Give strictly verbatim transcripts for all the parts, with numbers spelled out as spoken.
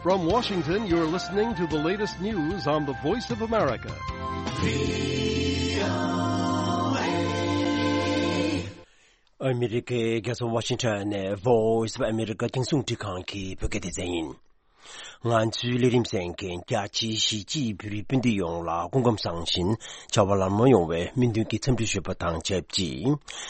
From Washington, you're listening to the latest news on the Voice of America. ཨ་མི་རི་ཀའི་རྒྱལ་ས་ཝ་ཤིང་ཊོན་ནས་Voice of America་རྒྱང་སྲིང་འཕྲིན་ཁང་གི་བོད་སྐད་སྡེ་ཚན་ཡིན། ང་ཚོའི་ལས་རིམ་གསན་མཁན་རྒྱ་ཆེའི་གཞིས་བྱེས་བོད་རིགས་སྤུན་ཟླ་ཡོངས་ལ་སྐུ་ཁམས་བཟང་ཞིང་བྱ་བ་ལམ་ལྷོང་ཡོང་བའི་སྨོན་འདུན་གྱི་འཚམས་འདྲི་ཞུས་པ་དང་ཆབས་ཅིག་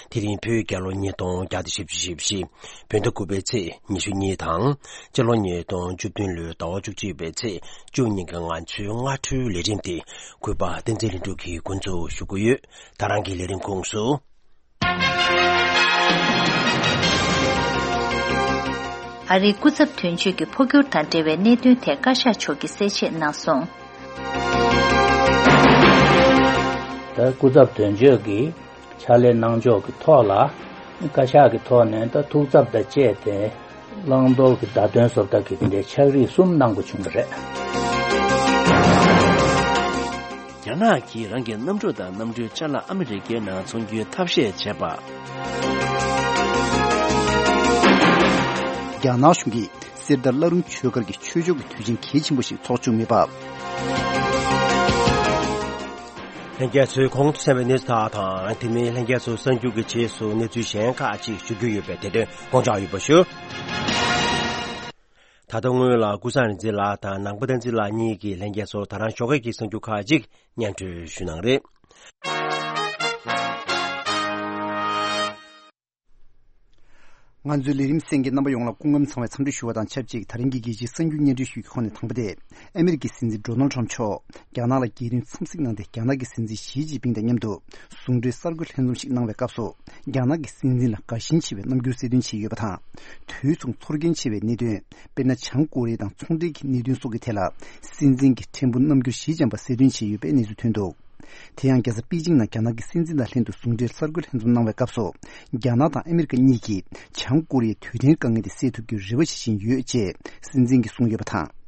དེ་རིང་བོད་རྒྱལ་ལོ་ཉིས་སྟོང་བརྒྱ་དང་བཞི་བཅུ་ཞེ་བཞི། བོད་ཟླ་དགུ་པའི་ཚེས་ཉི་ཤུ་གཉིས་དང་། སྤྱི་ལོ་ཉིས་སྟོང་བཅུ་བདུན་ལོའི་ཟླ་བ་བཅུ་གཅིག་པའི་ཚེས་བཅུ་གཉིས་ཀྱི་ང་ཚོའི་སྔ་དྲོའི་ལས་རིམ་དེ་གུས་པ་བསྟན་འཛིན་ལྷུན་གྲུབ་ཀྱིས་འགོ་འཛུགས་ཞུ་གི་ཡོད། ད་རང་གི་ལས་རིམ་ཁོངས་སུ། ཨ་རིའི་སྐུ་ཚབ་དོན་གཅོད་ཀྱི་འཕོ་འགྱུར་དང་འབྲེལ་བའི་གནད་དོན་ཐད་བཀའ་ཤག་མཆོག་གིས་གསལ་བཤད་གནང་སོང་། ད་སྐུ་ཚབ་དོན་གཅོད་ཀྱིས་ཕྱག་ལས་གནང་ཕྱོགས་ཀྱི་ཐོག་ལ་བཀའ་ཤག་གི་ཐོག་ནས་ད་ཐུགས་འཚབ་དང་བཅས་ཏེ་བླང་དོར་གྱི་བརྡ་སྟོན་བཟོ་ལྟ་གི་དེ་འདྲའི་ཕྱག་བྲིས་གསུམ་གནང་དགོས་བྱུང་བ་རེད། རྒྱ་ནག་གིས་རང་གི་གནམ་གྲུ་དང་གནམ་གྲུའི་ཅ་ལག་ཨ་མི་རི་ཀའི་ནང་ཚོང་རྒྱུའི་ཐབས་ཤེས་བྱས་པ། རྒྱ་ནག་གཞུང་གིས་གསེར་རྟ་བླ་རུང་ཆོས་སྒར་གྱི་ཆོས་ཕྱོགས་ཀྱི་དུས་ཆེན་གལ་ཆེན་པོ་ཞིག་འཚོགས་བཅུག་མེད་པ། ལྷན་རྒྱས་ཚོས་གོང་དུ་གསན་པའི་གནས་ཚུལ་དག་དང་། དེ་མིན་ལྷན་རྒྱས་ཚོ་གསར་འགྱུར་གྱི་རྗེས་སུ་གནས་ཚུལ་གཞན་ཁག་ཅིག་ཞུ་རྒྱུ་ཡོད་པས། དེ་དོན་དགོངས་འཇགས་ཡོད་པ་ཞུ། ད་ལྟ་སྔོན་ལ་ཀུན་བཟང་རིག་འཛིན་ལགས་དང་ནང་པ་བསྟན་འཛིན་ལགས་གཉིས་ཀྱིས་ལྷན་རྒྱས་ཚོར་ད་རང་ཞོགས་ཀས་ཀྱི་གསར་འགྱུར་ཁག་ཅིག་སྙན་སྒྲོན་ཞུ་གནང་རེད། ང་ཚོའི་ལས་རིམ་གསན་མཁན་རྣམ་པ་ཡོངས་ལ་སྐུ་ཁམས་བཟང་བའི་འཚམས་འདྲི་ཞུ་བ་དང་ཆབས་ཅིག་དེ་རིང་གི་རྒྱལ་སྤྱིའི་གསར་འགྱུར་སྙན་སྒྲོན་ཞུ་རྒྱུའི་ཁོངས་ནས་དང་པོ་དེ། ཨ་མི་རི་ཀའི་སྲིད་འཛིན་ཌོ་ནལ་ཁྲམ་མཆོག་རྒྱ་ནག་ལ་རྒྱལ་རིམ་འཚམས་གཟིགས་གནང་སྟེ། རྒྱ་ནག་གི་སྲིད་འཛིན་ཞི་ཅིན་ཕིང་དང་མཉམ་དུ་ཟུང་འབྲེལ་གསར་འགོད་ལྷན་འཛོམས་ཤིག་གནང་བའི་སྐབས་སུ། རྒྱ་ནག་གི་སྲིད་འཛིན་ལ་དགའ་ཞེན་ཆེ་བའི་རྣམ་འགྱུར་གསལ་སྟོན་བྱས་ཡོད་པ་དང་། དུས་མཚུངས་ཚོར་སྐྱེན་ཆེ་བའི་གནད་དོན། དཔེར་ན། བྱང་ཀོ་རི་ཡ་དང་ཚོང་འབྲེལ་གྱི་གནད་དོན་སོགས་ཀྱི་ཐད་ལ། སྲིད་འཛིན་གྱི་ཕྲན་བུ་རྣམ་འགྱུར་ཞི་འཇམ་པ་གསལ་སྟོན་བྱས་ཡོད་པའི་གནས་ཚུལ་ཐོན་འདུག་དེ་ཡང་རྒྱལ་ས་པེ་ཅིང་ནང་རྒྱ་ནག་གི་སྲིད་འཛིན་དང་ལྷན་དུ་ཟུང་འབྲེལ་གསར་འགོད་ལྷན་འཛོམས་གནང་བའི་སྐབས་སུ། རྒྱ་ནག་དང་ཨ་མི་རི་ཀ་གཉིས་ཀྱིས་བྱང་ཀོ་རི་ཡའི་དུས་མཐའི་དཀའ་ངལ་དེ་སེལ་ཐུབ་རྒྱུའི་རེ་བ་བྱེད་བཞིན་ཡོད་ཅེས་སྲིད་འཛིན་གྱིས་གསུངས་ཡོད་པ་དང་།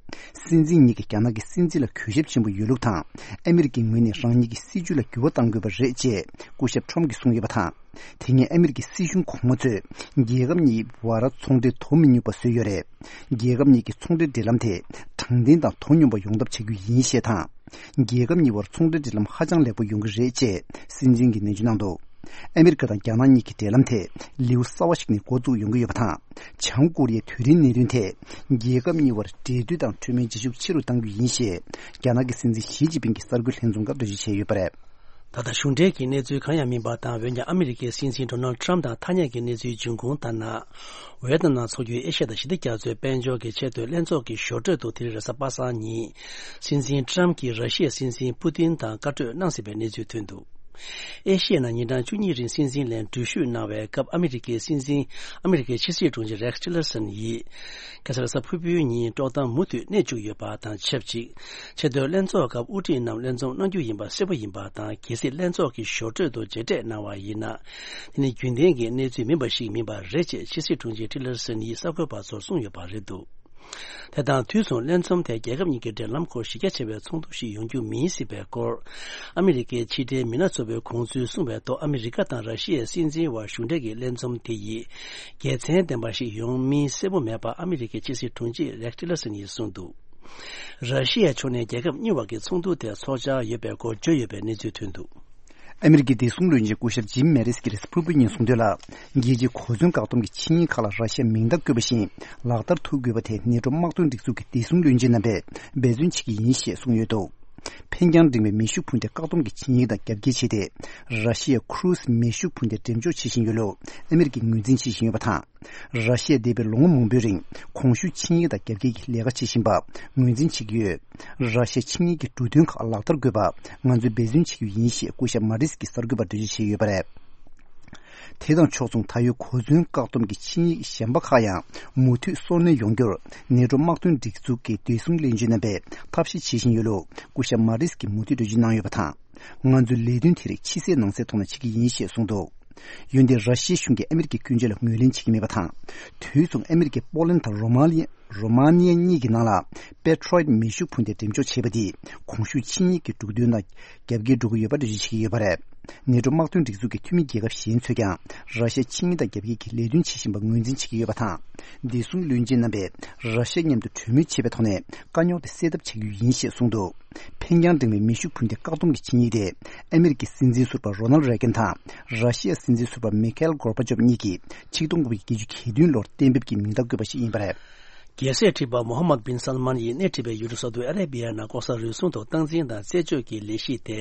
སྲིད་འཛིན་གཉིས་ཀྱིས་རྒྱ་ནག་གི་སྲིད་འཛིན་ལ་གུས་ཞབས་ཆེན་པོ་ཡོད་ལུགས་དང་། ཨ་མི་རི་ཀའི་ངོས་ནས་རང་ཉིད་ཀྱི་སྲིད་བྱུས་ལ་འགྱུར་བ་གཏང་དགོས་པ་རེད་ཅེས་སྐུ་ཞབས་ཁྲོམ་གྱིས་གསུངས་ཡོད་པ་དང་། དེ་སྔོན་ཨ་མི་རི་ཀའི་སྲིད་གཞུང་གོང་མ་ཚོས་རྒྱལ་ཁབ་གཉིས་བར་ཚོང་འབྲེལ་དོ་མི་མཉམ་པ་བཟོས་ཡོད་རེད། རྒྱལ་ཁབ་གཉིས་ཀྱི་ཚོང་འབྲེལ་འབྲེལ་ལམ་དེ་དྲང་བདེན་དང་དོ་སྙོམས་པ་ཡོང་ཐབས་བྱ་རྒྱུ་ཡིན་ཞེས་དང་། རྒྱལ་ཁབ་གཉིས་བར་ཚོང་འབྲེལ་འབྲེལ་ལམ་ཧ་ཅང་ལེགས་པོ་ཡོང་གི་རེད་ཅེས་སྲིད་འཛིན་གྱིས་ནན་བརྗོད་གནང་འདུག་ཨ་མི་རི་ཀ་དང་རྒྱ་ནག་གཉིས་ཀྱི་འབྲེལ་ལམ་དེ་ལེའུ་གསར་བ་ཞིག་ནས་འགོ་བཙུགས་ཡོང་གི་ཡོད་པ་དང་། བྱང་ཀོ་རི་ཡའི་དུས་རིང་གནད་དོན་ཐད་རྒྱལ་ཁབ་གཉིས་བར་འབྲེལ་མཐུད་དང་འཕྲོད་མིན་བྱེད་ཤུགས་ཆེ་རུ་གཏང་རྒྱུ་ཡིན་ཞེས་རྒྱ་ནག་གི་སྲིད་འཛིན་ཞི་ཅིན་ཕིང་གིས་གསར་འགོད་ལྷན་འཛོམས་སྐབས་འགྲེལ་བརྗོད་བྱས་ཡོད་པ་རེད། ད་ལྟ་གཞུང་འབྲེལ་གྱི་གནས་ཚུལ་གང་ཡང་མིན་པ་དང་། འོན་ཀྱང་ཨ་མི་རི་ཀའི་སྲིད་འཛིན་ཌོ་ནལ་ཁྲམ་དང་ཐ་སྙད་ཀྱི་གནས་ཚུལ་འབྱུང་ཁུངས་ལྟར་ན། ཝེ་ཏི་ནམ་ཚོགས་རྒྱུའི་ཨེ་ཤ་ཡ་དང་ཞི་བདེ་རྒྱ་མཚོའི་དཔལ་འབྱོར་གྱི་ཆེས་མཐོའི་ལྷན་ཚོགས་ཀྱི་ཞོར་འཕྲོས་དུ་དེ་རིང་རེས་གཟའ་པ་སངས་ཉིན། སྲིད་འཛིན་ཁྲམ་གྱིས་ར་ཤི་ཡའི་སྲིད་འཛིན་པུ་ཏིན་དང་བཀའ་གྲོས་གནང་ཟིན་པའི་གནས་ཚུལ་ཐོན་འདུག་ཨེ་ཤི་ཡའི་ནང་ཉིན་གྲངས་བཅུ་གཉིས་རིང་སྲིད་འཛིན་ལས་འགྲུལ་བཞུད་གནང་བའི་སྐབས། ཨ་མི་རི་ཀའི་སྲིད་འཛིན། ཨ་མི་རི་ཀའི་ཕྱི་སྲིད་དྲུང་ཆེ་རེག་ཊི་ལར་སན་ཡིས། ཁ་སང་རེས་གཟའ་ཕུར་བུའི་ཉིན་དཀྲོག་གཏམ་མུ་མཐུད་གནས་བཅུག་ཡོད་པ་དང་ཆབས་ཅིག་ཆེས་མཐོའི་ལྷན་ཚོགས་སྐབས་དབུ་ཁྲིད་རྣམས་ལྷན་འཛོམས་གནང་རྒྱུ་ཡིན་པ་གསལ་པོ་ཡིན་པ་དང་། གལ་སྲིད་ལྷན་ཚོགས་ཀྱི་ཞོར་འཕྲོས་དུ་མཇལ་འཕྲད་གནང་བ་ཡིན་ན། དེ་ནི་རྒྱུན་ལྡན་གྱི་གནས་ཚུལ་མིན་པ་ཞིག་མིན་པ་རེད་ཅེས་ཕྱི་སྲིད་དྲུང་ཆེ་ཊི་ལར་སན་ཡིས་གསར་འགོད་པ་ཚོར་གསུངས་ཡོད་པ་རེད་འདུག་དེ་དང་དུས་མཚུངས་ལྷན་འཛོམས་དེ་རྒྱལ་ཁབ་གཉིས་ཀྱི་འབྲེལ་ལམ་སྐོར་གཞི་རྒྱ་ཆེ་བའི་ཚོགས་འདུ་ཞིག་ཡོང་རྒྱུ་མིན་སྲིད་པའི་སྐོར། ཨ་མི་རི་ཀའི་ཕྱི་འབྲེལ་མི་སྣ་ཚོགས་པའི་ཁོངས་ཚུལ་གསུངས་པའི་ཐོག་ཨ་མི་རི་ཀ་དང་ར་ཤི་ཡའི་སྲིད་འཛིན་དབར་གཞུང་འབྲེལ་གྱི་ལྷན་འཛོམས་དེ་ཡིས་དགེ་མཚན་ལྡན་པ་ཞིག་ཡོང་མིན་གསལ་པོ་མེད་པ་ཨ་མི་རི་ཀའི་ཕྱི་སྲིད་དྲུང་ཆེ་རེག་ཊི་ལར་སན་ཡིས་གསུངས་འདུག་ར་ཤི་ཡའི་ཕྱོགས་ནས་རྒྱལ་ཁབ་གཉིས་བར་གྱི་ཚོགས་འདུ་དེ་ཚོགས་འཆར་ཡོད་པའི་སྐོར་བརྗོད་ཡོད་པའི་གནས་ཚུལ་ཐོན་འདུག་ཨ་མི་རི་ཀའི་བདེ་སྲུང་བློན་ཆེན་སྐུ་ཞབས་ཇིམ་མེ་རིས་ཀྱིས་རེས་གཟའ་ཕུར་བུའི་ཉིན་གསུངས་དོན་ལ། རྒྱལ་སྤྱིའི་གོ་མཚོན་བཀག་སྡོམ་གྱི་ཆིངས་ཡིག་ཁག་ལ་ར་ཤི་ཡ་མིང་རྟགས་བཀོད་པ་བཞིན་ལག་བསྟར་ཐུབ་དགོས་པ་དེ་ནེ་ཊོ་དམག་དོན་སྒྲིག་འཛུགས་ཀྱི་བདེ་སྲུང་བློན་ཆེན་རྣམ་པས་འབད་བརྩོན་བྱེད་ཀྱི་ཡིན་ཞེས་གསུངས་ཡོད་འདུག་འཕེན་རྒྱང་འབྲིང་བའི་མེ་ཤུགས་འཕུར་མདེལ་བཀག་སྡོམ་གྱི་ཆིངས་ཡིག་དང་རྒྱབ་འགལ་བྱས་ཏེ། ར་ཤི་ཡའི་ཁུ་རུ་སི་མེ་ཤུགས་འཕུར་མདེལ་འགྲེམས་འཇོག་བྱེད་བཞིན་ཡོད་ལུགས་ཨ་མི་རི་ཀས་ངོས་འཛིན་བྱེད་བཞིན་ཡོད་པ་དང་། ར་ཤི་ཡས་འདས་པའི་ལོ་ངོ་མང་པོའི་རིང་གོང་ཞུས་ཆིངས་ཡིག་དང་རྒྱབ་འགལ་གྱི་ལས་ཀ་བྱེད་བཞིན་པ་ངོས་འཛིན་བྱེད་ཀྱི་ཡོད། ར་ཤི་ཡས་ཆིངས་ཡིག་གི་འབྲུ་དོན་ཁག་ལག་བསྟར་དགོས་པ་ང་ཚོས་འབད་བརྩོན་བྱེད་ཀྱི་ཡིན་ཞེས་སྐུ་ཞབས་མ་རིས་ཀྱིས་གསར་འགོད་པར་འགྲེལ་བརྗོད་བྱས་ཡོད་པ་རེད། དེ་དང་ཕྱོགས་མཚུངས། ད་ཡོད་གོ་མཚོན་བཀག་སྡོམ་གྱི་ཆིངས་ཡིག་གཞན་པ་ཁག་ཡང་མུ་མཐུད་སོར་གནས་ཡོང་རྒྱུར་ནེ་ཊོ་དམག་དོན་སྒྲིག་འཛུགས་ཀྱི་བདེ་སྲུང་བློན་ཆེན་རྣམ་པས་ཐབས་ཤེས་བྱེད་བཞིན་ཡོད་ལུགས་སྐུ་ཞབས་མ་རིས་ཀྱིས་མུ་མཐུད་འགྲེལ་བརྗོད་གནང་ཡོད་པ་དང་། ང་ཚོའི་ལས་དོན་དེ་རིགས་ཕྱི་གསལ་ནང་གསལ་ཐོག་ནས་བྱེད་ཀྱི་ཡིན་ཞེས་གསུངས་འདུག་ཡོན་ཏན་ར་ཤི་ཡའི་གཞུང་གིས་ཨ་མི་རི་ཀའི་སྐྱོན་བརྗོད་ལ་ངོས་ལེན་བྱེད་ཀྱི་མེད་པ་དང་། དུས་མཚུངས་ཨ་མི་རི་ཀས་པོ་ལན་དང་རོ་མ་ནི་རོ་མ་ནི་ཡ་གཉིས་ཀྱི་ནང་ལ་པེ་ཊྲོ་ཡིཊ་མེ་ཤུགས་འཕུར་མདེལ་འགྲེམས་འཇོག་བྱས་པ་དེས་གོང་ཞུས་ཆིངས་ཡིག་གི་འབྲུ་དོན་དང་རྒྱབ་འགལ་འགྲོ་གི་ཡོད་པ་འགྲེལ་བརྗོད་བྱེད་ཀྱི་ཡོད་པ་རེད། ནེ་ཏྲོ་དམག་དོན་སྒྲིག་འཛུགས་ཀྱི་འཐུས་མི་རྒྱལ་ཁབ་གཞན་ཚོས་ཀྱང་ར་ཤི་ཡ་ཕྱི་དངུལ་དང་རྒྱབ་འགལ་གྱི་ལས་དོན་བྱེད་བཞིན་པར་ངོས་འཛིན་བྱེད་ཀྱི་ཡོད་པ་དང་། བདེ་སྲུང་བློན་ཆེན་རྣམ་པས་ར་ཤི་ཡ་མཉམ་དུ་གྲོས་མོལ་བྱེད་པའི་ཐོག་ནས་དཀའ་རྙོག་དེ་སེལ་ཐབས་བྱ་རྒྱུ་ཡིན་ཞེས་གསུངས་འདུག་འཕེན་རྒྱང་འགྲེང་བའི་མེ་ཤུགས་འཕུར་མདེལ་བཀག་སྡོམ་གྱི་ཆིངས་ཡིག་དེ་ཨ་མེ་རི་ཀའི་སྲིད་འཛིན་ཟུར་པ་རོ་ནལ་རེ་གན་དང་ར་ཤི་ཡའི་སྲིད་འཛིན་ཟུར་པ་མི་ཁེལ་གོར་པ་ཆོབ་གཉིས་ཀྱིས་ཆིག་སྟོང་དགུ་བརྒྱ་བརྒྱད་ཅུ་གྱ་བདུན་ལོར་གཏན་འབེབས་ཀྱིས་མིང་རྟགས་བཀོད་པ་ཞིག་ཡིན་པ་རེད། རྒྱལ་སྲས་ཁྲི་པ་མོ་ཧམ་མད་བིན་སལ་མཱན་ཡིས་སྣེ་ཁྲིད་པའི་ཡུལ་གྲུ་སའུ་ཏི་ཨ་རེ་བི་ཡ་ནང་ལྐོག་ཟ་རུལ་སུངས་དང་སྟངས་འཛིན་དང་རྩད་གཅོད་ཀྱི་ལས་གཞི་དེ།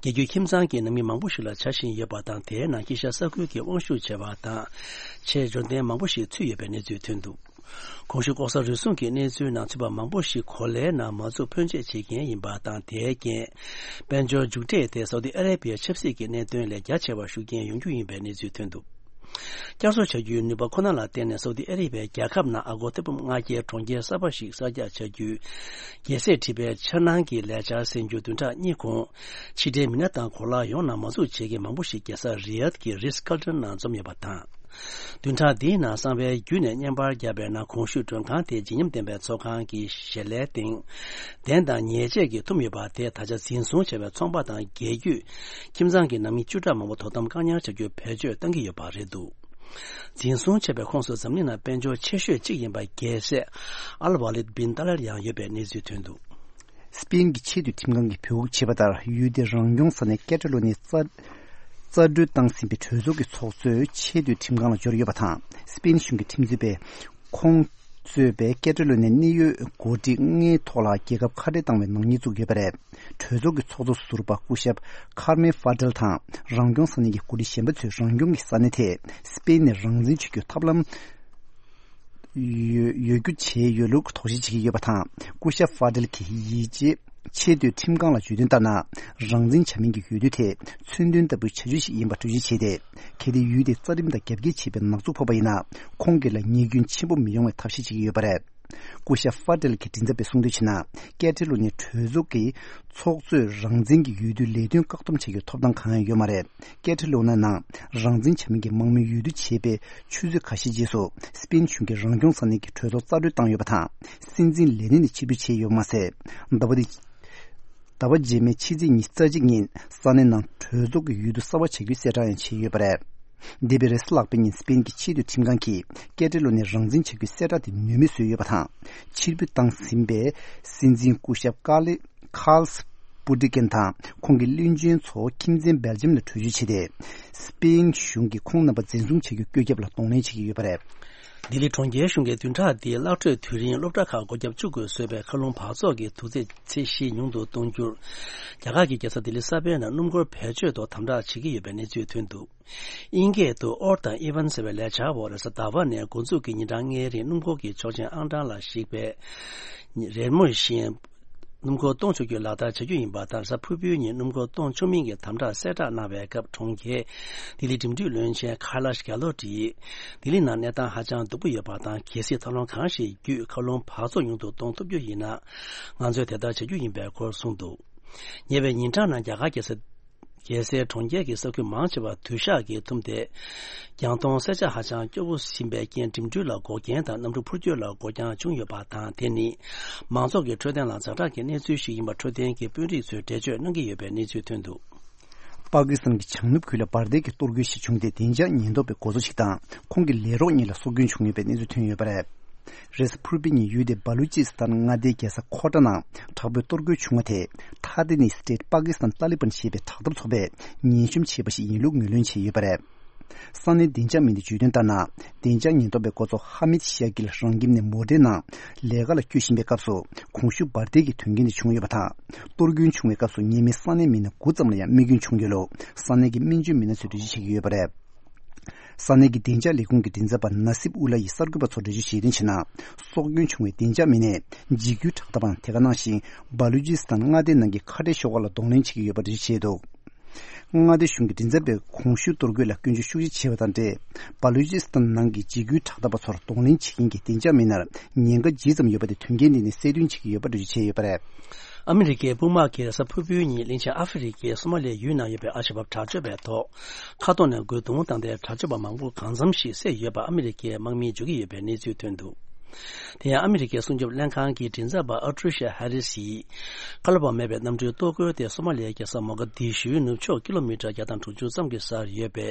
རྒྱལ་རྒྱུད་ཁྱིམ་ཚང་གི་ནང་མི་མང་པོ་ཞིག་ལ་བྱ་བཞིན་ཡོད་པ་དང་། དེའི་ནང་དཀྱིལ་ཤར་ས་ཁུལ་གྱི་དབང་ཤུགས་ཆེ་བ་དང་། ཆེས་འབྱོར་ལྡན་མང་པོ་ཞིག་ཚུད་ཡོད་པའི་གནས་ཚུལ་ཐོན་འདུག་གོང་ཞུས་ལྐོག་ཟ་རུལ་སུངས་ཀྱི་གནས་ཚུལ་ནང་ཚུད་པ་མང་པོ་ཞིག་གོ་ལའི་ནང་མ་འཛུལ་ཕོན་ཆེ་བྱེད་མཁན་ཡིན་པ་དང་། དེའི་རྐྱེན། དཔལ་འབྱོར་མཇུག་འབྲས་དེ་སའུ་ཏི་ཨ་རེ་བི་ཡའི་ཆབ་སྲིད་ཀྱི་གནད་དོན་ལས་རྒྱ་ཆེ་བ་ཤུགས་རྐྱེན་ཡོང་རྒྱུ་ཡིན་པའི་གནས་ཚུལ་ཐོན་འདུག་བསྐྱར་གསོ་བྱ་རྒྱུའི་ནུས་པ་ཁོ་ན་ལ་བརྟེན་ནས་སའུ་ཏི་ཨ་རེ་བྷི་ཡའི་རྒྱལ་ཁབ་ནང་ཨ་སྒོར་ཐེར་འབུམ་ལྔ་བརྒྱའི་གྲོང་ཁྱེར་གསར་པ་ཞིག་གསར་རྒྱག་བྱ་རྒྱུའི་རྒྱལ་སྲས་ཁྲི་པའི་འཆར་སྣང་གི་ལས་འཆར་གསན་རྒྱུ་བདུན་ཕྲག་གཉིས་གོང་ཕྱི་འབྲེལ་མི་སྣ་དང་གོ་ལག་ཡོངས་ནང་མ་འཛུགས་བྱེད་མཁན་མང་པོ་ཞིག་རྒྱལ་ས་རི་ཡཱད་ཀྱི་རིས་ཀར་ཏན་ནང་འཛོམས་ཡོད་པ་དང་། བདུན་ཕྲག་འདིའི་ནང་གསང་བའི་བརྒྱུད་ནས་བརྙན་པར་བརྒྱབ་པའི་ནང་གོང་ཞུས་མགྲོན་ཁང་དེའི་བརྗིད་ཉམས་ལྡན་པའི་ཚོགས་ཁང་གི་ཞལ་ལའི་སྟེང་གདན་དང་ཉལ་ཆས་ཀྱིས་ཐུམ་ཡོད་པ་དེས་ད་ཆ་འཛིན་བཟུང་བྱས་པའི་ཚོང་པ་དང་རྒྱལ་རྒྱུད་ཁྱིམ་ཚང་གི་ནང་མི་བཅུ་ཕྲག་མང་པོ་དོ་དམ་བཀག་ཉར་བྱ་རྒྱུའི་བེད་སྤྱོད་གཏང་གི་ཡོད་པ་རེད་འདུག་འཛིན་བཟུང་བྱས་པའི་ཁོངས་སུ་འཛམ་གླིང་ནང་དཔལ་འབྱོར་ཆེ་ཤོས་གཅིག་ཡིན་པ་རྒྱལ་སྲས་ཨལ་ཝ་ལིད་བིན་ཏཱ་ལར་ཡང་ཡོད་པའི་གནས་ཚུལ་ཐོན་འདུག་སྤེན་གྱི་ཆེས་མཐོའི་ཁྲིམས་ཁང་གིས་འབོད་འགུག་བྱས་པ་ལྟར། ཡུལ་དེའི་རང་སྐྱོང་ས་གནས་ཀེ་ཏ་ལོ་ནི་རྩ་རྩ་གྲོས་བཏང་ཟིན་པའི་གྲོས་ཚོགས་ཀྱི་ཚོགས་གཙོས་ཆེས་མཐོའི་ཁྲིམས་ཁང་ལ་འབྱོར་ཡོད་པ་དང་། སྤེན་གཞུང་གི་ཁྲིམས་རྩོད་པས་ཁོང་གཙོས་པའི་ཀེ་ཏ་ལོ་ནི་གནད་ཡོད་འགོ་ཁྲིད་ལྔའི་ཐོག་ལ་རྒྱལ་ཁབ་ཁ་བྲལ་བཏང་བའི་ནག་ཉེས་བཙུགས་ཡོད་པ་རེད། གྲོས་ཚོགས་ཀྱི་ཚོགས་གཙོ་ཟུར་པ་སྐུ་ཞབས་ཁར་མེ་ཧྥ་ཏེལ་དང་རང་སྐྱོང་ས་གནས་ཀྱི་འགོ་ཁྲིད་གཞན་པ་ཚོས་རང་སྐྱོང་གི་ས་གནས་དེ་སྤེན་ནས་རང་བཙན་བྱེད་རྒྱུའི་ཐབས་ལམ་ཡོད་ཡོད་རྒྱུ་བྱས་ཡོད་ལུགས་དོགས་གཞི་བྱེད་ཀྱི་ཡོད་པ་དང་། སྐུ་ཞབས་ཧྥ་ཏེལ་གྱིས་ཡིད་ཆེས་ཆེས་མཐོའི་ཁྲིམས་ཁང་ལ་བརྗོད་དོན་ལྟར་ན། རང་བཙན་བྱ་མིན་གྱི་འོས་བསྡུ་དེ་མཚོན་དོན་ལྟ་བུའི་བྱ་སྤྱོད་ཞིག་ཡིན་པ་འགྲེལ་བརྗོད་བྱས་ཏེ། གལ་ཏེ་ཡུལ་དེ་རྩ་ཁྲིམས་དང་རྒྱབ་འགལ་བྱས་པའི་ནག་འཛུགས་ཕོག་པ་ཡིན་ན། ཁོང་གི་ལ་ཉེས་སྐྱོན་ཆེན་པོ་མི་ཡོང་བའི་ཐབས་ཤེས་བྱེད་ཀྱི་ཡོད་པ་རེད། སྐུ་ཞབས་ཧྥ་ཏེལ་གྱི་མགྲིན་ཚབ་པས་གསུངས་དོན་བྱས་ན། ཀེ་ཏ་ལོ་ནི་གྲོས་ཚོགས་ཀྱི་ཚོགས་གཙོས་རང་བཙན་གྱི་འོས་བསྡུའི་ལས་དོན་བཀག་སྡོམ་བྱེད་རྒྱུའི་ཐོབ་ཐང་གང་ཡང་ཡོད་མ་རེད། ཀེ་ཏ་ལོ་ནི་ནང་རང་བཙན་བྱ་མིན་གྱི་དམག་མིའི་འོས་བསྡུ་བྱས་པའི་ཆུ་ཚོད་ཁ་ཤས་རྗེས་སུ་སྤེན་གཞུང་གིས་རང་སྐྱོང་ས་གནས་ཀྱི་གྲོས་ཚོགས་རྩ་གྲོན་བཏང་ཡོད་པ་དང་། སྲིད་འཛིན་ལས་གནས་ནས་ཕྱིར་འབུད་བྱས་ཡོད་པ་མ་ཟད། ཟླ་བ་འདི། ཟླ་བ་རྗེས་མའི་ཕྱི་ཚེས་ཉི་ཤུ་རྩ་གཅིག་ཉིན་ས་གནས་ནང་གྲོས་ཚོགས་ཀྱི་འོས་བསྡུ་གསར་པ་བྱ་རྒྱུའི་གསལ་བསྒྲགས་ཡང་བྱས་ཡོད་པ་རེད། འདས་པའི་རེས་གཟའ་ལྷག་པའི་ཉིན་སྤེན་གྱི་ཆེས་མཐོའི་ཁྲིམས་ཁང་གིས་ཀེ་ཏ་ལོ་ནས་རང་བཙན་བྱ་རྒྱུའི་གསལ་བསྒྲགས་དེ་ནུས་མེད་བཟོས་ཡོད་པ་དང་། ཕྱིར་འབུད་བཏང་ཟིན་པའི་སྲིད་འཛིན་སྐུ་ཞབས་ཀ་ལི་ཁཱལ་པུ་ཏི་ཀེན་དང་ཁོང་གི་བློན་ཆེན་ཚོ་ཁྱིམ་མཚེས་སྦེལ་ཇམ་ལ་བྲོས་བྱོལ་བྱས་ཏེ། སྤེན་གཞུང་གིས་ཁོང་རྣམ་པ་འཛིན་བཟུང་བྱ་རྒྱུའི་བཀོད་ཁྱབ་ལ་གདོང་ལེན་བྱེད་ཀྱི་ཡོད་པ་རེད། ལྡི་ལི་གྲོང་ཁྱེར་གཞུང་གིས་བདུན་ཕྲག་འདིའི་གླ་སྤྲོད་དུས་རིང་སློབ་གྲྭ་ཁག་སྒོ་བརྒྱབ་བཅུག་དགོས་བཟོས་པའི་མཁའ་རླུང་འབག་བཙོག་གི་དུག་རྫས་ཚད་གཞི་ཉུང་དུ་གཏོང་རྒྱུར། རྒྱ་གར་གྱི་རྒྱལ་ས་ལྡི་ལི་གསར་པའི་ནང་སྣུམ་འཁོར་བེད་སྤྱོད་ཐོག་དམ་དྲག་བྱེད་ཀྱི་ཡོད་པའི་གནས་ཚུལ་ཐོན་འདུག་དབྱིན་སྐད་དུ་Odd and Even ཟེར་བའི་ལས་འཆར་འོག་རེས་གཟའ་ཟླ་བ་ནས་འགོ་འཛུགས་ཀྱིས་ཉིན་གྲངས་ལྔའི་རིང་སྣུམ་འཁོར་གྱི་ཆོག་མཆན་ཨང་གྲངས་ལ་གཞིགས་པའི་རེས་མོས་བཞིན། སྣུམ་འཁོར་གཏོང་ཆོག་རྒྱུའི་ལག་བསྟར་བྱ་རྒྱུ་ཡིན་པ་དང་། རེས་གཟའ་ཕུར་བུའི་ཉིན་སྣུམ་འཁོར་གཏོང་ཆོག་མིན་གྱི་དམ་དྲག་གསལ་བསྒྲགས་གནང་བའི་སྐབས། གྲོང་ཁྱེར་ལྡི་ལི་འགྲིམ་འགྲུལ་བློན་ཆེན་ཁ་ལ་ཤ་གྷེ་ལོ་ཏི་ཡིས་ལྡི་ལི་ནང་གནས་སྟངས་ཧ་ཅང་སྡུག་པོ་ཡོད་པ་དང་། གལ་སྲིད་ཐབས་ལམ་གང་ཞིག་བརྒྱུད་མཁའ་རླུང་འབག་བཙོག་ཉུང་དུ་གཏོང་ཐུབ་རྒྱུ་ཡིན་ན། ང་ཚོས་དེ་ལྟར་བྱ་རྒྱུ་ཡིན་པའི་སྐོར་གསུངས་འདུག་ཉེ་བའི་ཉིན་གྲངས་ནང་རྒྱ་གར་རྒྱལ་ས་རྒྱལ་སའི་གྲོང་ཁྱེར་གྱི་ས་ཁུལ་མང་ཆེ་བར་དུད་ཤག་གིས་ཐུམ་སྟེ། རྒྱང་མཐོང་གསལ་ཆ་ཧ་ཅང་སྐྱོ་བོ་ཟིན་པའི་རྐྱེན། འགྲིམ་འགྲུལ་ལ་འགོག་རྐྱེན་དང་གནམ་གྲུ་འཕུར་སྐྱོད་ལ་འགོག་རྐྱེན་བྱུང་ཡོད་པ་དང་། དེ་ནི་མང་ཚོགས་ཀྱི་འཕྲོད་བསྟེན་ལ་ཛ་དྲག་གི་གནས་ཚུལ་ཞིག་ཡིན་པ་འཕྲོད་བསྟེན་གྱི་དཔོན་རིགས་ཚོས་འགྲེལ་བརྗོད་གནང་གི་ཡོད་པའི་གནས་ཚུལ་ཐོན་འདུག་པ་ཀི་སི་ཐན་གྱི་བྱང་ནུབ་ཁུལ་ལ་འབར་མདེལ་གྱི་གཏོར་རྒོལ་ཞིག་བྱུང་སྟེ། བདེ་འཇགས་ཉེན་རྟོག་པའི་འགོ་གཙོ་ཞིག་དང་ཁོང་གི་ལས་རོགས་གཉིས་ལ་སྲོག་སྐྱོན་བྱུང་ཡོད་པའི་གནས་ཚུལ་ཐོན་ཡོད་པ་རེད། རེས་གཟའ་ཕུར་བུའི་ཉིན་ཡུལ་དེའི་བ་ལུ་ཅི་སི་ཐན་མངའ་སྡེའི་རྒྱལ་ས་ཁོ་ཊ་ནང་དྲག་པོའི་གཏོར་རྒོལ་བྱུང་བ་དེས། ཐ་དེ་ནི་སི་ཏེ་ཊི་པ་ཀི་སི་ཐན་ཏཱ་ལི་བན་ཞེས་པའི་དྲག་འཐབ་ཚོགས་པས་ཉེན་སྐྱོབ་བྱས་པ་ཞིག་ཡིན་ལུགས་ངོས་ལེན་བྱས་ཡོད་པ་རེད། ས་གནས་བདེ་འཇགས་མི་སྣས་བརྗོད་དོན་ལྟར་ན། བདེ་འཇགས་ཉེན་རྟོག་པའི་འགོ་གཙོ་ཧ་མིད་ཤ་ཀིལ་རང་ཁྱིམ་ནས་མོ་ཊའི་ནང་ལས་ཀ་ལ་བསྐྱོད་བཞིན་པའི་སྐབས་སུ། གོང་ཞུས་འབར་མདེལ་གྱི་དོན་རྐྱེན་དེ་བྱུང་ཡོད་པ་དང་། གཏོར་སྐྱོན་བྱུང་བའི་སྐབས་སུ་ཉེས་མེད་ས་གནས་མི་སྣ་དགུ་ཙམ་ལ་ཡང་རྨས་སྐྱོན་བྱུང་ཡོད་ལུགས་ས་གནས་ཀྱི་སྨན་བཅོས་མི་སྣ་ཚོས་འགྲེལ་བརྗོད་བྱེད་ཀྱི་ཡོད་པ་རེད། ས་གནས་ཀྱི་བདེ་འཇགས་ལས་ཁུངས་ཀྱི་མགྲིན་ཚབ་པ་ན་སིབ་ཨུ་ལ་ཡིས་གསར་འགོད་པ་ཚོར་འགྲེལ་བརྗོད་བྱས་དོན་བྱས་ན། སྲོག་སྐྱོན་བྱུང་བའི་བདེ་འཇགས་མི་སྣས་འཇིགས་སྐུལ་དྲག་འཐབ་པའང་དེ་ག་ནང་བཞིན་བ་ལུ་ཅི་སི་ཐན་མངའ་སྡེའི་ནང་གི་ཁ་བྲལ་ཤོག་ཁག་ལ་གདོང་ལེན་བྱེད་ཀྱི་ཡོད་པ་འགྲེལ་བརྗོད་བྱས་འདུག་མངའ་སྡེ་གཞུང་གི་མགྲིན་ཚབ་པས་གོང་ཞུས་གཏོར་རྒོལ་ལ་སྐྱོན་བརྗོད་ཤུགས་ཆེ་བྱས་པ་དང་འབྲེལ། བ་ལུ་ཅི་སི་ཐན་ནང་གི་འཇིགས་སྐུལ་དྲག་འཐབ་པ་ཚོར་གདོང་ལེན་བྱེད་མཁན་གྱི་བདེ་འཇགས་མི་སྣར་ཉེན་ཁ་ཇི་ཙམ་ཡོད་པ་དེ་དོན་རྐྱེན་འདི་ནས་གསལ་སྟོན་བྱེད་ཀྱི་ཡོད་པ་འགྲེལ་བརྗོད་བྱས་ཡོད་པ་རེད། ཨ་མི་རི་ཀའི་དཔུང་དམག་གིས་རེས་གཟའ་ཕུར་བུའི་ཉིན་གླིང་ཆེན་ཨ་ཧྥེ་རི་ཁའི་སོ་མ་ལི་ཡའི་ཡུལ་ནང་ཡོད་པའི་ཨལ་ཤ་བབ་དྲག་སྤྱོད་པའི་ཐོག་མཁའ་ཐོག་ནས་རྒོལ་རྡུང་བཏང་སྟེ། དྲག་སྤྱོད་པ་མང་པོ་གང་འཚམ་ཞིག་བསད་ཡོད་པ་ཨ་མི་རི་ཀའི་དམག་མིས་བརྗོད་ཀྱི་ཡོད་པའི་གནས་ཚུལ་ཐོན་འདུག་དེ་ཡང་ཨ་མི་རི་ཀའི་སྲུང་སྐྱོབ་ལྷན་ཁང་གི་མགྲིན་ཚབ་པ་ཨ་ཏྲུ་ཤ་ཧ་རི་སིས། བཀའ་སློབ་པ་མེད་པའི་གནམ་གྲུའི་གཏོར་རྒོལ་དེ་སོ་མ་ལི་ཡའི་རྒྱལ་ས་མོ་ག་དི་ཤུའི་ནུབ་ཕྱོགས་ཀི་ལོ་མི་ཊར་བརྒྱ་དང་དྲུག་ཅུ་ཙམ་གྱི་སར་ཡོད་པའི་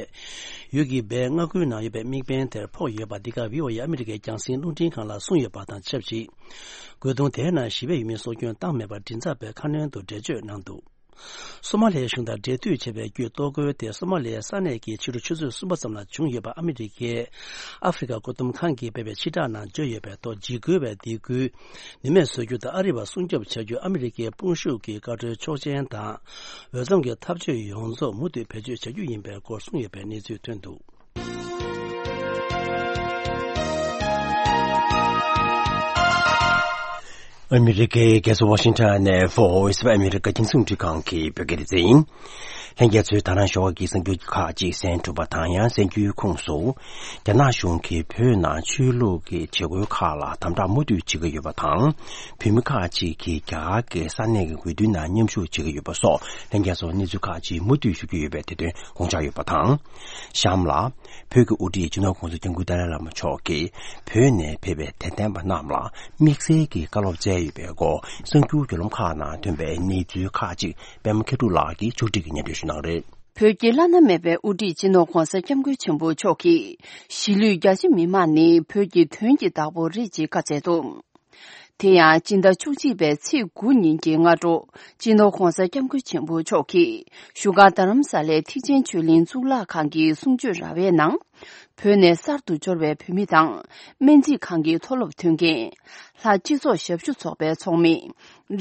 ཡུལ་གྱི་སྦས་མངའ་ཁུལ་ནང་ཡོད་པའི་དམིགས་འབེན་དེར་ཕོག་ཡོད་པ། འདི་ག་བྷི་ཨོ་ཨེ་ཨ་མི་རི་ཀའི་རྒྱང་སྲིང་རླུང་འཕྲིན་ཁང་ལ་གསུངས་ཡོད་པ་དང་ཆབས་ཅིག་རྒོལ་རྡུང་དེའི་ནང་ཞི་བའི་ཡུལ་མི་སྲོག་སྐྱོན་བཏང་མེད་པར་མགྲིན་ཚབ་པས་ཁ་སྣོན་དུ་འགྲེལ་བརྗོད་གནང་འདུག་སོ་མ་ལི་ཡའི་གཞུང་དང་འབྲེལ་མཐུད་བྱས་པའི་བརྒྱུད། གཏོར་རྒོལ་དེ་སོ་མ་ལི་ཡའི་ས་གནས་ཀྱི་ཕྱི་དྲོ་ཆུ་ཚོད་གསུམ་པ་ཙམ་ལ་བྱུང་ཡོད་པ་ཨ་མི་རི་ཀའི་ཨ་ཧྥེ་རི་ཁ་བཀོད་འདོམས་ཁང་གིས་སྤེལ་བའི་ཕྱིར་བསྒྲགས་ནང་བརྗོད་ཡོད་པའི་ཐོག་འཇིགས་སྐུལ་བའི་སྡིགས་སྐུལ་ནུས་མེད་བཟོ་རྒྱུ་དང་། ཨ་རི་བ་སྲུང་སྐྱོབ་བྱ་རྒྱུ། ཨ་མི་རི་ཀའི་དཔུང་ཤུགས་ཀྱི་བཀའ་འཁྲོལ་ཆོག་མཆན་དང་འོས་འཚམ་གྱི་ཐབས་ཇུས་ཡོངས་རྫོགས་མུ་མཐུད་བེད་སྤྱོད་བྱ་རྒྱུ་ཡིན་པའི་སྐོར་གསུངས་ཡོད་པའི་གནས་ཚུལ་ཐོན་འདུག་ཨ་མི་རི་ཀའི་རྒྱལ་ས་ཝ་ཤིང་ཊོན་ནས་Voice of America རྒྱང་སྲིང་རླུང་འཕྲིན་ཁང་གི་བོད་སྐད་སྡེ་ཚན་ཡིན། ལྷན་རྒྱས་ཚོས་ད་རང་ཞོགས་ཀྱི་གསར་འགྱུར་ཁག་ཅིག་གསན་གྲུབ་པ་དང་། ཡང་གསར་འགྱུར་ཁོངས་སུ། རྒྱ་ནག་གཞུང་གིས་བོད་ནང་ཆོས་ལུགས་ཀྱི་བྱེད་སྒོའི་ཁག་ལ་དམ་དྲག་མུ་མཐུད་བྱེད་ཀྱི་ཡོད་པ་དང་། བོད་མི་ཁག་ཅིག་གིས་རྒྱ་གར་གྱི་ས་གནས་ཀྱི་འོས་བསྡུ་ནང་མཉམ་ཞུགས་བྱེད་ཀྱི་ཡོད་པ་སོགས། ལྷན་རྒྱས་ཚོར་གནས་ཚུལ་ཁག་ཅིག་མུ་མཐུད་ཞུ་རྒྱུ་ཡོད་པའི་དེ་དོན་དགོངས་འཇགས་ཡོད་པ་དང་། གཤམ་ལ། བོད་ཀྱི་དབུ་ཁྲིད་སྤྱི་ནོར་༸གོང་ས་༸སྐྱབས་མགོན་ཏཱ་ལའི་བླ་མ་མཆོག་གིས་བོད་ནས་ཕེབས་པའི་དད་ལྡན་པ་རྣམས་ལ་དམིགས་བསལ་གྱི་བཀའ་སློབ་སྩལ་ཡོད་པའི་སྐོར། གསར་འགྱུར་བརྒྱུད་ལམ་ཁག་ནང་ཐོན་པའི་གནས་ཚུལ་ཁག་ཅིག་པད་མ་མཁས་གྲུབ་ལགས་ཀྱིས་ཕྱོགས་སྒྲིག་གིས་སྙན་སྒྲོན་ཞུ་གནང་རེད། བོད་ཀྱི་བླ་ན་མེད་པའི་དབུ་ཁྲིད་སྤྱི་ནོར་༸གོང་ས་༸སྐྱབས་མགོན་ཆེན་པོ་མཆོག་གིས། གཞིས་ལུས་རྒྱ་ཆེ་མི་མང་ནི་བོད་ཀྱི་དོན་གྱི་བདག་པོ་རེད་ཅེས་བཀའ་སྩལ་འདུག་དེ་ཡང་སྤྱི་ཟླ་བཅུ་གཅིག་པའི་ཚེས་དགུ་ཉིན་གྱི་སྔ་དྲོ། སྤྱི་ནོར་༸གོང་ས་༸སྐྱབས་མགོན་ཆེན་པོ་མཆོག་གིས་བཞུགས་སྒར་རྡ་རམ་ས་ལའི་ཐེག་ཆེན་ཆོས་གླིང་གཙུག་ལག་ཁང་གི་གསུང་ཆོས་ར་བའི་ནང་། བོད་ནས་གསར་དུ་འབྱོར་བའི་བོད་མི་དང་། སྨན་རྩིས་ཁང་གི་མཐོ་སློབ་ཐོན་མཁན། ལྷ་སྤྱི་ཚོགས་ཞབས་ཞུ་ཚོགས་པའི་ཚོགས་མི།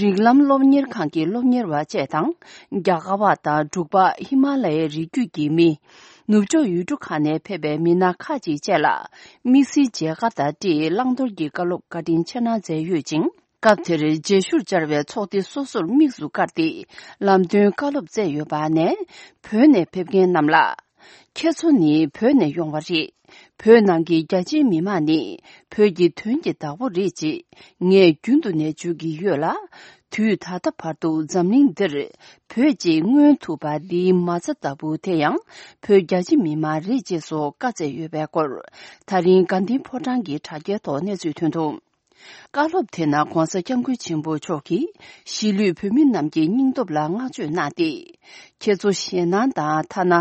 རིགས་ལམ་སློབ་གཉེར་ཁང་གི་སློབ་གཉེར་བ་བཅས་དང་། རྒྱ་གར་བ་དང་འབྲུག་པ། ཧི་མ་ལ་ཡའི་རི་རྒྱུད་ཀྱི་མི། ནུབ་ཕྱོགས་ཡུལ་གྲུ་ཁག་ནས་ཕེབས་པའི་མི་སྣ་ཁག་ཅིག་བཅས་ལ། དམིགས་བསལ་མཇལ་ཁ་དང་འབྲེལ་བླང་དོར་གྱི་བཀའ་སློབ་བཀའ་དྲིན་ཆེ་གནང་མཛད་ཡོད་ཅིང་། སྐབས་དེར་མཇལ་ཞུར་བཅར་བའི་ཚོགས་སྡེ་སོ་སོར་དམིགས་སུ་བཀར་ཏེ། ལམ་སྟོན་བཀའ་སློབ་སྩལ་ཡོད་པ་ནས། བོད་ནས་ཕེབས་མཁན་རྣམས་ལ། ཁྱེད་ཚོ་ནི་བོད་ནས་ཡོང་བ་རེད། བོད་ནང་གི་རྒྱ་ཆེའི་མི་མང་ནི་བོད་ཀྱི་དོན་གྱི་བདག་པོ་རེད་ཅེས་ངས་རྒྱུན་དུ་ནས་བརྗོད་ཀྱི་ཡོད་ལ། དུས་ད་ལྟ་བར་དུ་འཛམ་གླིང་འདིར་བོད་ཅེས་མངོན་ཐུབ་པ་འདིའི་མ་རྩ་ལྟ་བུ་དེ་ཡང་བོད་རྒྱ་ཆེ་མི་མང་རེད་ཅེས་སོགས་བཀའ་སྩལ་ཡོད་པའི་སྐོར། ད་རིང་དགའ་ལྡན་ཕོ་བྲང་གི་དྲ་རྒྱའི་ཐོག་གནས་ཚུལ་ཐོན་འདུག་བཀའ་སློབ་དེ་ནང་༸གོང་ས་༸སྐྱབས་མགོན་ཆེན་པོ་མཆོག་གིས་གཞིས་ལུས་བོད་མི་རྣམས་ཀྱི་སྙིང་སྟོབས་ལ་བསྔགས་བརྗོད་གནང་སྟེ། ཁྱེད་ཚོ་ཞེད་སྣང་དང་ཐ་ན་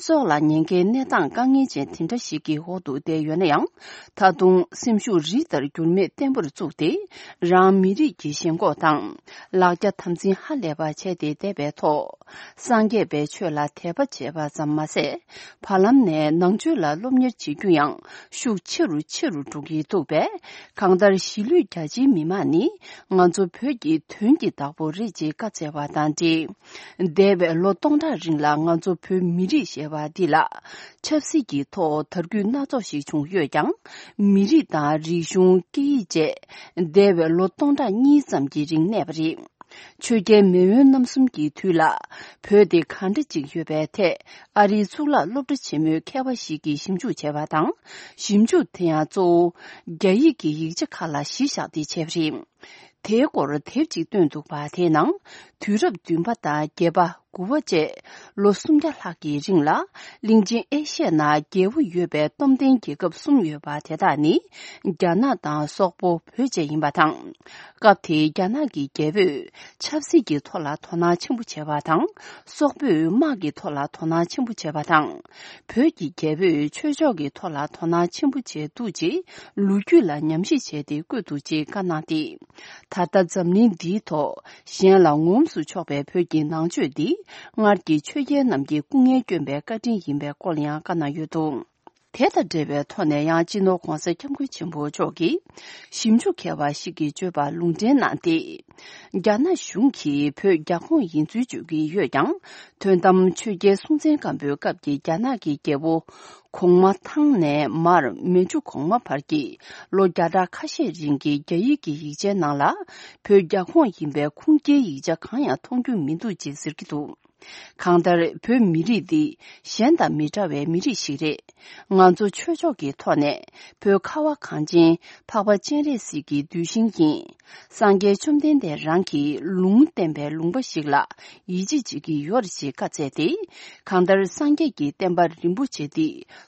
སྲོག་ལ་ཉེན་ཁའི་གནས་སྟངས་དཀའ་ངལ་ཅན་དེ་འདྲ་ཞིག་གི་འོག་ཏུ་བསྡད་ཡོད་ན་ཡང་། ད་དུང་སེམས་ཤུགས་རི་ལྟར་འགྱུར་མེད་བརྟན་པོར་བཙུགས་ཏེ། རང་མི་རིགས་ཀྱི་ཞེན་ཁོག་དང་ལག་རྒྱ་དམ་འཛིན་ཧ་ལས་པ་བྱས་ཏེ་བསྡད་པའི་ཐོག་སངས་རྒྱས་པའི་ཆོས་ལ་དད་པ་བྱས་པ་ཙམ་མ་ཟད། བར་ལམ་ནས་ནང་ཆོས་ལ་སློབ་གཉེར་བྱེད་རྒྱུ་ཡང་ཤུགས་ཆེ་རུ་ཆེ་རུ་འགྲོ་གི་འདུག་པས། གང་ལྟར་གཞིས་ལུས་རྒྱ་ཆེའི་མི་མང་ནི་ང་ཚོ་བོད་ཀྱི་དོན་གྱི་བདག་པོ་རེད་ཅེས་བཀའ་སྩལ་བ་དང་འབྲེལ། འདས་པའི་ལོ་སྟོང་ཕྲག་རིང་ལ་ང་ཚོ་བོད་མི་རིགས་ཞེས་པ་འདི་ལ་ཆབ་སྲིད་ཀྱི་ཐོག་དར་རྒུད་སྣ་ཚོགས་ཤིག་བྱུང་ཡོད་ཀྱང་། མི་རིགས་དང་རིག་གཞུང་། སྐད་ཡིག་བཅས་འདས་པའི་ལོ་སྟོང་ཕྲག་གཉིས་ཙམ་གྱི་རིང་གནས་པ་རེད། ཆོས་རྒྱལ་མེས་དབོན་རྣམ་གསུམ་གྱི་དུས་ལ་བོད་དེ་གང་འདྲ་ཅིག་ཡོད་པའི་ཐད། ཨ་རིའི་གཙུག་ལག་སློབ་གྲྭ་ཆེན་མོའི་མཁས་པ་ཞིག་གིས་ཞིབ་འཇུག་བྱས་པ་དང་། ཞིབ་འཇུག་དེ་ཡང་གཙོ་བོ་རྒྱ་ཡིག་གི་ཡིག་ཆ་ཁག་ལ་གཞི་བཞག་སྟེ་བྱས་པ་རེད། དེའི་སྐོར་དེབ་ཅིག་བཏོན་འདུག་པ། དེའི་ནང་དུས་རབས་བདུན་པ་དང་བརྒྱད་པ། དགུ་པ་བཅས་ལོ་སུམ་བརྒྱ་ལྷག་གི་རིང་ལ། གླིང་ཆེན་ཨེ་ཤི་ཡའི་ནང་རྒྱལ་པོ་ཡོད་པའི་སྟོབས་ལྡན་རྒྱལ་ཁབ་གསུམ་ཡོད་པ་དེ་དག་ནི། རྒྱ་ནག་དང་སོག་པོ། བོད་བཅས་ཡིན་པ་དང་། སྐབས་དེའི་རྒྱ་ནག་གི་རྒྱལ་པོས་ཆབ་སྲིད་ཀྱི་ཐོག་ལ་དོ་སྣང་ཆེན་པོ་བྱས་པ་དང་། སོག་པོས་དམག་གི་ཐོག་ལ་དོ་སྣང་ཆེན་པོ་བྱས་པ་དང་། བོད་ཀྱི་རྒྱལ་པོས་ཆོས་ཕྱོགས་ཀྱི་ཐོག་ལ་དོ་སྣང་ཆེན་པོ་བྱས་འདུག་ཅེས་ལོ་རྒྱུས་ལ་ཉམས་ཞིབ་བྱས་ཏེ་བཀོད་འདུག་ཅེས་བཀའ་གནང་སྟེ། ད་ལྟ་འཛམ་གླིང་འདིའི་ཐོག་གཞན་ལ་ངོམས་སུ་ཆོག་པའི་བོད་ཀྱི་ནང་ཆོས་འདི། སྔར་གྱི་ཆོས་རྒྱལ་རྣམས་ཀྱི་སྐུ་ངལ་བསྐྱོན་པའི་བཀའ་དྲིན་ཡིན་པའི་སྐོར་ཡང་བཀའ་གནང་ཡོད་འདུག་དེ་དང་འབྲེལ་བའི་ཐོག་ནས་ཡང་། སྤྱི་ནོར་༸གོང་ས་༸སྐྱབས་མགོན་ཆེན་པོ་མཆོག་གིས་ཞིབ་འཇུག་མཁས་པ་ཞིག་གིས་བརྗོད་པར་ལུང་འདྲེན་གནང་སྟེ། རྒྱ་ནག་གཞུང་གིས་བོད་རྒྱ་ཁོངས་ཡིན་ཚུལ་བརྗོད་ཀྱི་ཡོད་ཀྱང་། དོན་དམ་ཆོས་རྒྱལ་སྲོང་བཙན་སྒམ་པོའི་སྐབས་ཀྱི་རྒྱ་ནག་གི་རྒྱལ་པོ་གོང་མ་ཐང་ནས་མར་མན་ཇུ་གོང་མ་བར་གྱི་ལོ་བརྒྱ་ཕྲག་ཁ་ཤས་རིང་གི་རྒྱ་ཡིག་གི་ཡིག་ཆའི་ནང་ལ། བོད་རྒྱ་ཁོངས་ཡིན་པའི་ཁུངས་སྐྱེལ་ཡིག་ཆ་གང་ཡང་མཐོང་རྒྱུ་མི་འདུག་ཅེས་ཟེར་གྱི་འདུག་གང་ལྟར་བོད་མི་རིགས་འདི་གཞན་དང་མི་འདྲ་བའི་མི་རིགས་ཤིག་རེད། ང་ཚོ་ཆོས་ཕྱོགས་ཀྱི་ཐོག་ནས་བོད་ཁ་བ་གངས་ཅན་འཕགས་པ་སྤྱན་རས་གཟིགས་ཀྱི་གདུལ་ཞིང་ཡིན། སངས་རྒྱས་བཅོམ་ལྡན་འདས་རང་གིས་ལུང་བསྟན་པའི་ལུང་པ་ཞིག་ལ་ཡིད་ཆེས་བྱེད་ཀྱི་ཡོད་རེད་ཅེས་བཀའ་སྩལ་ཏེ། གང་ལྟར་སངས་རྒྱས་ཀྱི་བསྟན་པ་རིན་པོ་ཆེ་འདི་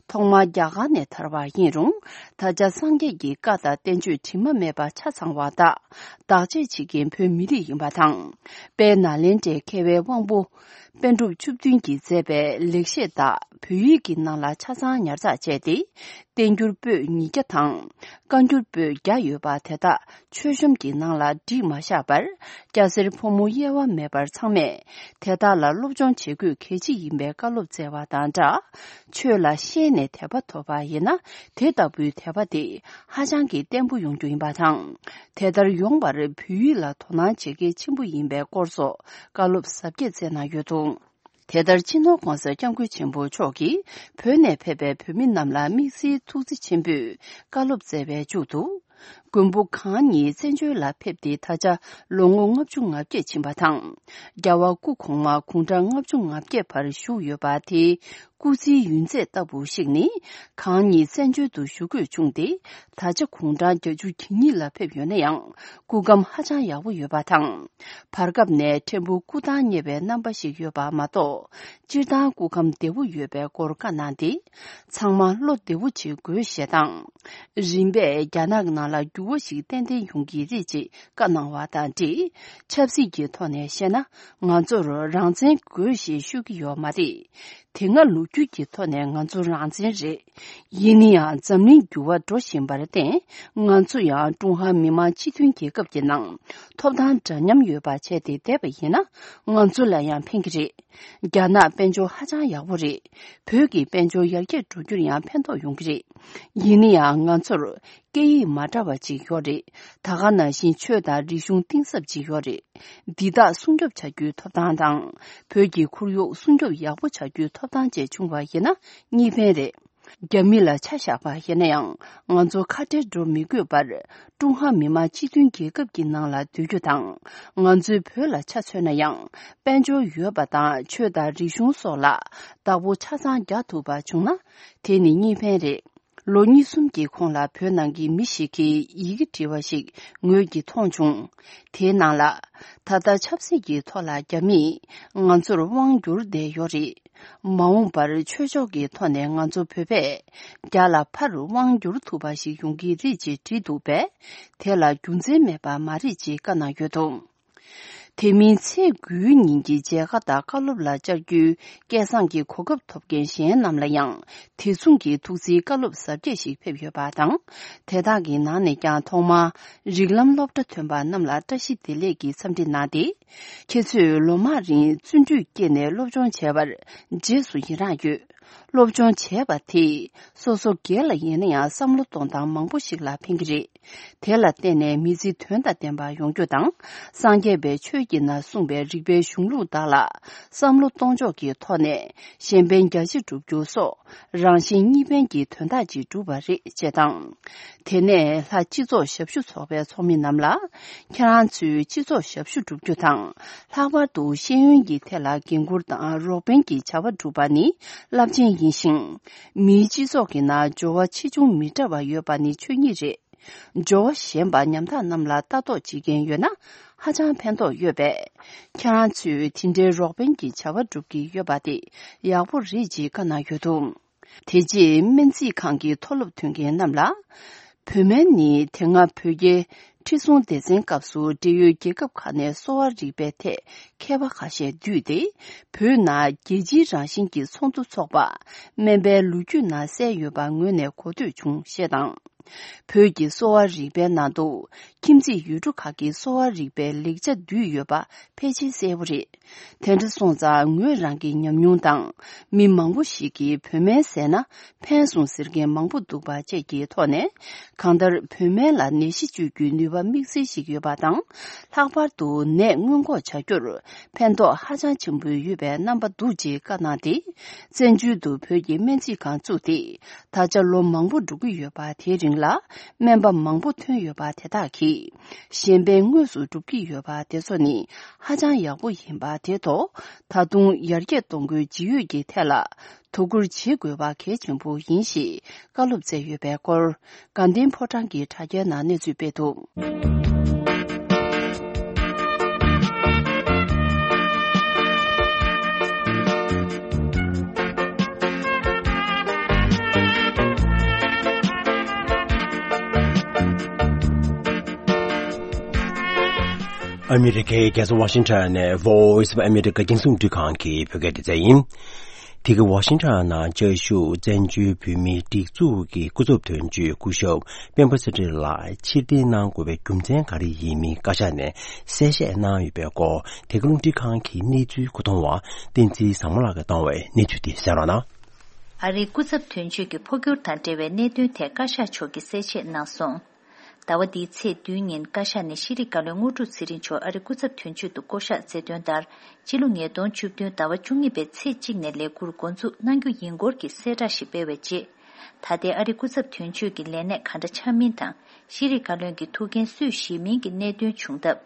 ཐོག་མར་རྒྱ་གར་ནས་དར་བ་ཡིན་རུང་། ད་ཆ་སངས་རྒྱས་ཀྱི་བཀའ་དང་བསྟན་བཅོས་དྲི་མ་མེད་པ་ཆ་ཚང་བ་དག་བདག་གཅེས་བྱེད་མཁན་བོད་མི་རིགས་ཡིན་པ་དང་། དཔལ་ནཱ་ལེནྡྲའི་མཁས་པའི་དབང་པོ། པཎ་གྲུབ་བཅུ་བདུན་གྱིས་མཛད་པའི་ལེགས་བཤད་དག་བོད་ཡིག་གི་ནང་ལ་ཆ་ཚང་ཉར་ཚགས་བྱས་ཏེ། བསྟན་འགྱུར་པོད་ཉིས་བརྒྱ་དང་། བཀའ་འགྱུར་པོད་བརྒྱ་ཡོད་པ་དེ་དག་མཆོད་གཤོམ་གྱི་ནང་ལ་བསྒྲིགས་མ་བཞག་པར། སྐྱ་སེར་ཕོ་མོ་དབྱེ་བ་མེད་པར་ཚང་མས་དེ་དག་ལ་སློབ་སྦྱོང་བྱེད་དགོས་གལ་ཆེ་ཡིན་པའི་བཀའ་སློབ་སྩལ་བ་དང་སྦྲགས། ཆོས་ལ་ཤེས་ནས་དད་པ་ཐོབ་པ་ཡིན་ན། དེ་ལྟ་བུའི་དད་པ་དེ་ཧ་ཅང་གི་བརྟན་པོ་ཡོང་རྒྱུ་ཡིན་པ་དང་། དེ་ལྟར་ཡོང་བར་བོད་ཡིག་ལ་དོ་སྣང་བྱེད་གལ་ཆེན་པོ་ཡིན་པའི་སྐོར་སོགས་བཀའ་སློབ་ཟབ་རྒྱས་སྩལ་གནང་ཡོད་འདུག་དེ་ལྟར་སྤྱི་ནོར་༧གོང་ས་༧སྐྱབས་མགོན་ཆེན་པོ་མཆོག་གིས་བོད་ནས་ཕེབས་པའི་བོད་མི་རྣམས་ལ་དམིགས་བསལ་ཐུགས་རྗེ་ཆེན་པོས་བཀའ་སློབ་སྩལ་བའི་མཇུག་ཏུ། མགོན་པོ་གང་ཉིད་བཙན་བྱོལ་ལ་ཕེབས་ཏེ་ད་ཆ་ལོ་ངོ་ལྔ་བཅུ་ང་བརྒྱད་ཕྱིན་པ་དང་། རྒྱལ་བ་སྐུ་གོང་མ་དགུང་གྲངས་ལྔ་བཅུ་ང་བརྒྱད་བར་བཞུགས་ཡོད་པ་དེའི་སྐུ་ཚེའི་ཡུན་ཚད་ལྟ་བུ་ཞིག་ནི། གང་ཉིད་བཙན་བྱོལ་དུ་བཞུགས་དགོས་བྱུང་སྟེ། ད་ཆ་དགུང་གྲངས་བརྒྱད་ཅུ་གྱ་གཉིས་ལ་ཕེབས་ཡོད་ན་ཡང་། སྐུ་ཁམས་ཧ་ཅང་ཡག་པོ་ཡོད་པ་དང་། བར་སྐབས་ནས་ཕྲན་བུ་སྐུ་ཐང་ཉེ་བའི་རྣམ་པ་ཞིག་ཡོད་པ་མ་གཏོགས། སྤྱིར་བཏང་སྐུ་ཁམས་བདེ་བོ་ཡོད་པའི་སྐོར་བཀའ་གནང་སྟེ། ཚང་མ་བློ་བདེ་བོ་བྱེད་དགོས་ཞེས་དང་། རིམ་པས་རྒྱ་ནག་ནང་ལ་འགྱུར་བ་ཞིག་ཏན་ཏན་ཡོང་གི་རེད་ཅེས་བཀའ་གནང་བ་དང་འབྲེལ། ཆབ་སྲིད་ཀྱི་ཐོག་ནས་བཤད་ན། ང་ཚོར་རང་བཙན་དགོས་ཞེས་ཤོད་ཀྱི་ཡོད་མ་རེད། དེ་སྔ་ལོ་རྒྱུས་ཀྱི་ཐོག་ནས་ང་ཚོ་རང་བཙན་རེད། ཡིན་ན་ཡང་འཛམ་གླིང་འགྱུར་བ་འགྲོ་བཞིན་པར་བརྟེན། ང་ཚོ་ཡང་ཀྲུང་ཧྭ་མི་དམངས་སྤྱི་མཐུན་རྒྱལ་ཁབ་ཀྱི་ནང་ཐོབ་ཐང་འདྲ་མཉམ་ཡོད་པ་བྱས་ཏེ་བསྡད་པ་ཡིན་ན། ང་ཚོ་ལ་ཡང་ཕན་གྱི་རེད། རྒྱ་ནག་དཔལ་འབྱོར་ཧ་ཅང་ཡག་པོ་རེད། བོད་ཀྱི་དཔལ་འབྱོར་ཡར་རྒྱས་འགྲོ་རྒྱུར་ཡང་ཕན་ཐོགས་ཡོང་གི་རེད། ཡིན་ན་ཡང་ང་ཚོར་སྐད་ཡིག་མ་འདྲ་བ་ཅིག་ཡོད་རེད། ད་ག་ནང་བཞིན་ཆོས་དང་རིག་གཞུང་གཏིང་ཟབ་ཅིག་ཡོད་རེད། འདི་དག་སྲུང་སྐྱོབ་བྱ་རྒྱུའི་ཐོབ་ཐང་དང་། བོད་ཀྱི་ཁོར་ཡུག་སྲུང་སྐྱོབ་ཡག་པོ་བྱ་རྒྱུའི་ཐོབ་ཐང་བཅས་བྱུང་བ་ཡིན་ན་གཉིས་ཕན་རེད། རྒྱ་མི་ལ་ཆ་བཞག་པ་ཡིན་ན་ཡང་། ང་ཚོ་ཁ་བྲལ་འགྲོ་མི་དགོས་པར། ཀྲུང་ཧྭ་མི་དམངས་སྤྱི་མཐུན་རྒྱལ་ཁབ་ཀྱི་ནང་ལ་སྡོད་རྒྱུ་དང་། ང་ཚོའི་བོད་ལ་ཆ་མཚོན་ན་ཡང་། དཔལ་འབྱོར་ཡོད་པ་དང་ཆོས་དང་རིག་གཞུང་སོགས་ལ་བདག་པོ་ཆ་ཚང་རྒྱག་ཐུབ་པ་བྱུང་ན། དེ་ནི་གཉིས་ཕན་རེད། ལོ་གཉིས་གསུམ་གྱི་གོང་ལ་བོད་ནང་གི་མི་ཞིག་གིས་ཡི་གེ་བྲིས་པ་ཞིག་ངོས་ཀྱིས་མཐོང་བྱུང་། དེའི་ནང་ལ། ད་ལྟ་ཆབ་སྲིད་ཀྱི་ཐོག་ལ་རྒྱ་མིས་ང་ཚོར་དབང་བསྒྱུར་བསྡད་ཡོད་རེད། མ་འོངས་པར་ཆོས་ཕྱོགས་ཀྱི་ཐོག་ནས་ང་ཚོ་བོད་པས་རྒྱ་ལ་ཕར་དབང་བསྒྱུར་ཐུབ་པ་ཞིག་ཡོང་གི་རེད་ཅེས་བྲིས་འདུག་པས། དེ་ལ་རྒྱུ་མཚན་མེད་པ་མ་རེད་ཅེས་བཀའ་གནང་ཡོད་འདུག་དེ་མིན་ཚེས་དགུའི་ཉིན་གྱི་མཇལ་ཁ་དང་བཀའ་སློབ་ལ་བཅར་རྒྱུའི་སྐལ་བཟང་གི་གོ་སྐབས་ཐོབ་མཁན་གཞན་རྣམས་ལ་ཡང་དེ་མཚུངས་ཀྱི་ཐུགས་བརྩེའི་བཀའ་སློབ་ཟབ་རྒྱས་ཤིག་ཕེབས་ཡོད་པ་དང་། དེ་དག་གི་ནང་ནས་ཀྱང་ཐོག་མར་རིགས་ལམ་སློབ་གྲྭ་ཐོན་པ་རྣམས་ལ་བཀྲ་ཤིས་བདེ་ལེགས་ཀྱི་འཚམས་འདྲི་གནང་སྟེ། ཁྱེད་ཚོས་ལོ་མང་རིང་བརྩོན་འགྲུས་བསྐྱེད་ནས་སློབ་སྦྱོང་བྱས་པར་རྗེས་སུ་ཡི་རངས་ཡོད། སློབ་སྦྱོང་བྱས་པ་དེས་སོ་སོ་སྒེར་ལ་ཡིན་ན་ཡང་བསམ་བློ་གཏོང་སྟངས་མང་པོ་ཞིག་ལ་ཕན་གྱི་རེད། དེ་ལ་བརྟེན་ནས་མི་ཚེ་དོན་དང་ལྡན་པ་ཡོང་རྒྱུ་དང་། སངས་རྒྱས་པའི་ཆོས་ཀྱི་ནང་གསུངས་པའི་རིག་པའི་གཞུང་ལུགས་དག་ལ་བསམ་བློ་གཏོང་ཕྱོགས་ཀྱི་ཐོག་ནས་གཞན་ཕན་རྒྱ་ཆེ་སྒྲུབ་རྒྱུ་སོགས་རང་གཞན་གཉིས་ཕན་གྱི་དོན་དག་ཅིག་བསྒྲུབས་པ་རེད་ཅེས་དང་། དེ་ནས་ལྷ་སྤྱི་ཚོགས་ཞབས་ཞུ་ཚོགས་པའི་ཚོགས་མི་རྣམས་ལ། ཁྱེད་རང་ཚོས་སྤྱི་ཚོགས་ཞབས་ཞུ་བསྒྲུབ་རྒྱུ་དང་། ལྷག་པར་དུ་ཤེས་ཡོན་གྱི་ཐད་ལ་འགན་འཁུར་དང་རོགས་ཕན་གྱི་བྱ་བ་སྒྲུབ་པ་ནི་རླབས་ཆེན་ཡིན་ཞིང་། མིའི་སྤྱི་ཚོགས་ཀྱི་ནང་འབྱོར་བ་ཆེ་ཆུང་མི་འདྲ་བ་ཡོད་པ་ནི་ཆོས་ཉིད་རེད། འབྱོར་བ་ཞན་པ་ཉམ་ཐག་རྣམས་ལ་ལྟ་རྟོག་བྱེད་མཁན་ཡོད་ན་ཧ་ཅང་ཕན་ཐོགས་ཡོད་པས། ཁྱེད་རང་ཚོས་དེ་འདྲའི་རོགས་ཕན་གྱི་བྱ་བ་སྒྲུབ་ཀྱི་ཡོད་པ་དེ་ཡག་པོ་རེད་ཅེས་བཀའ་གནང་ཡོད་འདུག་དེ་རྗེས་སྨན་རྩིས་ཁང་གི་མཐོ་སློབ་ཐོན་མཁན་རྣམས་ལ། བོད་སྨན་ནི་དེ་སྔ་བོད་རྒྱའི་ཁྲི་སྲོང་ལྡེ་བཙན་སྐབས་སུ་འབྲེལ་ཡོད་རྒྱལ་ཁབ་ཁག་ནས་གསོ་བ་རིག་པའི་ཐད་མཁས་པ་ཁ་ཤས་བསྡུས་ཏེ། བོད་ནང་རྒྱལ་སྤྱིའི་རང་བཞིན་གྱི་ཚོགས་འདུ་འཚོགས་པ་སྨན་པའི་ལོ་རྒྱུས་ནང་གསལ་ཡོད་པ་ངོས་ནས་གོ་ཐོས་བྱུང་ཞེས་དང་། བོད་ཀྱི་གསོ་བ་རིག་པའི་ནང་དུ་ཁྱིམ་མཚེས་ཡུལ་གྲུ་ཁག་གི་གསོ་བ་རིག་པའི་ལེགས་ཆ་འདུས་ཡོད་པ་ཕལ་ཆེར་གསལ་པོ་རེད། དེ་འདྲ་སོང་ཙང་ངོས་རང་གི་ཉམས་མྱོང་དང་། མི་མང་པོ་ཞིག་གིས་བོད་སྨན་ཟས་ན་ཕན་སོང་ཟེར་མཁན་མང་པོ་འདུག་པ་བཅས་ཀྱི་ཐོག་ནས། གང་ལྟར་བོད་སྨན་ལ་ནད་གཞི་བཅོས་རྒྱུའི་ནུས་པ་དམིགས་བསལ་ཞིག་ཡོད་པ་དང་། ལྷག་པར་དུ་ནད་སྔོན་འགོག་བྱ་རྒྱུར་ཕན་ཐོགས་ཧ་ཅང་ཆེན་པོ་ཡོད་པའི་རྣམ་པ་འདུག་ཅེས་བཀའ་གནང་སྟེ། བཙན་བྱོལ་དུ་བོད་ཀྱི་སྨན་རྩིས་ཁང་བཙུགས་ཏེ། ད་ཆ་ལོ་མང་པོ་འགྲོ་གི་ཡོད་པ་དེའི་རིང་ལ་སྨན་པ་མང་པོ་ཐོན་ཡོད་པ་དེ་དག་གིས། གཞན་ཕན་དངོས་སུ་སྒྲུབ་ཀྱི་ཡོད་པ་དེ་ཚོ་ནི་ཧ་ཅང་ཡག་པོ་ཡིན་པ་ དེ་ཐོག་ད་དུང་ཡར་རྒྱས་གཏོང་རྒྱུའི་ཇི་ཡོད་ཀྱི་ཐད་ལ་དོ་ཁུར་བྱེད་དགོས་པ་གལ་ཆེན་པོ་ཡིན་ཞེས་བཀའ་སློབ་སྩལ་ཡོད་པའི་སྐོར། དགའ་ལྡན་ཕོ་བྲང་གི་དྲ་རྒྱའི་ནང་གནས་ཚུལ་སྤེལ་འདུག། ཨ་མི་རི་ཀའི་རྒྱལ་ས་ཝ་ཤིང་ཊོན་ནས་Voice of America རྒྱང་སྲིང་རླུང་འཕྲིན་ཁང་གི་བོད་སྐད་སྡེ་ཚན་ཡིན། དེ་གའི་ཝ་ཤིང་ཊོན་ནང་བཅའ་བཞུགས་བཙན་བྱོལ་བོད་མིའི་སྒྲིག་འཛུགས་ཀྱི་སྐུ་ཚབ་དོན་གཅོད་སྐུ་ཞབས་སྤེན་པ་ཚེ་རིང་ལགས་ཕྱིར་འཐེན་གནང་དགོས་པའི་རྒྱུ་མཚན་ག་རེ་ཡིན་མིན་བཀའ་ཤག་ནས་གསལ་བཤད་གནང་ཡོད་པའི་སྐོར། དེ་གའི་རླུང་འཕྲིན་ཁང་གི་གནས་ཚུལ་མཁོ་གཏོང་བ་བསྟན་འཛིན་བཟང་མོ་ལགས་ཀྱིས་བཏང་བའི་གནས་ཚུལ་དེ་གསན་རོགས་གནང་། ཨ་རིའི་སྐུ་ཚབ་དོན་གཅོད་ཀྱི་འཕོ་འགྱུར་དང་འབྲེལ་བའི་གནད་དོན་ཐད་བཀའ་ཤག་མཆོག་གིས་གསལ་བཤད་གནང་སོང་། ཟླ་བ་འདིའི་ཚེས་བདུན་ཉིན་བཀའ་ཤག་ནས་ཤེས་རིག་བཀའ་བློན་དངོས་གྲུབ་ཚེ་རིང་མཆོག་ཨ་རིའི་སྐུ་ཚབ་དོན་གཅོད་དུ་བསྐོ་གཞག་མཛད་དོན་ལྟར། སྤྱི་ལོ་ཉིས་སྟོང་བཅུ་བདུན་ཟླ་བ་བཅུ་གཉིས་པའི་ཚེས་གཅིག་ནས་ལས་འཁུར་འགོ་འཛུགས་གནང་རྒྱུ་ཡིན་སྐོར་གྱི་གསལ་བསྒྲགས་ཤིག་སྤེལ་བའི་རྗེས། ད་ལྟའི་ཨ་རིའི་སྐུ་ཚབ་དོན་གཅོད་ཀྱི་ལས་གནས་ག་འདྲ་ཆགས་མིན་དང་། ཤེས་རིག་བཀའ་བློན་གྱི་ཐུགས་འགན་སུས་བཞེས་མིན་གྱི་གནད་དོན་བྱུང་སྟབས།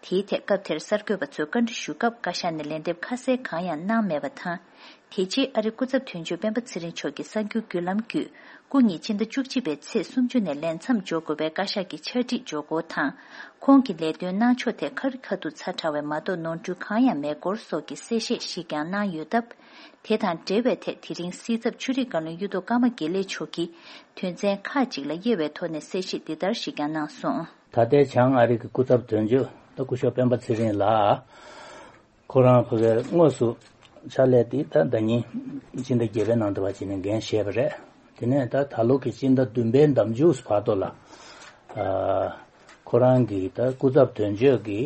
དེའི་ཐད་སྐབས་དེར་གསར་འགོད་པ་ཚོས་བཀའ་འདྲི་ཞུ་སྐབས་བཀའ་ཤག་ནས་ལན་འདེབས་ཁ་གསལ་གང་ཡང་གནང་མེད་པ་དང་། དེ་རྗེས་ཨ་རིའི་སྐུ་ཚབ་དོན་གཅོད་སྤེན་པ་ཚེ་རིང་མཆོག་གིས་གསར་འགྱུར་བརྒྱུད་ལམ་བརྒྱུད། སྐུ་ཉིད་ཕྱི་ཟླ་བཅུ་གཅིག་པའི་ཚེས་སུམ་ཅུ་ནས་ལས་མཚམས་འཇོག་དགོས་པའི་བཀའ་ཤག་གི་ཕྱག་བྲིས་འབྱོར་སྐོར་དང་། ཁོང་གི་ལས་དོན་གནང་ཕྱོགས་ཐད་ཁ་རི་ཁ་ཐུག་ཚ་དྲགས་པའི་མ་གཏོགས་ནོར་འཁྲུལ་གང་ཡང་མེད་སྐོར་སོགས་ཀྱི་གསལ་བཤད་ཞིག་ཀྱང་གནང་ཡོད་སྟབས། དེ་དང་འབྲེལ་བའི་ཐད་དེ་རིང་སྲིད་ཚབ་ཆོས་རིག་བཀའ་བློན་གཡུ་ཐོག་ཀརྨ་དགེ་ལེགས་མཆོག་གིས་དོན་ཚན་ཁག་ཅིག་ལ་དབྱེ་བའི་ཐོག་ནས་གསལ་བཤད་འདི་ལྟར་ཞིག་ཀྱང་གནང་སོང་། ད་ལྟའི་བྱང་ཨ་རི་གི་སྐུ་ཚབ་དོན་གཅོད་ད་སྐུ་ཞབས་སྤེན་པ་ཚེ་རིང་ལགས། ཁོ་རང་ཕ་གིར་དངོས་སུ་ཕྱག་ལས་དེ་ད་ཟླ་ཉིན་སྤྱི་ཟླ་བརྒྱད་པའི་ནང་དུ་བ་ཅིག་ནས་འགན་བཞེས་པ་རེད། དེ་ནས་ད་ད་ལོ་གི་སྤྱི་ཟླ་བདུན་པའི་འདབ་མཇུག་བར་དུ་ལ། ཨ། ཁོ་རང་གིས་ད་སྐུ་ཚབ་དོན་གཅོད་ཀྱི་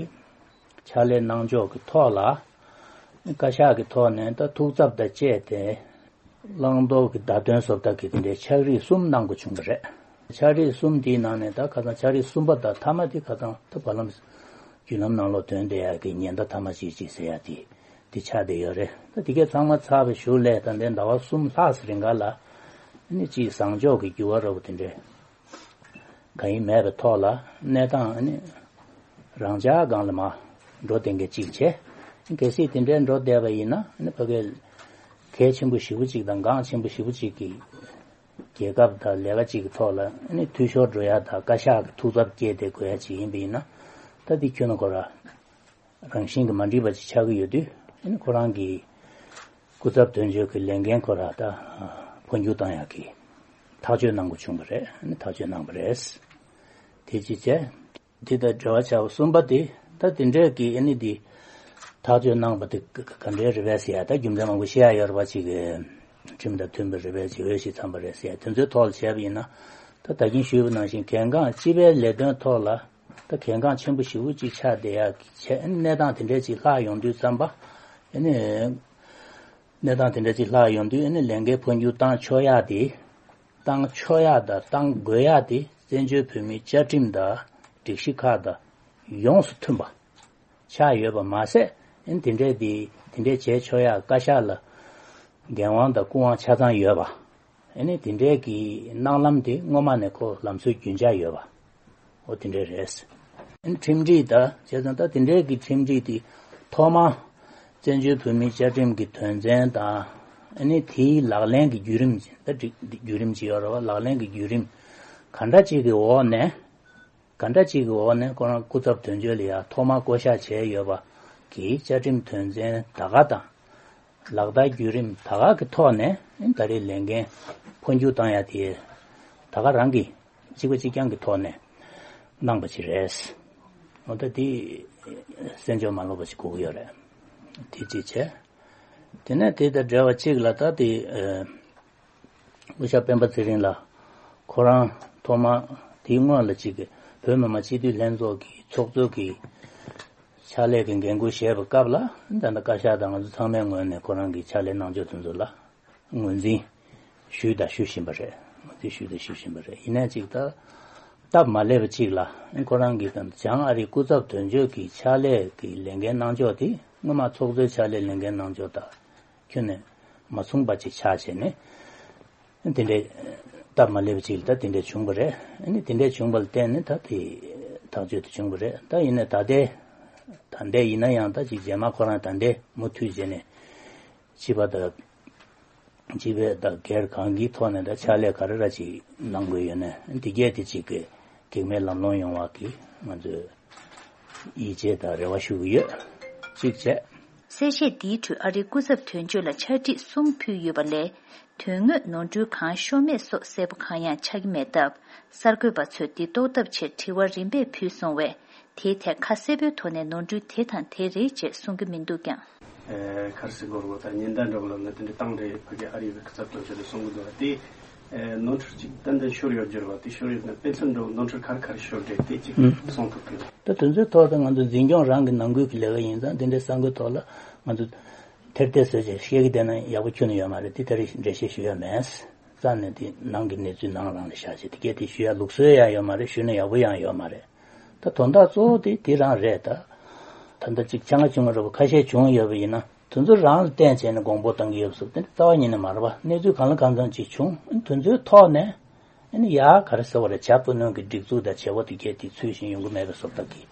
ཕྱག་ལས་གནང་ཕྱོགས་ཀྱི་ཐོག་ལ། བཀའ་ཤག་གི་ཐོག་ནས་ད་ཐུགས་འཚབ་དང་བཅས་ཏེ། བླང་དོར་གྱི་བརྡ་དོན་བཟོ་ལྟ་གི་དེ་འདྲའི་ཕྱག་བྲིས་གསུམ་གནང་དགོས་བྱུང་བ་རེད། ཕྱག་བྲིས་གསུམ་དེའི་ནང་ནས་ད་ཁ་སང་ཕྱག་བྲིས་གསུམ་པ་དང་མཐའ་མ་དེ་ཁ་སང་ད་བར་ལམ་བརྒྱུད་ལམ་ནང་ལོགས་ཐོན་བསྡད་ཡག་གི་ཉེན་བརྡ་མཐའ་མ་ཅིག་ཅིག་ཟེར་ཡག་དེ་དེ་ཆགས་བསྡད་ཡོད་རེད། ད་དེ་གས་ཚང་མ་ཚར་བའི་གཞུག་ལས་ད་ལྟའི་ཟླ་བ་གསུམ་ལྷག་ཙམ་རིང་ག་ལ་ནི་ཅིག་བཟང་ཕྱོགས་ཀྱི་འགྱུར་བ་འདྲ་བོ་དེ་འདྲའི་གང་ཡང་མེད་པའི་ཐོག་ལ་གནས་སྟངས་ནི་རང་འཇགས་སྒང་ལ་མར་འགྲོ་བསྡད་མཁན་གཅིག་བྱས། གལ་སྲིད་དེ་འདྲའི་འགྲོ་བསྡད་པ་ཡིན་ན་ནི་ཕ་གིའི་གལ་ཆེན་པོ་ཞེ་པོ་གཅིག་དང་འགངས་ཆེན་པོ་ཞེ་པོ་གཅིག་གི་རྒྱལ་ཁབ་དང་ལས་ཀ་གཅིག་གི་ཐོག་ལ་ནི་འཐུས་ཤོར་འགྲོ་ཡ་དང་བཀའ་ཤག་གི་ཐུགས་འཚབ་སྐྱེས་ཏེ་དགོས་ཡ་ཅིག་ཡིན་པ་ཡིན་ན། ད་འདི་ཁྱོན་ནས་ཁོ་ར་རང་བཞིན་གྱིས་མ་འགྲིག་པ་ཅིག་ཆགས་ཀྱི་ཡོད་དུས། ཨ་ནི་ཁོ་རང་གི་སྐུ་ཚབ་དོན་གཅོད་ཀྱི་ལས་འགན་ཁོ་ར་ད་འཕོ་འགྱུར་བཏང་ཡག་གི་ཐག་གཅོད་གནང་དགོས་བྱུང་བ་རེད། ཨ་ནི་ཐག་གཅོད་གནང་བ་རེད། དེ་ཅི་བྱས། དེ་དང་འབྲེལ་བ་བྱ་བ་གསུམ་པ་དེ་ད་དེ་འདྲས་ཀྱི་ཨ་ནི་འདི་ཐག་གཅོད་གནང་བ་དེ་ག་ག་འདྲའི་རེད་པས་ཟེར་ཡ། ད་རྒྱུ་མཚན་མང་པོ་བཤད་ཡ་ཡོད་རེད་པ། ཅིག་གི་ཁྲིམས་དང་མཐུན་པ་རེད་པས་ཅིག་འོས་ཤིག་འཚམས་པ་རེད་ཟེར་ཡ་དེ་ཚོའི་ཐོག་ལ་བྱས་པ་ཡིན་ན། ད་ད་གིན་ཞུས་པ་ནང་བཞིན་གལ་འགངས་སྤྱི་པའི་ལས་དོན་ཐོག་ལ་ད་གལ་འགངས་ཆེན་པོ་ཞེ་པོ་ཅིག་ཆགས་བསྡད་ཡག་གི་ཆེད་གནས་སྟངས་དེ་འདྲས་ཅིག་ལྷག་ཡོང་དུས་ཙམ་པ། ཨ་ནི་གནས་སྟངས་དེ་འདྲས་ཅིག་ལྷག་ཡོང་དུས་ཨ་ནི་ལས་འགན་འཕོ་འགྱུར་བཏང་ཆོག་ཡག་དེ། བཏང་ཆོག་ཡག་དང་བཏང་དགོས་ཡག་དེ་བཙན་བྱོལ་བོད་མིའི་བཅའ་ཁྲིམས་དང་སྒྲིག་གཞི་ཁག་དང་ཡོངས་སུ་མཐུན་པ་ཆགས་ཡོད་པ་མ་ཟད། ཨ་ནི་དེ་འདྲས་དེ་དེ་འདྲས་བྱས་ཆོག་ཡག་བཀའ་ཤག་ལ་འགན་དབང་དང་སྐུ་དབང་ཆ་ཚང་ཡོད་པ། ཨ་ནི་དེ་འདྲའི་གི་གནང་ལམ་དེ་སྔོན་མ་ནས་ཁོ་ལམ་སྲོལ་རྒྱུན་འཇགས་ཡོད་པ། འོ་དེ་འདྲའི་རེད། ཨ་ནི་ཁྲིམས་སྒྲིག་ད་བྱས་ཙང་ད་དེ་འདྲའི་གི་ཁྲིམས་སྒྲིག་དེ་ཐོག་མ་བཙན་བྱོལ་བོད་མིའི་བཅའ་ཁྲིམས་ཀྱི་དོན་ཚན་དང་། ཨ་ནི་དེའི་ལག་ལེན་གྱི་བརྒྱུད་རིམ་ད་སྒྲིག་བརྒྱུད་རིམ་ཅིག་ཡོད་རེད་པ། ལག་ལེན་གྱི་བརྒྱུད་རིམ་ག་འདྲ་ཅིག་གི་འོག་ནས། ག་འདྲ་ཅིག་གི་འོག་ནས་ཁོ་རང་སྐུ་ཚབ་དོན་གཅོད་ལ་ཡ་ཐོག་མར་བསྐོ་གཞག་བྱས་ཡོད་པ་གི་བཅའ་ཁྲིམས་དོན་ཚན་ད་ག་དང་། ལག་བསྟར་བརྒྱུད་རིམ་ད་ག་གི་ཐོག་ནས་ད་རེས་ལས་འགན་འཕོ་འགྱུར་བཏང་ཡ་དེ་ད་ག་རང་གི་གཅིག་པ་གཅིག་རྐྱང་གི་ཐོག་ནས་གནང་པ་ཅིག་རེད། འོ་ད་དེ་གསན་འཇོག་མ་ལོག་པ་ཅིག་དགོས་ཀྱི་ཡོད་རེད། དེ་གཅིག་བྱས། དེ་ནས་དེ་དང་འབྲེལ་བ་གཅིག་ལ་ད་དེ། སྐུ་ཞབས་སྤེན་པ་ཚེ་རིང་ལགས་ཁོ་རང་ཐོག་མ་དེའི་སྔོན་ལ་གཅིག་གི་བོད་མི་མང་སྤྱི་འཐུས་ལྷན་ཚོགས་ཀྱི་ཚོགས་གཙོ་གི་ཕྱག་ལས་ཀྱི་འགན་འཁུར་བཞེས་པའི་སྐབས་ལ། ད་ལྟ་བཀའ་ཤག་དང་ང་ཚོ་ཚང་མའི་ངོས་ནས་ཁོ་རང་གི་ཕྱག་ལས་གནང་ཕྱོགས་དེ་ཚོ་ལ་ངོས་འཛིན་ཞུས་དང་ཞུ་བཞིན་པ་རེད། ངོས་འཛིན་ཞུས་དང་ཞུ་བཞིན་པ་རེད། ཡིན་ནའི་གཅིག་ད་སྟབས་མ་ལེགས་པ་གཅིག་ལ་ཁོ་རང་གི་ད་བྱང་ཨ་རིའི་སྐུ་ཚབ་དོན་གཅོད་ཀྱི་ཕྱག་ལས་ཀྱི་ལས་འགན་གནང་ཕྱོགས་དེ་སྔོན་མ་ཚོགས་གཙོའི་ཕྱག་ལས་ལས་འགན་གནང་ཕྱོགས་དང་ཁྱོན་ནས་མ་མཚུངས་པ་ཅིག་ཆགས་བྱས་ནས། དེ་འདྲའི་སྟབས་མ་ལེགས་པ་ཅིག་ལ་ད་དེ་འདྲ་བྱུང་བ་རེད། ཨ་ནི་དེ་འདྲ་བྱུང་བ་ལ་བརྟེན་ནས་ད་དེ་ཐག་གཅོད་དེ་བྱུང་བ་རེད། ད་ཡིན་ནའི་ད་ལྟའི་ད་ ད་ལྟའི་ཡིན་ན་ཡང་ད་ཅིག་རྗེས་མ་ཁོ་རང་ད་ལྟའི་མུ་མཐུད་བྱས་ནས་སྤྱི་པ་དང་། སྤྱི་པའི་དང་སྒེར་གང་གི་ཐོག་ནས་ད་ཕྱག་ལས་ག་རེ་ར་ཅིག་གནང་དགོས་ཡོད་ན་འདི་གས་དེ་ཅིག་གི་གེགས་མེད་ལམ་ལྷོང་ཡོང་བ་གི་ང་ཚོས་ཡིད་ཆེས་དང་རེ་བ་ཞུ་གི་ཡོད། གཅིག་བྱས། གསལ་བཤད་འདིའི་ཁྲོད་ཨ་རིའི་སྐུ་ཚབ་དོན་གཅོད་ལ་ཕྱག་བྲིས་གསུམ་ཕུལ་ཡོད་པ་ལས། དོན་དངོས་ནོར་འཁྲུལ་གང་ཤོར་མེད་སོགས་གསལ་པོ་གང་ཡང་ཆགས་ཀྱི་མེད་སྟབས། གསར་འགོད་པ་ཚོས་འདི་རྟོགས་ཐབས་ཆེད་དྲི་བ་རིམ་པས་ཕུལ་སོང་བས། དེའི་ཐད་ཁ་གསལ་པོའི་ཐོག་ནས་ནོར་འཁྲུལ་དེ་དང་དེ་རེད་ཅེས་གསུང་གི་མི་འདུག་ཀྱང་། ཨེ། གར་སི་གོར་བོ་དང་ཉེན་བརྡ་འདྲ་བོ་ལབ་ན་དེ་འདྲ་བཏང་རེད། ཕ་གི་ཨ་རི་བའི་སྐུ་ཚབ་དོན་གཅོད་དེ་གསུང་གི་འདུག་བ་དེ། ཨེ། ནོར་འཁྲུལ་གཅིག་ཏན་ཏན་ཤོར་ཡོད་རྒྱུ་རེད་བ། དེ་ཤོར་ཡོད་ན་དཔེ་མཚོན་འདྲ་བོ་ནོར་འཁྲུལ་ག་རེ་ག་རེ་ཤོར་རེད་དེ་གཅིག་ཨུ། གསུང་ཐུབ་ཀྱི་རེད། ད་དེ་ཚོའི་ཐོག་ཏུ་ང་ཚོ་འཛིན་སྐྱོང་རང་གི་ནང་ཁུལ་གྱི་ལས་ཀ་ཡིན་ཙང་དེ་འདྲའི་གསར་འགོད་ཐོག་ལ་ང་ཚོ་ཐེར་ཐེར་བཟོས་བྱས་བཤད་ཀྱི་བསྡད་ན་ཡག་པོ་ཁྱོན་ནས་ཡོད་མ་རེད། དེ་ད་རེས་འགྲེལ་བཤད་ཞུ་ཡ་མེད། རྩ་ནས་དེ་ནང་གི་གནས་ཚུལ་ནང་རང་ལ་བཞག་བྱས་དེ་གས་དེ་ཞུ་ཡ་ལུགས་སྲོལ་ཡང་ཡོད་མ་རེད། ཞུས་ན་ཡག་པོ་ཡང་ཡོད་མ་རེད། ད་དོན་དག་གཙོ་བོ་དེ་དེ་རང་རེད་ད། ད་ལྟ་ཅིག་ཆང་ཁ་བྱུང་བ་འདྲ་བོ་ཁ་ཤས་བྱུང་ཡོད་པ་ཡིན་ན་དེ་ཚོ་རང་ལ་བརྟེན་བྱས་ནས་དགོངས་པ་བཏང་གི་ཡོད་པ་སོགས་དེ་འདྲ་རྩ་བ་ཉིད་ནས་མ་རེད་པ། གནས་ཚུལ་གང་ལ་གང་འཚམ་ཅིག་བྱུང་། ཨ་ནི་དེ་ཚོའི་ཐོག་ནས་ཨ་ནི་ཡ་ག་རེ་ཟེར་བ་རེད། བྱ་སྤུ་ནོན་གྱི་སྒྲིག་འཛུགས་དང་བྱེད་པོ་དེ་གས་དེ་ཚུལ་བཞིན་ཡོང་གི་མེད་པ་སོགས་དག་གི་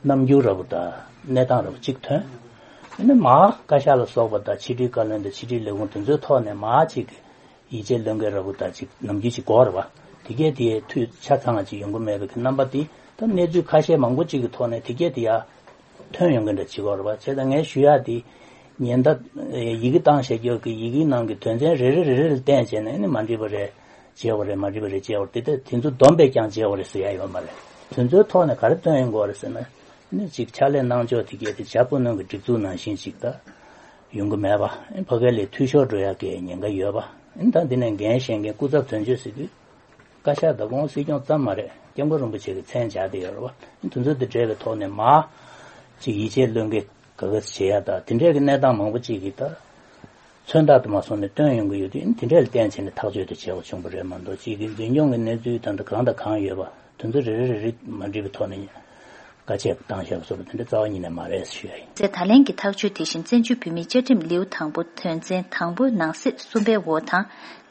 རྣམ་འགྱུར་འདྲ་བོ་དང་གནས་སྟངས་འདྲ་བོ་གཅིག་ཐོན། ཨ་ནི་མ་བཀའ་ཤག་ལ་སོགས་པ་དང་ཕྱི་དྲིལ་བཀའ་བློན་དང་ཕྱི་དྲིལ་ལས་ཁུངས་དེ་ཚོའི་ཐོག་ནས་མ་གཅིག་གི་ཡིད་ཆེས་བློས་འགེལ་ར་བུ་དང་ཅིག་ནམ་རྒྱུན་ཅིག་གོ་རེད་བ། དེ་གས་དེ་འཐུས་ཆ་ཚང་བ་ཅིག་ཡོང་གི་མེད་པའི་གི་རྣམ་པ་དེ་ད་གནས་ཚུལ་ཁ་ཤས་མང་པོ་ཅིག་གི་ཐོག་ནས་དེ་གས་དེ་ཡ་ཐོན་ཡོང་གི་འདྲ་ཅིག་གོ་རེད་བ། བྱས་ཙང་ངས་ཞུ་ཡ་དེ་ཉེན་བརྡ་ཡི་གེ་བཏང་བཞག་རྒྱུ་གི་ཡི་གེའི་ནང་གི་དོན་ཚན་རེ་རེ་རེ་རེ་ལ་བརྟེན་བྱས་ནས་ནི་མ་འགྲིག་པ་རེད་བྱས་པ་རེད། མ་འགྲིག་པ་རེད་བྱས་པ་རེད། དེ་དེ་ཚོ་བསྡོམས་པས་ཀྱང་བྱས་པ་རེད་ཟེར་ཡ་ཡོད་མ་རེད། དེ་ཚོའི་ཐོག་ནས་ག་རེ་ཐོན་ཡོང་གི་རེད་ཟེར་ན། ནི་ཅིག་ཕྱག་ལས་གནང་ཕྱོགས་དེ་གས་དེ་བྱ་སྤུ་ནོན་གྱི་སྒྲིག་འཛུགས་ནང་བཞིན་ཅིག་ད་ཡོང་གི་མེད་པ། ཨེ། ཕ་གི་ལས་འཐུས་ཤོར་འགྲོ་ཡག་གི་ཉེན་ཁ་ཡོད་པ། ཨེ། ད་འདི་ནས་འགན་བཞེས་མཁན་སྐུ་ཚབ་དོན་གཅོད་ཟེར་དུས་བཀའ་ཤག་དང་ཁོང་སྲིད་སྐྱོང་ཙམ་མ་རེད། སྐྱབས་མགོན་རིན་པོ་ཆེ་གི་མཚན་སྦྱར་བསྡད་ཡོད་རེད་བ། ཨེ། དེ་ཚོ་དེ་འབྲེལ་བའི་ཐོག་ནས་མ་ཅིག་ཡིད་ཆེས་བློས་འགེལ་ག་ག་བྱེད་ཡ་ད་དེ་འདྲས་ཀྱི་གནས་སྟངས་མང་པོ་ཅིག་གིས་ད་མཚོན་རྟགས་དུ་མ་སོང་ནས་བཏོན་ཡོང་གི་ཡོད་དུས། ཨེ། དེ་འདྲས་ལ་བརྟེན་བྱས་ནས་ཐག་གཅོད་དུ་བྱས་པ་བྱུང་བ་རེད་མ་གཏོགས་ཅིག་གི་འཛིན་སྐྱོང་གི་གནས་ཚུལ་ད་ལྟ་གང་དང་གང་ཡོད་པ། དེ་ཚོ་རེ་རེ་རེ་རེ་མ་འགྲིག་པའི་ཐོག་ནས་བཀའ་ཆད་བཏང་བཞག་པ་སོགས་པ་དེ་འདྲ་རྩ་བ་ཉིད་ནས་མ་རེད་ཞུ་ཡ་ཡིན། ཚེ་ད་ལན་གྱི་ཐག་གཅོད་དེ་བཞིན་བཙན་བྱོལ་བོད་མིའི་བཅའ་ཁྲིམས་ལེའུ་དང་པོ་དོན་ཚན་དང་པོའི་ནང་གསེས་གསུམ་པའི་འོག་དང་།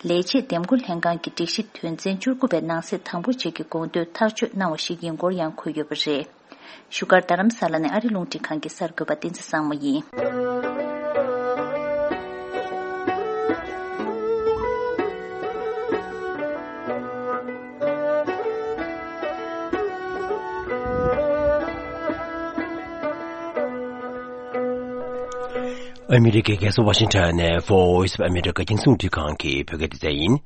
ལས་བྱེད་འདེམས་བསྐོ་ལྷན་ཁང་གི་སྒྲིག་གཞི་དོན་ཚན་བཅུ་དགུ་པའི་ནང་གསེས་དང་པོ་བཅས་ཀྱི་དགོངས་དོན་ཐག་གཅོད་གནང་བ་ཞིག་ཡིན་སྐོར་ཡང་འཁོད་ཡོད་པ་རེད། བཞུགས་སྒར་རྡ་རམ་ས་ལ་ནས་ཨ་རི་རླུང་འཕྲིན་ཁང་གི་གསར་འགོད་པ་བསྟན་འཛིན་བཟང་མོ་ཡིན། ཨ་མི་རི་ཀའི་རྒྱལ་ས་ཝ་ཤིང་ཊོན་ནས་Voice of America རྒྱང་སྲིང་རླུང་འཕྲིན་ཁང་གི་བོད་སྐད་སྡེ་ཚན་ཡིན།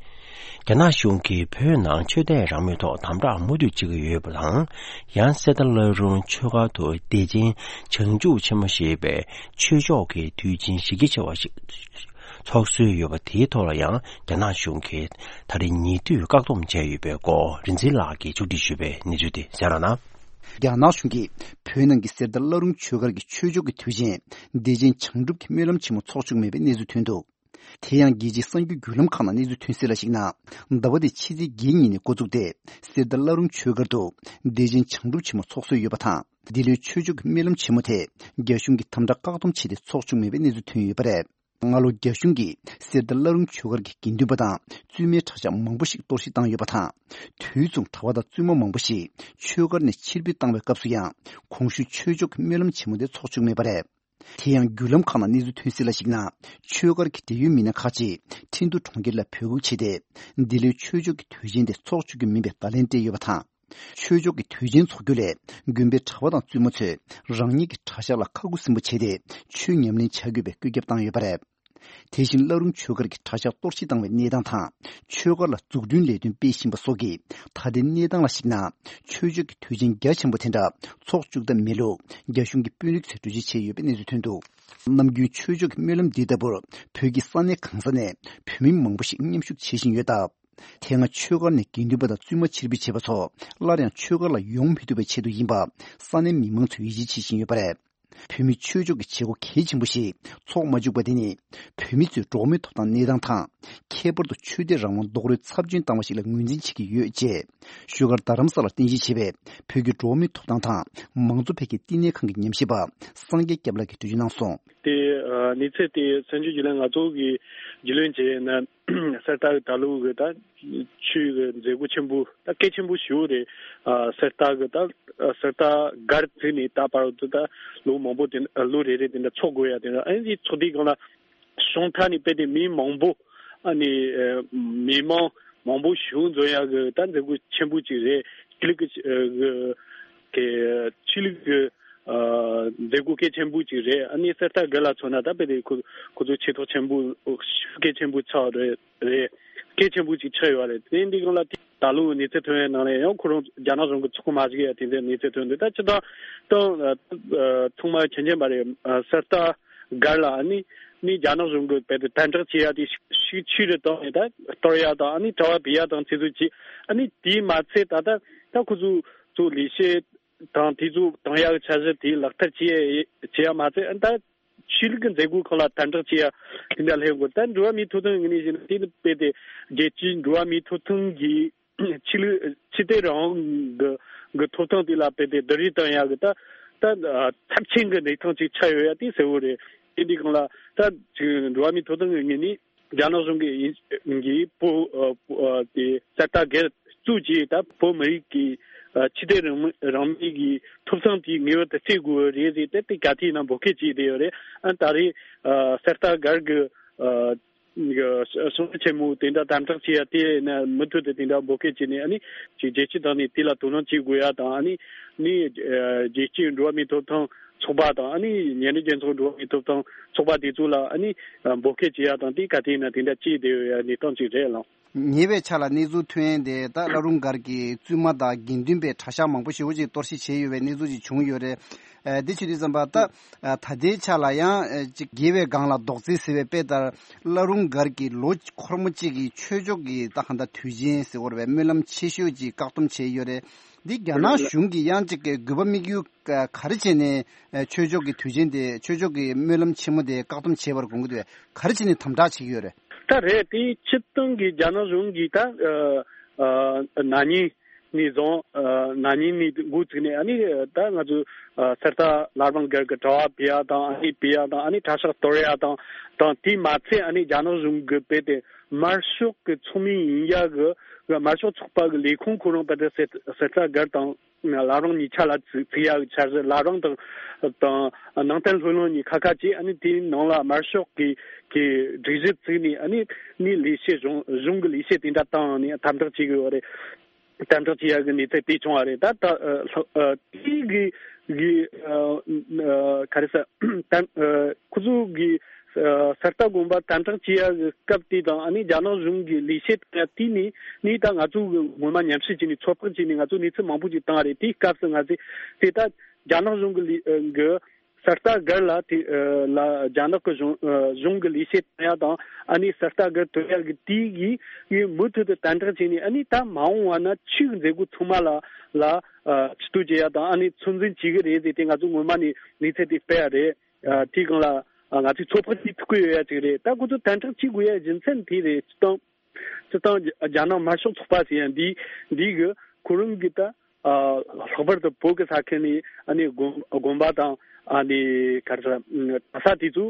རྒྱ་ནག་གཞུང་གིས་བོད་ནང་ཆོས་དད་རང་མོས་ཐོག་དམ་དྲག་མུ་མཐུད་བྱེད་ཀྱི་ཡོད་པ་དང་། ཡང་གསེར་རྟ་བླ་རུང་ཆོས་སྒར་དུ་བདེ་ཆེན་བྱང་ཆུབ་ཆེན་མོ་ཞེས་པའི་ཆོས་ཕྱོགས་ཀྱི་དུས་ཆེན་གཞི་རྒྱ་ཆེ་བ་ཞིག་ཚོགས་སྲོལ་ཡོད་པ། དེའི་ཐོག་ལ་ཡང་རྒྱ་ནག་གཞུང་གིས་ད་རེས་ཉེ་དུས་བཀག་སྡོམ་བྱས་ཡོད་པའི་སྐོར་རིག་འཛིན་ལགས་ཀྱིས་ཕྱོགས་སྒྲིག་ཞུས་པའི་གནས་ཚུལ་དེ་གསན་རོགས་གནང་། རྒྱ་ནག་གཞུང་གིས་བོད་ནང་གི་གསེར་རྟ་བླ་རུང་ཆོས་སྒར་གྱི་ཆོས་ཕྱོགས་ཀྱི་དུས་ཆེན་བདེ་ཆེན་བྱང་སྒྲུབ་ཀྱི་སྨོན་ལམ་ཆེན་མོ་འཚོགས་བཅུག་མེད་པའི་གནས་ཚུལ་ཐོན་འདུག་དེ་ཡང་རྒྱལ་སྤྱིའི་གསར་འགྱུར་བརྒྱུད་ལམ་ཁག་ནང་གནས་ཚུལ་ཐོན་གསལ་ལ་གཞིགས་ན། ཟླ་བ་འདིའི་ཕྱི་ཚེས་བརྒྱད་ཉིན་ནས་འགོ་བཙུགས་ཏེ་གསེར་རྟ་བླ་རུང་ཆོས་སྒར་དུ་བདེ་ཆེན་བྱང་སྒྲུབ་ཆེན་མོ་འཚོགས་སྲོལ་ཡོད་པ་དང་། འདི་ལོའི་ཆོས་ཕྱོགས་ཀྱི་སྨོན་ལམ་ཆེན་མོ་དེ་རྒྱ་གཞུང་གིས་དམ་དྲག་བཀག་སྡོམ་བྱས་ཏེ་འཚོགས་བཅུག་མེད་པའི་གནས་ཚུལ་ཐོན་ཡོད་པ་རེད། སྔ་ལོ་རྒྱ་གཞུང་གིས་གསེར་རྟ་བླ་རུང་ཆོས་སྒར་གྱི་དགེ་འདུན་པ་དང་བཙུན་མའི་གྲྭ་ཤག་མང་པོ་ཞིག་གཏོར་བཤིག་བཏང་ཡོད་པ་དང་། དུས་མཚུངས་གྲྭ་པ་དང་བཙུན་མ་མང་པོ་ཞིག་ཆོས་སྒར་ནས་ཕྱིར་འབུད་བཏང་བའི་སྐབས་སུ་ཡང་གོང་ཞུས་ཆོས་ཕྱོགས་ཀྱི་སྨོན་ལམ་ཆེན་མོ་དེ་འཚོགས་བཅུག་མེད་པ་རེད། དེ་ཡང་བརྒྱུད་ལམ་ཁག་ནང་གནས་ཚུལ་ཐོན་གསལ་ལ་གཞིགས་ན། ཆོས་སྒར་གྱི་འབྲེལ་ཡོད་མི་སྣ་ཁག་ཅིག་ཁྲིན་ཏུ་གྲོང་ཁྱེར་ལ་འབོད་འགུག་བྱས་ཏེ། འདི་ལོའི་ཆོས་ཕྱོགས་ཀྱི་དུས་ཆེན་དེ་འཚོགས་བཅུག་རྒྱུ་མིན་པའི་བརྡ་ལན་སྤྲད་ཡོད་པ་དང་། ཆོས་ཕྱོགས་ཀྱི་དུས་ཆེན་འཚོགས་རྒྱུ་ལས་དགོན་པའི་གྲྭ་པ་དང་བཙུན་མ་ཚོས་རང་ཉིད་ཀྱི་གྲྭ་ཤག་ལ་ཁ་ཁུ་སིམ་པོ་བྱས་ཏེ་ཆོས་ཉམས་ལེན་བྱ་དགོས་པའི་བཀོད་ཁྱབ་བཏང་ཡོད་པ་རེད། དེ་བཞིན་བླ་རུང་ཆོས་སྒར་གྱི་གྲྭ་ཤག་གཏོར་བཤིག་བཏང་བའི་གནས་སྟངས་དང་། ཆོས་སྒར་ལ་འཛུགས་སྐྲུན་ལས་དོན་སྤེལ་བཞིན་པ་སོགས་ཀྱིས་ད་ལྟའི་གནས་སྟངས་ལ་གཞིགས་ན། ཆོས་ཕྱོགས་ཀྱི་དུས་ཆེན་རྒྱ་ཆེན་པོ་དེ་འདྲ་འཚོགས་བཅུག་ཐབས་མེད་ལུགས་རྒྱ་གཞུང་གི་དཔོན་རིགས་ཚོས་གྲོས་ཆོད་བྱས་ཡོད་པའི་གནས་ཚུལ་ཐོན་འདུག་ནམ་རྒྱུན་ཆོས་ཕྱོགས་ཀྱི་སྨོན་ལམ་འདི་ལྟ་བུར་བོད་ཀྱི་ས་གནས་གང་ས་ནས་བོད་མི་མང་པོ་ཞིག་མཉམ་ཞུགས་བྱེད་བཞིན་ཡོད་སྟབས། དེ་སྔ་ཆོས་སྒར་ནས་དགེ་འདུན་པ་དང་བཙུན་མ་ཕྱིར་འབུད་བྱས་པ་ཚོ་སླར་ཡང་ཆོས་སྒར་ལ་ཡོང་མི་ཐུབ་པའི་ཆེད་དུ་ཡིན་པ་ས་གནས་མི་མང་ཚོས་ཡིད་ཆེས་བྱེད་བཞིན་ཡོད་པ་རེད། བོད་མིའི་ཆོས་ཕྱོགས་ཀྱི་བྱེད་སྒོ་གལ་ཆེན་པོ་ཞིག་འཚོགས་མ་བཅུག་པ་དེ་ནི་བོད་མི་ཚོའི་འགྲོ་བ་མིའི་ཐོབ་ཐང་གནས་སྟངས་དང་། ཁྱད་པར་དུ་ཆོས་དད་རང་དབང་རྡོག་རོལ་ཚབས་ཆེན་བཏང་བ་ཞིག་ལ་ངོས་འཛིན་བྱེད་ཀྱི་ཡོད་ཅེས་བཞུགས་སྒར་རྡ་རམ་ས་ལར་རྟེན་གཞི་བྱས་པའི་བོད་ཀྱི་འགྲོ་བ་མིའི་ཐོབ་ཐང་དང་མང་གཙོ་འཕེལ་རྒྱས་བསྟི་གནས་ཁང་གི་ཉམས་ཞིབ་པ་སངས་རྒྱས་སྐྱབས་ལགས་ཀྱིས་འགྲེལ་བརྗོད་གནང་སོང་། དེ་ཨ་གནས་ཚུལ་དེ་གསར་འགྱུར་བརྒྱུད་ལམ་ང་ཚོ་གིས་རྒྱུས་ལོན་བྱས་ན། གསེར་རྟ་གི་ད་ལོ་གི་ད་ཆུ་གི་མཛད་སྒོ་ཆེན་པོ་ད་གལ་ཆེན་པོ་ཞིག་རེད། ཨ་གསེར་རྟ་གི་ད་གསེར་རྟ་སྒར་བཙུགས་ནས་ད་བར་དུ་ད་ལོ་མང་པོ་དེ་ལོ་རེ་རེ་དེ་འདྲ་ཚོགས་དགོས་ཡ་དེ་འདྲ། ཨ་ནི་ཚོགས་དུས་སྒང་ལ་གཞུང་ཐད་ནས་དཔེ་དེ་མི་མང་པོ་ཨ་ནི་མི་མང་མང་པོ་ཞིག་འཛོམས་ཡ་གི་ད་མཛད་སྒོ་ཆེན་པོ་ཅིག་རེད། ཆོས་ལུགས་ཀྱི་ཆོས་ལུགས་ཀྱི་མཛད་སྒོ་གལ་ཆེན་པོ་ཅིག་རེད། ཨ་ནི་གསེར་རྟ་སྒར་ལ་མཚོན་ན་ད་དཔེ་དེ་ཁོ་ཁོ་ཚོ་ཆེ་མཐོང་ཆེན་པོ་གལ་ཆེན་པོ་ཆགས་རེད། རེད། གལ་ཆེན་པོ་ཅིག་ཆགས་ཡོད་རེད། དེ་འདི་སྒང་ལ་ད་ལོ་གནས་ཚུལ་ཐོན་ཡའི་ནང་ལ་ཡང་ཁོ་རང་རྒྱ་ནག་གཞུང་གི་ཚོགས་མ་ཞུགས་ཡ་དེ་འདྲའི་གནས་ཚུལ་ཐོན་འདུག་ད་སྤྱིར་བཏང་ད་ཚང་མ་མཁྱེན་མཁྱེན་པ་རེད། གསེར་རྟ་སྒར་ལ་ཨ་ནི་ནི་རྒྱ་ནག་གཞུང་གི་དཔེ་དེ་དམ་དྲག་བྱེད་ཡ་དེ་ཤུགས་ཆེ་རུ་བཏང་ནས་ད་གཏོར་ཡ་དང་ཨ་ནི་དྲ་བ་བེད་ཡ་དང་དེ་ཚོ་བྱས། ཨ་ནི་དེས་མ་ཚད་ད་ད་ད་ཁོ་ཚོ་ཚོ་ལས་བྱེད་དང་དེ་ཚོ་བཏང་ཡག་འཆར་གཞི་དེ་ལག་བསྟར་བྱེད་ཡ་བྱེད་ཡ་མ་ཚད་ཨ་ད་ཆོས་ལུགས་ཀྱི་མཛད་སྒོ་ཁག་ལ་དམ་དྲག་བྱེད་ཡ་དེ་འདྲ་སླེབས་དགོས། ད་འགྲོ་བ་མིའི་ཐོབ་ཐང་ངོས་ནས་བཤད་ན་དེ་ནི་དཔེ་དེ་རྒྱལ་སྤྱིའི་འགྲོ་བ་མིའི་ཐོབ་ཐང་གི་ཆོས་ལུགས་ཆོས་དད་རང་དབང་གི་གི་ཐོབ་ཐང་དེ་ལ་དཔེ་དེ་བསྡུར་རེས་བཏང་ཡ་གི་ད་ད་ཚབས་ཆེན་གྱི་གནས་སྟངས་ཅིག་ཆགས་ཡོད་ཡ་དེ་གསལ་བོ་རེད། དེ་འདི་སྒང་ལ་ད་ཅིག་འགྲོ་བ་མིའི་ཐོབ་ཐང་གི་ངོས་ནས། རྒྱ་ནག་གཞུང་གིས་ཡིན་གྱི་བོད་ཨ་བོད་ཨ་དེ་གསར་དར་སྒེར་བཙུགས་ཀྱིས་ད་བོད་མི་རིགས་ཀྱི་ཨ་ཆོས་དད་རང་མོས་རང་མོས་ཀྱི་ཐོབ་ཐང་དེ་ངེས་པར་དུ་རྩོད་དགོས་རེད་ཟེར་ཏེ་དེ་ག་དུས་ཡིན་ན་འབོད་སྐུལ་བྱས་བསྡད་ཡོད་རེད། ཨ་ད་རེས་ཨ་གསར་དར་སྒར་གྱི་ཨ་གི་གསུང་ཆོས་ཆེན་མོ་དེ་འདྲ་དམ་དྲག་བྱས་ཡ་དེ་ཡིན་ན་མུ་མཐུད་དུ་དེ་འདྲ་འབོད་སྐུལ་བྱས་ནས་ཨ་ནི་ཅིག་རྒྱལ་སྤྱི་དང་ནས་དེ་ལ་དོ་སྣང་བྱེད་དགོས་ཡ་དང་ཨ་ནི་ནི་ཨ་རྒྱལ་སྤྱིའི་འགྲོ་བ་མིའི་ཐོབ་ཐང་ཚོགས་པ་དང་ཨ་ནི་ཉེ་འབྲེལ་རྒྱལ་ཚོགས་འགྲོ་བ་མིའི་ཐོབ་ཐང་ཚོགས་པ་དེ་ཚོ་ལ་ཨ་ནི་འབོད་སྐུལ་བྱེད་ཡ་དང་དེ་ག་དེ་ཡིན་ན་དེ་འདྲ་བྱས་བསྡད་ཡོད་ཡ་གནས་སྟངས་ཅིག་རེད་ལགས། ཉེ་བའི་ཆར་ལ་གནས་ཚུལ་ཐོན་ཡས་དེ་ད་བླ་རུང་སྒར་གྱི་བཙུན་མ་དང་དགེ་འདུན་པའི་གྲྭ་ཤག་མང་པོ་ཞེ་པོ་ཅིག་གཏོར་བཤིག་བྱས་ཡོད་པའི་གནས་ཚུལ་ཅིག་བྱུང་ཡོད་རེད། ཨ་འདི་བྱེད་དུས་ཙམ་པ་ད་ཨ་ད་ལྟའི་ཆ་ལ་ཡང་ཨ་ཅིག་རྒྱལ་བའི་སྒང་ལ་རྡོག་རྫིས་ཟེར་བའི་དཔེ་ལྟར་བླ་རུང་སྒར་གྱི་ལོ་འཁོར་མོ་གཅིག་གི་ཆོས་ཕྱོགས་ཀྱི་ད་གང་ལྟར་དུས་ཆེན་ཟེར་བ་རེད་པས། སྨོན་ལམ་ཆེ་ཤོས་ཅིག་བཀག་སྡོམ་བྱས་ཡོད་རེད། འདི་རྒྱ་ནག་གཞུང་གིས་ཡང་ཅིག་གི་དགོས་པ་དམིགས་ཡུལ་ག་རེ་བྱས་ནས་ཨ་ཆོས་ཕྱོགས་ཀྱི་དུས་ཆེན་དེ་ཆོས་ཕྱོགས་ཀྱི་སྨོན་ལམ་ཆེན་མོ་དེ་བཀག་སྡོམ་བྱས་པར་དགོངས་ཀྱི་འདུག་ག་རེ་བྱས་ནས་དམ་དྲག་བྱེད་ཀྱི་ཡོད་རེད། ད་རེད་དེ་སྤྱིར་བཏང་གི་རྒྱ་ནག་གཞུང་གིས་ད་ཨ་ཨ་ན་ནིང་ནས་བཟུང་ཨ་ན་ནིང་ནས་འགོ་བཙུགས་ནས་ཨ་ནི་ད་ང་ཚོ་ཨ་གསར་རྟ་བླ་བྲང་སྒར་གྱི་དྲ་བ་བེད་ཡ་དང་ཨ་ནི་བེད་ཡ་དང་ཨ་ནི་གྲྭ་ཤག་གཏོར་ཡ་དང་དང་དེས་མ་ཚད་ཨ་ནི་རྒྱ་ནག་གཞུང་གིས་དཔེ་དེ་དམར་ཤོག་གི་ཚོགས་མི་ཡིན་ཡ་གི་དམར་ཤོག་ཚོགས་པ་གི་ལས་ཁུངས་ཁོ་རང་དཔེ་དེ་གསར་གསར་རྟ་སྒར་དང་བླ་བྲང་གཉིས་ཆ་ལ་བཙུགས་བཙུགས་ཡ་གི་འཆར་གཞི། བླ་བྲང་དང་དང་ནང་བསྟན་སློབ་གླིང་གཉིས་ཁ་ཁ་བྱས། ཨ་ནི་དེའི་ནང་ལ་དམར་ཤོག་གི་གི་སྒྲིག་གཞི་བཙུགས་ནས་ཨ་ནི་ནི་ལས་བྱེད་གཞུང་གཞུང་གི་ལས་བྱེད་དེ་འདྲ་བཏང་ནས་དམ་དྲག་བྱེད་གི་ཡོད་རེད། དམ་དྲག་བྱེད་ཡ་གི་གནས་ཚུལ་དེ་བྱུང་བ་རེད། ད་ད་ཨ་ལྷག་ཨ་དེའི་གི་གི་ཨ་ཨ་ག་རེ་ཟེར་དམ་ཨ་ཁོ་ཚོ་གི་ཨ་གསར་རྟ་དགོན་པ་དམ་དྲག་བྱེད་ཡ་གི་སྐབས་དེ་དང་ཨ་ནི་རྒྱ་ནག་གཞུང་གི་ལས་བྱེད་དེ་ནི་ནི་ད་ང་ཚོ་གི་ངོ་མ་མཉམ་ཞུགས་བྱས་ནས་ཚོད་དཔག་བྱས་ནས་ང་ཚོ་གནས་ཚུལ་མང་པོ་ཅིག་བཏང་བ་རེད། དེའི་སྐབས་སུ་ང་ཚོས་དེ་ད་རྒྱ་ནག་གཞུང་གི་ལས་གི་གསར་རྟ་སྒར་ལ་དེ་ཨ་ལ་རྒྱ་ནག་གི་གཞུང་ཨ་གཞུང་གི་ལས་བྱེད་བཏང་ཡ་དང་ཨ་ནི་གསར་རྟ་སྒར་གཏོར་ཡ་གི་དེའི་གི་གི་མུ་མཐུད་དུ་དམ་དྲག་བྱས་ནས་ཨ་ནི་ད་མ་འོངས་པ་ན་ཆོས་ཀྱི་མཛད་སྒོ་ཚང་མ་ལ་ལ་ཨ་ཕྱི་གཏུག་བྱེད་ཡ་དང་ཨ་ནི་ཚོད་འཛིན་བྱེད་གི་རེད་ཟེར་ཏེ་ང་ཚོ་ངོ་མ་ནས་གནས་ཚུལ་དེ་སྤེལ་ཡ་རེད། ཨ་དེའི་སྒང་ལ་ཨ་ང་ཚོས་ཚོད་དཔག་བྱེད་ཐུབ་ཀྱི་ཡོད་ཡ་ཅིག་རེད། ད་ཁོ་ཚོ་དམ་དྲག་བྱེད་དགོས་ཡ་རྒྱུ་མཚན་དེ་རེད། སྤྱིར་བཏང་སྤྱིར་བཏང་རྒྱ་ནག་དམར་ཤོག་ཚོགས་པ་ཟེར་ཡ་འདི་འདི་གི་ཁོ་རང་གི་ད་ཨ་ལྷག་པར་དུ་བོད་ཀྱི་ས་ཁུལ་ནས་ཨ་ནི་དགོན་དགོན་པ་དང་ཨ་ནི་ག་རེ་ཟེར་གྲྭ་ས་དེ་ཚོ་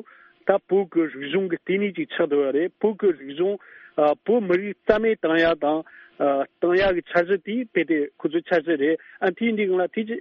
ད་བོད་ཀྱི་རིག་གཞུང་གི་ལྟེ་གནས་ཅིག་ཆགས་བསྡད་ཡོད་རེད། བོད་ཀྱི་རིག་གཞུང་ཨ་བོད་མི་རིགས་རྩ་མེད་བཏང་ཡ་དང་ཨ་བཏང་ཡ་གི་འཆར་གཞི་དེ་དཔེ་དེ་ཁོ་ཚོའི་འཆར་གཞི་རེད། ཨ་དེ་འདི་སྒང་ལ་དེ་ཅི་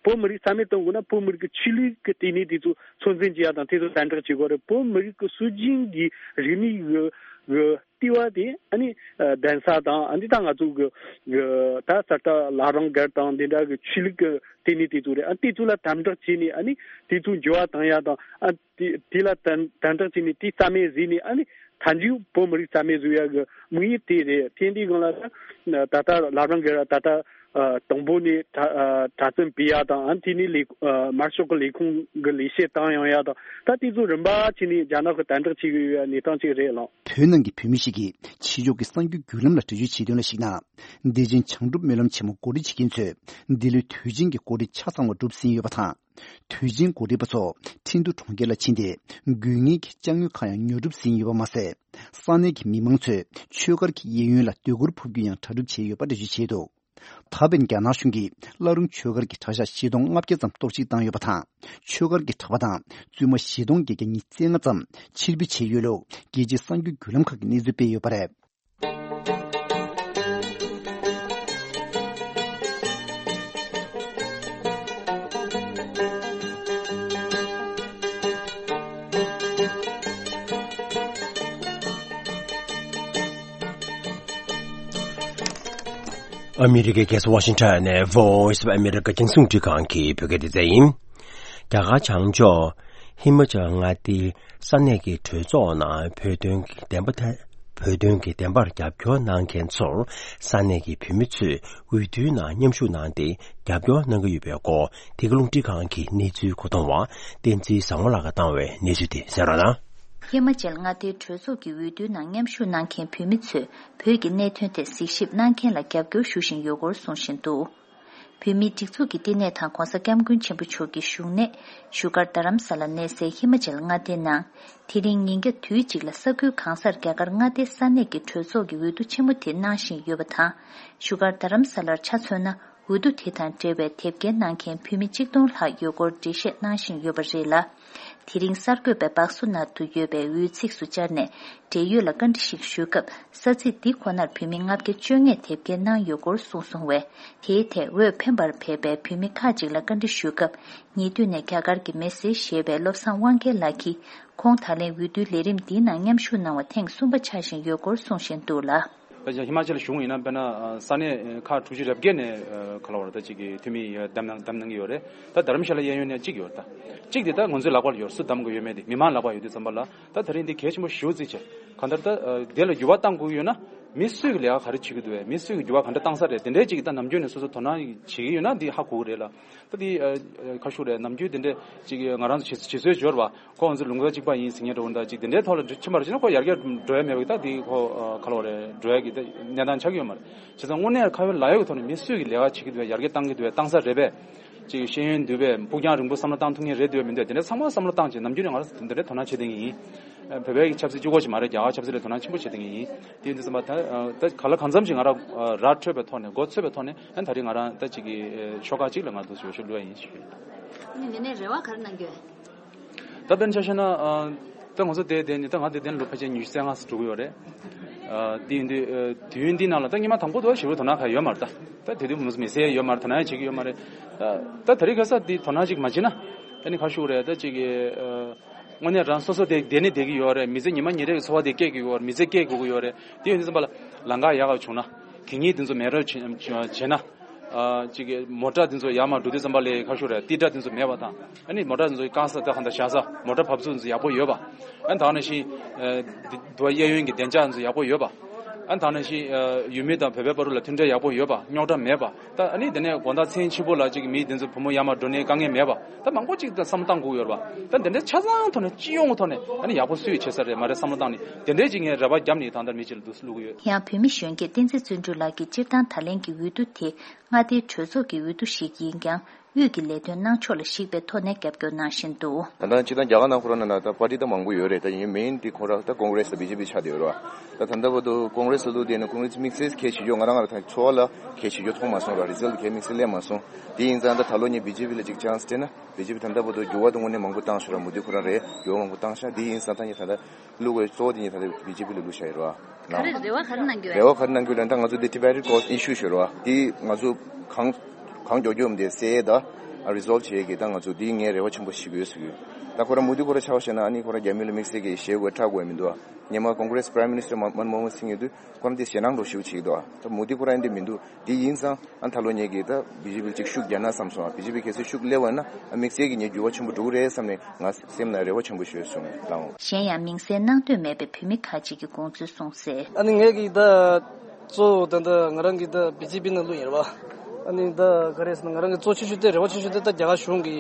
བོད་མི་རིགས་རྩ་མེད་གཏོང་དགོས་ན་བོད་མི་རིགས་ཀྱི་ཆོས་ལུགས་ཀྱི་ལྟེ་གནས་དེ་ཚོ་ཚོད་འཛིན་བྱེད་ཡ་དང་དེ་ཚོ་དམ་དྲག་བྱེད་དགོས་རེད། བོད་མི་རིགས་ཀྱི་སྲོལ་རྒྱུན་གྱི་རིག་གནས་ཀྱི་གི་ལྟེ་བ་དེ་ཨ་ནི་ཨ་གདན་ས་དང་ཨ་ནི་ད་ང་ཚོ་གི་གི་ད་གསར་རྟ་བླ་བྲང་སྒར་དང་འདི་འདྲ་གི་ཆོས་ལུགས་ཀྱི་ལྟེ་གནས་དེ་ཚོ་རེད། ཨ་དེ་ཚོ་ལ་དམ་དྲག་བྱས་ནས་ཨ་ནི་དེ་ཚོ་འགྱུར་བ་བཏང་ཡ་དང་ཨ་དེ་དེ་ལ་དམ་དམ་དྲག་བྱས་ནས་དེ་རྩ་མེད་བཟོས་ནས་ཨ་ནི་མཐའ་མཇུག་བོད་མི་རིགས་རྩ་མེད་བཟོ་ཡ་གི་དམིགས་ཡུལ་དེ་རེད། དེ་འདི་སྒང་ལ་ད་ད་ལྟ་བླ་བྲང་སྒར་ད་ལྟ་ཨ་དང་པོ་ནས་གྲྭ་ཨ་གྲྭ་བཙུན་བུད་ཡ་དང་ཨ་དེ་ནས་ལས་ཨ་དམར་ཤོག་གི་ལས་ཁུངས་ཀྱི་ལས་བྱེད་བཏང་ཡོང་ཡ་དང་ད་དེ་ཚོ་རིམ་པ་བྱས་ནས་རྒྱ་ནག་གིས་དམ་དྲག་བྱེད་ཀྱི་ཡོད་ཡ་གནས་སྟངས་ཅིག་རེད་ལགས། བོད་ནང་གི་བོད་མི་ཞིག་གིས་ཕྱི་ཕྱོགས་ཀྱི་གསར་འགྱུར་བརྒྱུད་ལམ་ལ་འགྲེལ་བརྗོད་བྱས་དོན་ལ་གཞིགས་ན། བདེ་ཆེན་བྱང་སྒྲུབ་སྨོན་ལམ་ཆེན་མོ་གོ་སྒྲིག་བྱེད་མཁན་ཚོས་འདི་ལོའི་དུས་ཆེན་གྱི་གོ་སྒྲིག་ཆ་ཚང་བ་གྲུབ་ཟིན་ཡོད་པ་དང་། དུས་ཆེན་གོ་སྒྲིག་པ་ཚོ་ཁྲིན་ཏུའུ་གྲོང་ཁྱེར་ལ་ཕྱིན་ཏེ། དགོས་ངེས་ཀྱི་ཅ་དངོས་ཁག་ཡང་ཉོ་སྒྲུབ་ཟིན་ཡོད་པ་མ་ཟད། ས་གནས་ཀྱི་མི་མང་ཚོས་ཆོས་སྒར་གྱི་གཡས་གཡོན་ལ་སྡོད་གུར་ཕུབ་རྒྱུ་ཡང་གྲ་སྒྲིག་བྱས་ཡོད་པ་འགྲེལ་བརྗོད་བྱས་འདུག། ད་ཕན་རྒྱ་ནག་གཞུང་གིས་བླ་རུང་ཆོས་སྒར་གྱི་གྲྭ་ཤག་བཞི་སྟོང་ལྔ་བརྒྱ་ཙམ་གཏོར་བཤིག་བཏང་ཡོད་པ་དང་། ཆོས་སྒར་གྱི་གྲྭ་པ་དང་བཙུན་མ་བཞི་སྟོང་བརྒྱད་བརྒྱ་ཉི་ཤུ་རྩ་ལྔ་ཙམ་ཕྱིར་འབུད་བྱས་ཡོད་ལུགས་རྒྱལ་སྤྱིའི་གསར་འགྱུར་བརྒྱུད་ལམ་ཁག་གིས་གནས་ཚུལ་སྤེལ་ཡོད་པ་རེད། ཨ་མི་རི་ཀའི་རྒྱལ་ས་ཝ་ཤིང་ཊོན་ནས་Voice of America རྒྱང་སྲིང་རླུང་འཕྲིན་ཁང་གི་བོད་སྐད་སྡེ་ཚན་ཡིན། རྒྱ་གར་བྱང་ཕྱོགས་ཧི་མ་ཅལ་མངའ་སྡེའི་ས་གནས་ཀྱི་གྲོས་ཚོགས་ནང་བོད་དོན་གྱི་བདེན་པ་ཐད་བོད་དོན་གྱི་བདེན་པར་རྒྱབ་སྐྱོར་གནང་མཁན་ཚོར་ས་གནས་ཀྱི་བོད་མི་ཚོས་འོས་བསྡུའི་ནང་མཉམ་ཞུགས་གནང་སྟེ་རྒྱབ་སྐྱོར་གནང་གི་ཡོད་པའི་སྐོར་འདི་ག་རླུང་འཕྲིན་ཁང་གིས་གནས་ཚུལ་གོ་བརྡ་བཏང་བ་བསྟན་འཛིན་བཟང་མོ་ལགས་ཀྱིས་བཏང་བའི་གནས་ཚུལ་དེ་གསན་རོགས་གནང་། ཧི་མ་ཅལ་མངའ་སྡེའི་གྲོས་ཚོགས་ཀྱི་འོས་བསྡུའི་ནང་མཉམ་ཞུགས་གནང་མཁན་བོད་མི་ཚོས་བོད་ཀྱི་གནད་དོན་ཐད་གཟིགས་ཞིབ་གནང་མཁན་ལ་རྒྱབ་སྐྱོར་ཞུ་བཞིན་ཡོད་སྐོར་གསུངས་བཞིན་འདུག་བོད་མིའི་སྒྲིག་འཛུགས་ཀྱི་བསྟི་གནས་དང་༸གོང་ས་༸སྐྱབས་མགོན་ཆེན་པོ་མཆོག་གི་བཞུགས་གནས་བཞུགས་སྒར་རྡ་རམ་ས་ལར་གནས་སའི་ཧི་མ་ཅལ་མངའ་སྡེའི་ནང་དེ་རིང་ཉིན་རྒྱབ་དུས་གཅིག་ལ་ས་ཁུལ་གང་སར་རྒྱ་གར་མངའ་སྡེའི་ས་གནས་ཀྱི་གྲོས་ཚོགས་ཀྱི་འོས་བསྡུ་ཆེན་མོ་དེ་གནང་བཞིན་ཡོད་པ་དང་། བཞུགས་སྒར་རྡ་རམ་ས་ལར་ཆ་མཚོན་ན། འོས་བསྡུ་དེ་དང་འབྲེལ་བའི་དེབ་སྐྱེལ་གནང་མཁན་བོད་མི་གཅིག་སྟོང་ལྷག་ཡོད་སྐོར་འགྲེལ་བཤད་གནང་བཞིན་ཡོད་པ་རེད་ལ། དེ་རིང་གསར་འགོད་པས་སྦག་སོ་ནང་དུ་ཡོད་པའི་འོས་ཚིགས་སུ་བཅར་ནས་འབྲེལ་ཡོད་ལ་བཀའ་འདྲི་ཞིག་ཞུས་སྐབས། ས་ཚིགས་འདི་ཁོ་ནར་བོད་མི་ལྔ་བརྒྱ་བཅོ་ལྔས་དེབ་སྐྱེལ་གནང་ཡོད་སྐོར་གསུངས་སོང་བས། དེའི་ཐད་འོས་འཕེན་པར་ཕེབས་པའི་བོད་མི་ཁག་ཅིག་ལ་བཀའ་འདྲི་ཞུས་སྐབས། ཉེ་དུས་ནས་རྒྱ་གར་གྱི་མི་སེར་ཞེས་པའི་བློ་བཟང་དབང་རྒྱལ་ལགས་ཀྱིས། ཁོང་ད་ལན་འོས་བསྡུའི་ལས་རིམ་འདིའི་ནང་མཉམ་ཞུགས་གནང་བ་ཐེངས་གསུམ་པ་ཆགས་བཞིན་ཡོད་སྐོར་གསུངས་བཞིན་འདུག་ལ། ད་ཅིག་ཧི་མ་ཅལ་གཞུང་ཡིན་ན་དཔེར་ན་ས་གནས་ཁག་དྲུག་ཅུ་རེ་བརྒྱད་ནས་ག་ལ་བར་ད་ཅིག་གི་འཐུས་མི་བདམས་གནང་བདམས་གནང་གི་ཡོད་རེད། ད་དྷ་རམ་ཤ་ལ་གཡས་གཡོན་ནས་གཅིག་ཡོད་རེད། ད་གཅིག་དེ་ད་ང་ཚོའི་ལག་པར་ཡོད། སུ་བདམས་དགོས་ཡོད་མེད་དེ་མི་མང་ལག་པར་ཡོད་དུས་ཙམ་པ་ལ། ད་དེ་རིང་འདི་གལ་ཆེན་པོ་ཞེ་པོ་ཅིག་བྱས། གང་ལྟར་ད་དེ་ལ་འགྱུར་བ་གཏང་དགོས་ཡོད་ན། མི་སུས་ཀྱི་ལས་ཀ་ག་རེ་བྱེད་ཀྱི་འདུག་བས། མི་སུས་ཀྱི་འགྱུར་བ་ག་འདྲ་བཏང་ས་རེད། དེ་འདྲའི་ཅིག་ད་ནམ་རྒྱུན་ནས་སོ་སོ་དོ་སྣང་བྱེད་ཀྱི་ཡོད་ན་འདི་ཧ་གོ་གི་རེད་ལ། ད་འདི་ཁ་ཤུག་རེད། ནམ་རྒྱུན་དེ་འདྲའི་ཅིག་ང་རང་ཚོ་བྱེད་བྱེད་སྲོལ་འབྱོར་བ། ཁོ་ང་ཚོ་ལུང་པ་གཅིག་པ་ཡིན་ཟེར་མཁན་འདྲ་བོ་འདྲ་ཅིག་དེ་འདྲའི་ཐོག་ལ་ཕྱིན་པ་རེད་ཅེ་ན། ཁོ་ཡར་རྒྱས་འགྲོ་ཡ་མེད་པ་གི་ད་འདི་ཁོ་ག་ལ་བ་རེད། འགྲོ་ཡ་གི་ད་གནས་སྟངས་ཆགས་ཀྱི་ཡོད་མ་རེད། བྱས་ཙང་དངོས་གནས་ཁ་ཡོད་ལག་ཡོད་ཀྱི་ཐོག་ནས་མི་སུས་ཀྱི་ལས་ཀ་བྱེད་ཀྱི་འདུག་བས། ཡར་རྒྱས་གཏང་གི་འདུག་བས། གཏང་ས་རེད་པས། ཅིག་ཤེས་ཡོན་འདུག་པས། ཕུགས་རྒྱང་རིང་པོ་བསམ་བློ་བཏང་ཐུབ་མཁན་རེད་འདུག་བས་མི་འདུག་བས། དེ་འདྲ་ཚང་མ་བསམ་བློ་བཏང་བྱས་ནམ་རྒྱུན་ནས་ང་རང་ཚོ་དེ་འདྲ་དོ་སྣང་བྱེད་བསྡད་མཁན་ཡིན། བོད་པའི་ཆབ་སྲིད་གཅིག་པོ་ཞིག་མ་རེད། རྒྱ་གར་ཆབ་སྲིད་ལ་དོ་སྣང་ཆེན་པོ་བྱེད་བསྡད་མཁན་ཡིན། དེ་ཡིན་དུས་ཙམ་པ་ད་ད་ག་ལ་གང་འཚམ་ཞིག་ང་རང་ར་འཕྲོད་པའི་ཐོག་ནས་མགོ་ཚོས་པའི་ཐོག་ནས་ཨ་ད་རེས་ང་རང་ད་ཅིག་གི་ཤོག་ཁག་ཅིག་ལ་ང་ཚོ་འོས་ཤོག་བླུགས་ཡ་ཡིན་ཞུ། ཨ་ནི་དེ་ནས་རེ་བ་ག་རེ་གནང་གི་ཡོད། ད་དཔེར་ན་ཆ་བཞག་ན་ད་ང་ཚོ་དེ་དེ་ནི་ད་ང་དེ་དེ་ནས་ལོ་ཕལ་ཆེར་ཉི་ཤུ་རྩ་ལྔ་འགྲོ་གི་ཡོད་རེད། དེ་ཡིན་དུས་དུས་ཡུན་འདི་ནང་ལ་ད་སྔོན་མ་དང་པོ་དུ་ཞེ་པོ་དོ་སྣང་ག་ཡོད་མ་རེད། ད་ད་དེ་དུས་མི་སེར་ཡོད་མ་རེད། དོ་སྣང་བྱེད་ཀྱི་ཡོད་མ་རེད། ད་ད་རེས་ཁ་སང་འདི་དོ་སྣང་ཅིག་མ་བྱེད་ན་ཨ་ནི་ཁ་ཤུག་རེད། ད་ཅིག་གི་དངོས་གནས་རང་སོ་སོ་དེ་བསྡད་ནི་བསྡད་ཀྱི་ཡོད་རེད། མི་ཚེ་ཉི་མ་ཉིན་རེ་གི་འཚོ་བ་དེ་སྐྱེལ་གྱི་ཡོད་རེད། མི་ཚེ་སྐྱེལ་དགོས་ཀྱི་ཡོད་རེད། དེ་ཡོད་དུས་ཙམ་པ་ལ་ལམ་ཁ་ཡག་ག་བྱུང་ན་གད་སྙིགས་དེ་ཚོ་མེད་རོགས་བྱེད་ན། ཅིག་གི་མོ་ཊ་དེ་ཚོ་ཡར་མར་འགྲོ་དུས་ཙམ་པ་ལ་ཁ་ཤོར་རེད། ཏི་ཏྲ་དེ་ཚོ་མེད་པ་དང་། ཨ་ནི་མོ་ཊ་དེ་ཚོ་བཀག་ས་ད་གང་ལྟར་བཞག་ས་མོ་ཊ་བབས་ཚུགས་དེ་ཚོ་ཡག་པོ་ཡོད་པ། ཨ་ནི་ད་ག་ནང་བཞིན་དུ་གཡས་གཡོན་གྱི་བདེ་འཇགས་དེ་ཚོ་ཡག་པོ་ཡོད་པ། ཨ་ནི་ད་ག་ནང་བཞིན་ཡུལ་མི་དང་བོད་པའི་བར་ལ་མཐུན་སྒྲིལ་ཡག་པོ་ཡོད་པ། རྙོག་དྲ་མེད་པ། ད་ཨ་ནི་དེ་ནས་དགོང་དག་མཚན་ཕྱི་པོ་ལ་ཅིག་མི་དེ་ཚོ་བུ་མོ་ཡར་མར་འགྲོ་ནས་དཀའ་ངལ་མེད་པ། ད་མང་པོ་ཅིག་ད་བསམ་བློ་བཏང་དགོས་ཡོད་རེད་པ། ད་དེ་འདྲའི་ཆ་ཚང་ཐོག་ནས་སྤྱི་ཡོངས་ཐོག་ནས་ཨ་ནི་ཡག་པོ་སུས་བྱེད་ས་རེད་མ་རེད་བསམ་བློ་བཏང་ནས་དེ་འདྲའི་ཅིག་ངས་རེ་བ་བརྒྱབ་ནས་ད་ལྟ་མི་གཅིག་ལ་འདུག་སེ་བླུག་གི་ཡོད། ཡང་བོད་མི་གཞོན་སྐྱེས་བསྟན་འཛིན་བརྩོན་འགྲུས་ལགས་ཀྱིས་སྤྱིར་བཏང་ད་ལན་གྱི་འོས་བསྡུ་དེ་མངའ་སྡེའི་གྲོས་ཚོགས་ཀྱི་འོས་བསྡུ་ཞིག་ཡིན་ཀྱང་དབུས་ཀྱི་ལས་དོན་གནང་ཕྱོགས་ལ་གཞིགས་པའི་ཐོག་ནས་རྒྱབ་སྐྱོར་གནང་བཞིན་འདུག་ད་ལྟ་སྤྱིར་བཏང་རྒྱ་གར་ནང་ཁོ་རང་ནང་ལ་ད་པར་ཊི་ད་མང་པོ་ཡོད་རེད། ད་ཡིན་མིན་དེ་ཁོ་རང་ད་ཀོང་གྷི་རེ་སི་དང་བི་ཇེ་པི་ཆགས་བསྡད་ཡོད་རེད་པ། ད་ད་ལྟ་བར་དུ་ཀོང་གྷི་རེ་སི་ལ་བླུགས་བསྡད་ནས་ཀོང་གྷི་རེ་སི་དམིགས་བསལ་གལ་ཆེ་ཤོས་ང་རང་ང་རང་ད་ཚོར་བ་ལ་གལ་ཆེ་ཤོས་མཐོང་མ་སོང་ར། རི་ཛལ་ཊི་གལ་དམིགས་བསལ་སླེབས་མ་སོང་། དེ་ཡིན་ཙང་ད་ད་ལོ་ངས་བི་ཇེ་པི་ལ་ཅིག་ཆན་སི་སྤྲད་ན་བི་ཇེ་པི་ད་ལྟ་བར་དུ་འགྱུར་བ་ད་དངོས་གནས་མང་པོ་བཏང་ཤག་ར། མོ་དི་ཁོ་རང་རེད། འགྱུར་བ་མང་པོ་བཏང་ཤག་དེ་ཡིན་ཙང་ད་ངས་ད་ལྟ་བླུགས་པའི་གཙོ་བོ་དེ་ངས་ད་ལྟ་བི་ཇེ་པི་ལ་བླུགས་བཞག་ཡོད་རེད་པ། ག་རེ་རེ་བ་ག་རེ་གནང་གི་ཡོད། རེ་བ་ག་རེ་གནང་གི་ཡོད་ལབ་ན་ད་ང་ཚོ་འདི་ཊི་བེ་ཊན་ཀོ་ཨི་ཤུ་ཞིག་ཡོད་རེད་པ། དེ་ང་ཚོ་གང་གང་མགྱོགས་མགྱོགས་འདི་སེལ་ཡས་ད་རི་སོལ་བ་བྱེད་ཡས་ཀྱི་ད་ང་ཚོ་འདི་ངས་རེ་བ་ཆེན་པོ་ཞིག་ཡོད་ཟེར་གི་ཡོད། ད་ཁོ་རང་མོ་དི་ཁོ་རང་ཆ་བཞག་ན་ཨ་ནི་ཁོ་རང་རྒྱ་མི་ལ་དམིགས་བསལ་གྱི་ཞེད་དགོས་ཁྲག་དགོས་མི་འདུག་པ། སྔོན་མ་ཀོང་གྷི་རེ་སི་པ་རའིམ་མི་ནི་སི་ཊར་མན་མོ་ཧན་སིང་ཡོད་དུས་ཁོ་རང་དེ་ཞེད་སྣང་འདྲ་ཞིག་བྱེད་ཀྱི་འདུག་པ། ད་མོ་དི་ཁོ་རང་འདི་མི་འདུག་དེ་ཡིན་ཙང་ཨ་ད་ལོ་ངེད་ཀྱིས་ད་བི་ཇེ་པི་ཅིག་ཤུགས་རྒྱག་ན་བསམ་སོང་། བི་ཇེ་པི་གལ་སྲིད་ཤུགས་སླེབས་པ་ཡིན་ན་ཨ་དམིགས་བསལ་གྱི་ངས་འགྱུར་བ་ཆེན་པོ་འགྲོ་གི་རེད་བསམ་ནས་ང་སེམས་ནང་རེ་བ་ཆེན་པོ་ཞིག་ཡོད་སོང་ལགས། གཞན་ཡང་མིང་གསལ་གནང་འདོད་མེད་པའི་བོད་མི་ཁག་ཅིག་གིས་དགོངས་ཚུལ་གསུངས་གསལ། ཨ་ནི་ངེད་ཀྱིས་ད་གཙོ་བོ་ད་ལྟ་ང་རང་གིས་ད་བི་ཇེ་པི་ནང་བླུགས་ཡིན་རེད་པ། ཨ་ནི་ད་ག་རེ་ཟེར་ན་ང་རང་གི་གཙོ་ཆེ་ཤོས་དེ་རེ་བ་ཆེ་ཤོས་དེ་ད་རྒྱ་གར་གཞུང་གི་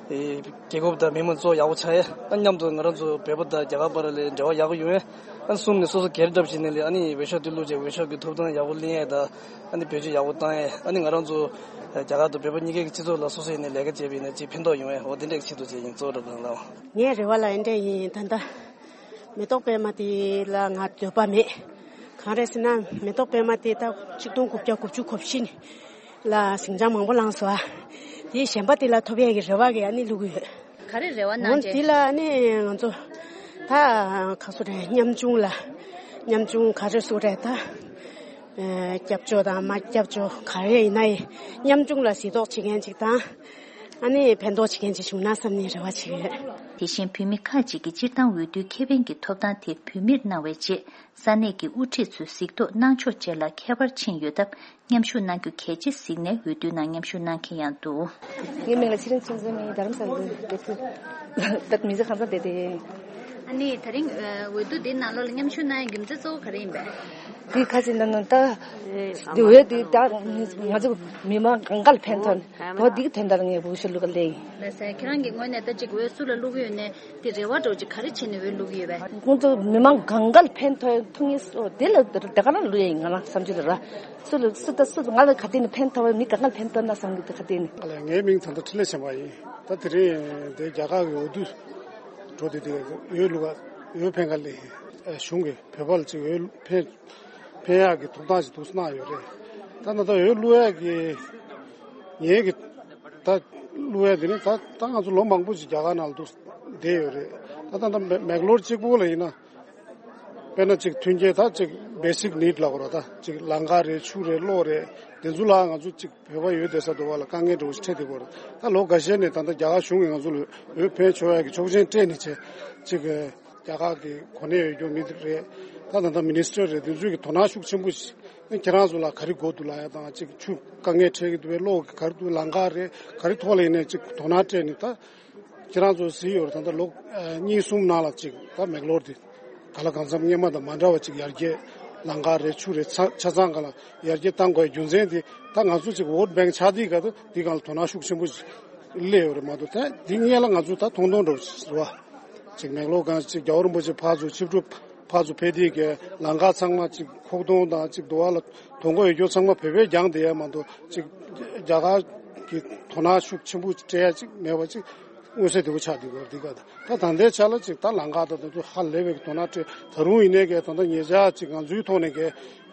རྒྱལ་ཁབ་དང་མི་མང་གཙོ་ཡག་པོ་ཆགས་ཡས། ཨ་མཉམ་དུ་ང་རང་ཚོ་བོད་པ་དང་རྒྱ་གར་བར་ལ་འབྲེལ་བ་ཡག་པོ་ཡོང་ཡས། ཨ་གསུམ་ནས་སོ་སོ་སྒེར་གྲབས་བྱས་ནས་ལས་ཨ་ནི་འོས་ཤོག་དེ་བླུགས་བྱས་འོས་ཤོག་གི་ཐོབ་ཐང་ཡག་པོ་ལེན་ཡས་དང་། ཨ་ནི་བེད་སྤྱོད་ཡག་པོ་བཏང་ཡས། ཨ་ནི་ང་རང་ཚོ་རྒྱ་གར་དང་བོད་པ་གཉིས་ཀའི་སྤྱི་ཚོགས་ལ་སོ་སོ་ཡིན་ནས་ལས་ཀ་བྱས་པ་ཡིན་ན་ཅིག་ཕན་ཐོགས་ཡོང་ཡས། འོ་དེ་འདྲས་ཆེད་དུ་བྱས་ཡིན། གཙོ་བོ་རེད་པ་ལགས། ངའི་རེ་བ་ལ་ཨེ་འདྲས་ཡིན། ད་ལྟ་མེ་ཏོག་པད་མ་དེ་ལ་ང་འདོད་པ་མེད། གང་རེད་ཟེར་ན་མེ་ཏོག་པད་མ་དེ་ད་གཅིག་སྟོང་དགུ་བརྒྱ་དགུ་བཅུ་གོ་བཞི་ལ་ཟིང་ཆ་མང་པོ་ལངས་སོང་ཨ། དེ་གཞན་པ་དེ་ལ་ཐོབ་ཡས་ཀྱི་རེ་བ་གི་ཨ་ནི་བླུག་གི་ཡོད། ག་རེ་རེ་བ་གནང་འོན་རྗེས། དེ་ལ་ཨ་ནི་ང་ཚོ་ད་ག་སོ་རེད། ཉམ་ཆུང་ལ་ཉམ་ཆུང་ག་རེ་སོ་རེད་ད། ཨེ་སྐྱབས་བཅོལ་དང་མ་སྐྱབས་བཅོལ་ག་རེ་ཡིན་ན་ཡི་ཉམ་ཆུང་ལ་གཟིགས་རྟོག་བྱེད་མཁན་ཅིག་དང་། ཨ་ནི་ཕན་ཐོགས་བྱེད་མཁན་ཅིག་བྱུང་ན་བསམ་ནས་རེ་བ་བྱེད་ཀྱི་ཡོད། དེ་བཞིན་བོད་མི་ཁག་ཅིག་གིས་སྤྱིར་བཏང་འོས་བསྡུའི་ཁེ་ཕན་གྱི་ཐོབ་ཐང་དེ་བོད་མིར་གནང་བའི་རྗེས། ས་གནས་ཀྱི་དབུ་ཁྲིད་ཚོས་གཟིགས་རྟོག་གནང་ཕྱོགས་བཅས་ལ་ཁྱད་པར་ཕྱིན་ཡོད་སྟབས། མཉམ་ཞུགས་གནང་རྒྱུ་གལ་ཆེ་གཟིགས་ནས་འོས་བསྡུའི་ནང་མཉམ་ཞུགས་གནང་མཁན་ཡང་འདུག་ངའི་མིང་ལ་ཚེ་རིང་ཚེ་བརྟན། ངས་རྡ་རམ་ས་ལ་སྡོད་ཀྱི་ད་མི་ཚེ་གང་ཚང་བསྡད་དེ། ཨ་ནི་དེ་རིང་འོས་བསྡུ་འདི་ནང་ལོགས་ལ་མཉམ་ཞུགས་གནང་ཡའི་རྒྱུ་མཚན་གཙོ་བོ་ག་རེ་ཡིན་པས། འདི་ཁ་ཅིག་ན་ན་ད་འདི་འོས་འདི་ད་ང་ཚོ་མི་མང་གང་ག་ལ་ཕན་ཐོགས་ནས་འོ་འདི་གི་དོན་དག་ལ་ངས་འོས་ཤོག་བླུག་ག་སླེབས་ཡིན། ལགས་སོ། ཁྱེད་རང་གི་ངོས་ནས་ད་ཅིག་འོས་སུ་ལ་བླུག་གི་ཡོད་ནས། དེ་རེ་བ་འདྲ་བོ་ཅིག་ག་རེ་བྱས་ནས་འོས་བླུག་གི་ཡོད་པས། ཁོང་ཚོ་མི་མང་གང་ག་ལ་ཕན་ཐོགས་ཐུབ་ངེས་སོ་དེ་ལ་དེ་ག་ལ་བླུག་ཡ་ཡིན། ང་རང་བསམ་ཚུལ་ལ་ར། སུ་ལ་སུ་ད་སུ་ང་ལ་ག་དེ་ནས་ཕན་ཐོགས་པ། མི་གང་ག་ལ་ཕན་ཐོགས་ན་བསམ་གི་འདུག་ག་དེ་ནས། ཨ་ལས། ངའི་མིང་ད་ལྟ་འཕྲིན་ལས་བྱམས་པ་ཡིན། ད་དེ་རིང་དེ་རྒྱ་གར་གྱི་འོས་བསྡུ་འགྲོ་དུས་དེ་འོས་བླུག་ག་འོས་འཕེན་ག་ལས་གཞུང་གིས་བོད་པ་ལ་ཅིག་འོས་འཕེན་འཕེན་ཡག་གི་ཐོབ་ཐང་ཞིག་འདུག་སེ་གནང་ཡོད་རེད། ད་ད་ལྟ་འོས་བླུག་ཡག་གི་ངེད་ཀྱི་ད་བླུག་ཡ་དེ་ནི་ད་ད་ང་ཚོ་ལོ་མང་པོ་ཞིག་རྒྱ་གར་ནང་ལ་འདུག་བསྡད་ཡོད་རེད། ད་ད་ད་མེག་ལོར་གཅིག་པོ་ལ་ཡིན་ན། དཔེར་ན་ཅིག་མཐུན་རྐྱེན་ད་ཅིག་བེ་སིག་ནིཌ་ལབ་དགོས་རེད། ད་ཅིག་ལམ་ཁ་རེད། ཆུ་རེད། གློག་རེད། དེ་ཚོ་ལ་ང་ཚོ་ཅིག་བོད་པ་ཡོད་བསྡད་ས་དེ་བ་ལ་དཀའ་ངལ་འདྲ་བོ་ཞིག་འཕྲད་བསྡད་ཡོད་རེད། ད་ལོ་འགའ་ཤས་ནས་ད་ལྟ་རྒྱ་གར་གཞུང་གིས་ང་ཚོ་ལ་འོས་འཕེན་ཆོག་ཡ་གི་ཆོག་མཆན་སྤྲད་ནས་བྱས་ཅིག་རྒྱ་གར་གྱི་གོ་གནས་ཡོད་རྒྱུ་མི་རེད། ད་ད་ལྟ་མི་ནི་སི་ཊར་རེད། དེ་ཚོས་ཀྱི་དོ་སྣང་ཤུགས་ཆེན་པོ་ཞིག་ཁྱེད་རང་ཚོ་ལ་ག་རེ་དགོས་འདུག་ལབ་ཡ་དང་། ཅིག་ཆུ་དཀའ་ངལ་འཕྲད་ཀྱི་འདུག་པས། གློག་གི་ག་རེ་འདུག་ལམ་ཁ་རེད། ག་རེ་ཐོག་ལ་ཡིན་ནའི་ཅིག་དོ་སྣང་སྤྲད་ནས། ད་ཁྱེད་རང་ཚོ་གཟིགས་ཡོད་རེད། ད་ལྟ་ལོ་གཉིས་གསུམ་ནང་ལ་ཅིག་ད་མེག་ལོར་དེ་ག་ལ་གང་འཚམ་སྔོན་མ་དང་མ་འདྲ་བ་ཅིག་ཡར་རྒྱས། ལམ་ཁ་རེད། ཆུ་རེད། ཆ་ཆ་ཚང་སྒང་ལ་ཡར་རྒྱས་གཏང་དགོས་རྒྱུ་མཚན་དེ། ད་ང་ཚོ་ཅིག་ཝོ་ཊི་བེང་ཆགས་དུས་ག་ད་འདི་སྒང་ལ་དོ་སྣང་ཤུགས་ཆེན་པོ་ཞིག་སླེབས་ཡོད་རེད་མ་གཏོགས། ད་འདི་སྔོན་ལ་ང་ཚོ་ད་མཐོང་མཐོང་འདྲ་བོ་ཞིག་རེད་བ། ཅིག་མེག་ལོར་སྒང་ཅིག་རྒྱལ་བ་རིན་པོ་ཆེ་ཕར་ཚུར་ཆིབས་སྒྲུབ་ཕར་ཚུར་ཕེབས་དུས་ཀྱི་ལམ་ཁ་ཚང་མ་ཅིག་ཁོག་སྟོང་དང་ཅིག་དུ་བ་ལ་དོ་མགོ་ཡོད་རྒྱུ་ཚང་མ་བོད་པས་རྒྱང་བསྡད་ཡ་མ་གཏོགས། ཅིག་རྒྱ་གར་གྱི་དོ་སྣང་ཤུགས་ཆེན་པོ་སྤྲད་ཡ་ཅིག་མེད་པ་ཅིག་མངོན་གསལ་དོད་པོ་ཆགས་བསྡད་ཡོད་རེད། འདི་ག་ད་ད་ལྟའི་ཆ་ལ་ཅིག་ད་ལམ་ཁ་དང་དེ་ཚོ་ཧ་ལས་པའི་དོ་སྣང་སྤྲད། ད་རུང་ཡིན་ནའི་གི་ད་ལྟ་ཉེ་ཆར་ཅིག་ང་ཚོའི་ཐོག་ནས་གི་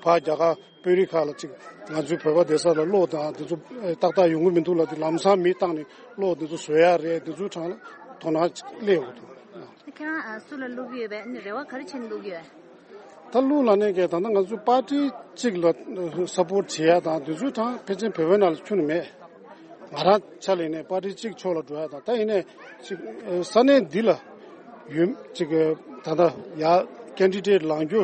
ཕར་རྒྱ་གར་དཔོན་རིགས་ཁག་ལ་ཅིག་ང་ཚོའི་བོད་པ་བསྡད་ས་ལ་གློག་དང་དེ་ཚོ་ཨེ་ཏག་ཏག་ཡོང་གི་མི་འདུག་ལབ་དུས། ལམ་སང་མི་བཏང་ནས་གློག་དེ་ཚོ་བཟོ་ཡ་རེད། དེ་ཚོའི་སྒང་ལ་དོ་སྣང་ཅིག་སླེབས་ཡོང་གི་འདུག་ཁྱེད་རང་ཨ་སུ་ལ་བླུག་གི་ཡོད་པས། ཨ་ནི་རེ་བ་ག་རེ་བྱས་ནས་བླུག་གི་ཡོད། ད་བླུག་ལབ་ནའི་གི་ད་ལྟ་ང་ཚོ་པར་ཊི་གཅིག་ལ་སཔོར་ཊི་བྱེད་ཡ་དང་དེ་ཚོའི་སྒང་ཕལ་ཆེར་བོད་པའི་ནང་ལ་ཁྱོན་ནས་མེད། ང་རང་ཆ་ལ་ཡིན་ནའི་པར་ཊི་གཅིག་ཕྱོགས་ལ་འགྲོ་ཡ་དང་། ད་ཡིན་ནའི་ཅིག་ས་གནས་འདི་ལ་ཡོད་ཅིག་ད་ལྟ་ཡ་ཀེན་ཌི་ཌེ་ཊི་ལངས་རྒྱུ་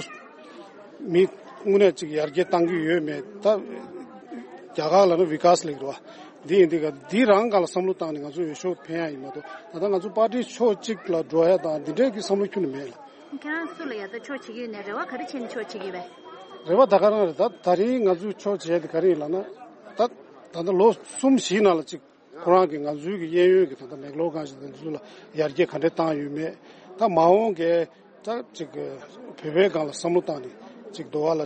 མི་དངོས་གནས་ཅིག་ཡར་རྒྱས་གཏང་གི་ཡོད་མེད། ད་རྒྱ་གར་ལ་ནི་བི་ཀཱས་ལབ་ཀྱི་རེད་བ། འདི་ཡིན་དུས་ག་འདི་རང་སྒང་ལ་བསམ་བློ་བཏང་ནས་ང་ཚོ་འོས་ཤོག་འཕེན་ཡ་ཡིན་མ་གཏོགས། ད་ལྟ་ང་ཚོ་པར་ཊི་ཕྱོགས་གཅིག་ལ་འགྲོ་ཡ་དང་འདི་འདྲའི་གི་བསམ་བློ་ཁྱོན་ནས་མེད་ལ། ཁྱེད་རང་སུ་ལ་ཡ་ད་ཕྱོགས་བྱེད་ཀྱི་ཡོད་ནའི་རེ་བ་ག་རེ་བྱས་ནས་ཕྱོགས་བྱེད་ཀྱི་ཡོད་པས། རེ་བ་ད་ག་རང་རེད། ད་ད་རིང་ང་ཚོས་ཕྱོགས་བྱས་དེ་ག་རེ་ཡིན་ལབ་ན། ད་ད་ལྟ་ལོ་གསུམ་བཞིའི་ནང་ལ་ཅིག་ཁོ་རང་གིས་ང་ཚོའི་གི་གཡས་གཡོན་གྱི་ད་ལྟ་མེག་ལོར་སྒང་ཞིག་དང་འདི་ཚོ་ལ་ཡར་རྒྱས་ག་འདྲས་བཏང་ཡོད་མེད། ད་མ་འོངས་ཀྱི་ད་ཅིག་བོད་པའི་སྒང་ལ་བསམ་བློ་བཏང་ནས་ཅིག་དུ་བ་ལ་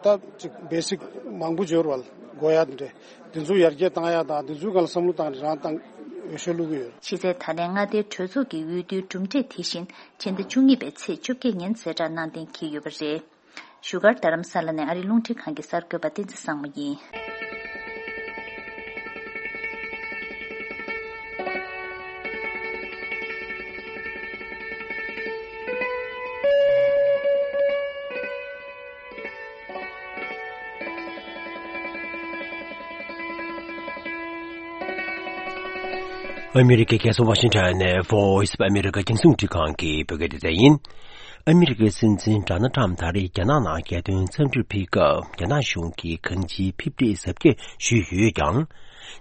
ད་ཅིག་བེ་སིག་མང་པོ་འབྱོར་བ་ལ་དགོས་ཡ་དེ་འདྲས། དེ་ཚོ་ཡར་རྒྱས་བཏང་ཡ་དང་དེ་ཚོའི་སྒང་ལ་བསམ་བློ་བཏང་ནས་རང་བཏང་འོས་ཤོག་བླུག་གི་ཡོད། ཕྱི་ཚེས་ད་ལན་མངའ་སྡེའི་གྲོས་ཚོགས་ཀྱི་འོས་བསྡུའི་གྲུབ་འབྲས་དེ་བཞིན་ཕྱི་ཟླ་བཅུ་གཉིས་པའི་ཚེས་བཅོ་བརྒྱད་ཉིན་གསལ་བསྒྲགས་གནང་གཏན་འཁེལ་ཡོད་པ་རེད། བཞུགས་སྒར་རྡ་རམ་ས་ལ་ནས་ཨ་རིའི་རླུང་འཕྲིན་ཁང་གི་གསར་འགོད་པ་བསྟན་འཛིན་བཟང་མོ་ཡིན། ཨ་མི་རི་ཀའི་རྒྱལ་ས་ཝ་ཤིང་ཊོན་ནས་Voice of America རྒྱང་སྲིང་རླུང་འཕྲིན་ཁང་གི་བོད་སྐད་སྡེ་ཚན་ཡིན། ཨ་མི་རི་ཀའི་སྲིད་འཛིན་ཌོ་ནལ་ཊམ་ད་རེས་རྒྱ་ནག་ནང་རྒྱལ་དོན་འཚམས་འདྲིར་ཕེབས་སྐབས། རྒྱ་ནག་གཞུང་གིས་གང་ཅིའི་ཕེབས་འབྲས་གཟབ་རྒྱས་ཞུས་ཡོད་ཀྱང་།